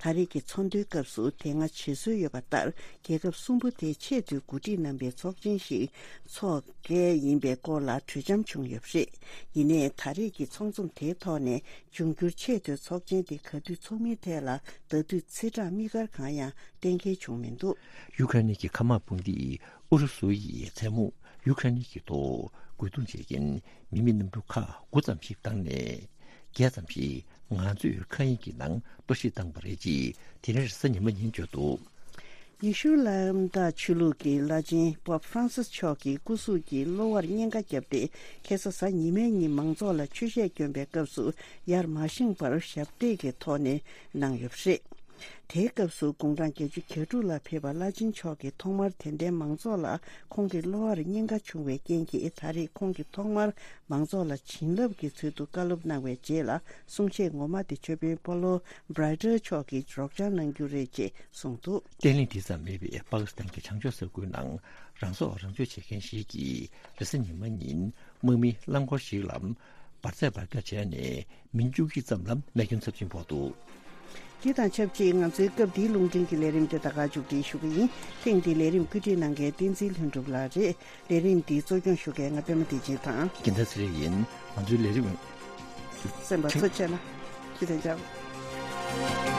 ད་རེས་ཀྱི་ཚོགས་འདུའི་སྐབས་སུ་དེ་སྔ་བྱེད་སྲོལ་ཡོད་པ་ལྟར། རྒྱལ་ཁབ་གསུམ་པོ་དེའི་ཆེས་མཐོའི་འགོ་ཁྲིད་རྣམ་པའི་ཚོགས་ཆེན་ཞིག་འཚོགས་གལ་ཡིན་པའི་སྐོར་ལ་གྲོས་འཆམ་བྱུང་ཡོད་པ་རེད། ཡིན་ནའི་ད་རེས་ཀྱི་ཚོགས་འཛོམས་དེའི་ཐོག་ནས། འབྱུང་འགྱུར་ཆེས་མཐོའི་ཚོགས་ཆེན་དེ་ག་དུས་འཚོགས་མིན་ཐད་ལ་ད་དུས་ཚེས་གྲངས་དམིགས་བཀར་གང་ཡང་གཏན་འཁེལ་བྱུང་མི་འདུག་ཡུ་ཀེ་རེན་གྱི་མཁའ་དམག་དཔུང་སྡེས་ཨུ་རུ་སུ་ཡིས་མཚན་མོ་ཡུ་ཀེ་རེན་གྱི་ཐོག་རྒོལ་རྡུང་བྱེད་མཁན་མི་མེད་གནམ་གྲུ་ཁག་དགུ་ཙམ་ཞིག་བཏང་ནས། བརྒྱད་ཙམ་ཞིག་ང་ཚོས་མཁའ་དབྱིངས་ཀྱི་ནང་གཏོར་བཤིག་བཏང་བ་རེད་ཅེས་དེ་རིང་རེས་གཟའ་ཉི་མ་ཉིན་བརྗོད་འདུག་ཡེ་ཤུ་ལའམ་དང་ཆོས་ལུགས་ཀྱི་བླ་ཆེན་པོབ་ཧྥ་རན་སིས་མཆོག་གི་སྐུ་གཟུགས་ཀྱི་གློ་བར་གཉན་ཁ་བརྒྱབ་སྟེ། ཁ་སང་གཟའ་ཉི་མའི་ཉིན་མང་ཚོགས་ལ་ཆོས་གཞས་བསྐྱོན་པའི་སྐབས་སུ་ཡར་མ་བཞེངས་པར་ཞབས་སྟེགས་ཀྱི་ཐོག་ནས་གནང་ཡོད་པ་རེད། དེའི་སྐབས་སུ་དགུང་གྲངས་བརྒྱད་ཅུ་གྱ་དྲུག་ལ་ཕེབས་པ་བླ་ཆེན་མཆོག་གིས་ཐོག་མར་དད་ལྡན་མང་ཚོགས་ལ་ཁོང་གི་གློ་བར་གཉན་ཁ་བྱུང་བའི་རྐྱེན་གྱིས། ད་རེས་ཁོང་གིས་ཐོག་མར་མང་ཚོགས་ལ་བྱིན་རླབས་ཀྱི་ཚུལ་དུ་བཀའ་སློབ་གནང་བའི་རྗེས་ལ། གསུང་བཤད་ངོ་མ་དེ་ཆོས་དཔོན་པོ་ལོ་བྷ་རའི་ཏར་མཆོག་གིས་སྒྲོག་སྦྱང་གནང་རྒྱུ་རེད་ཅེས་གསུངས་འདུག། བརྟན་ལྷིང་དེ་ཙམ་མེད་པའི་པ་ཀི་སི་ཐན་གྱི་བྱང་ཕྱོགས་ས་ཁུལ་ནང་རང་སྲོག་རང་གཅོད་བྱེད་མཁན་ཞིག་གིས་རེས་གཟའ་ཉི་མ་ཉིན་དམག་མིའི་རླངས་འཁོར་ཞིག་ལ་འབར་རྫས་འབར་ག་བྱས་ནས་མི་བཅུ་གཅིག་ཙམ་ལ་རྨས་སྐྱོན་ཚབས་ཆེན་ཕོག་འདུག། དེ་དང་ཆབས་ཅིག་ང་ཚོའི་སྐབས་འདིའི་རླུང་འཕྲིན་གྱི་ལས་རིམ་དེ་ད་ག་མཇུག་སྒྲིལ་ཞུ་གི་ཡིན། ཐེངས་འདིའི་ལས་རིམ་བཀོད་སྒྲིག་གནང་མཁན་བསྟན་འཛིན་ལྷུན་གྲུབ་ལགས་རེད། ལས་རིམ་འདི་གཙོ་སྐྱོང་ཞུ་མཁན་ང་པད་མ་བདེ་ཆེན་དང་། རྒན་ཚ་ཚེ་རིང་ཡིན། ང་ཚོའི་ལས་རིམ་གསན་པ་ཚོ་བཅས་ལ་ཇུ་ལེ་ཇག།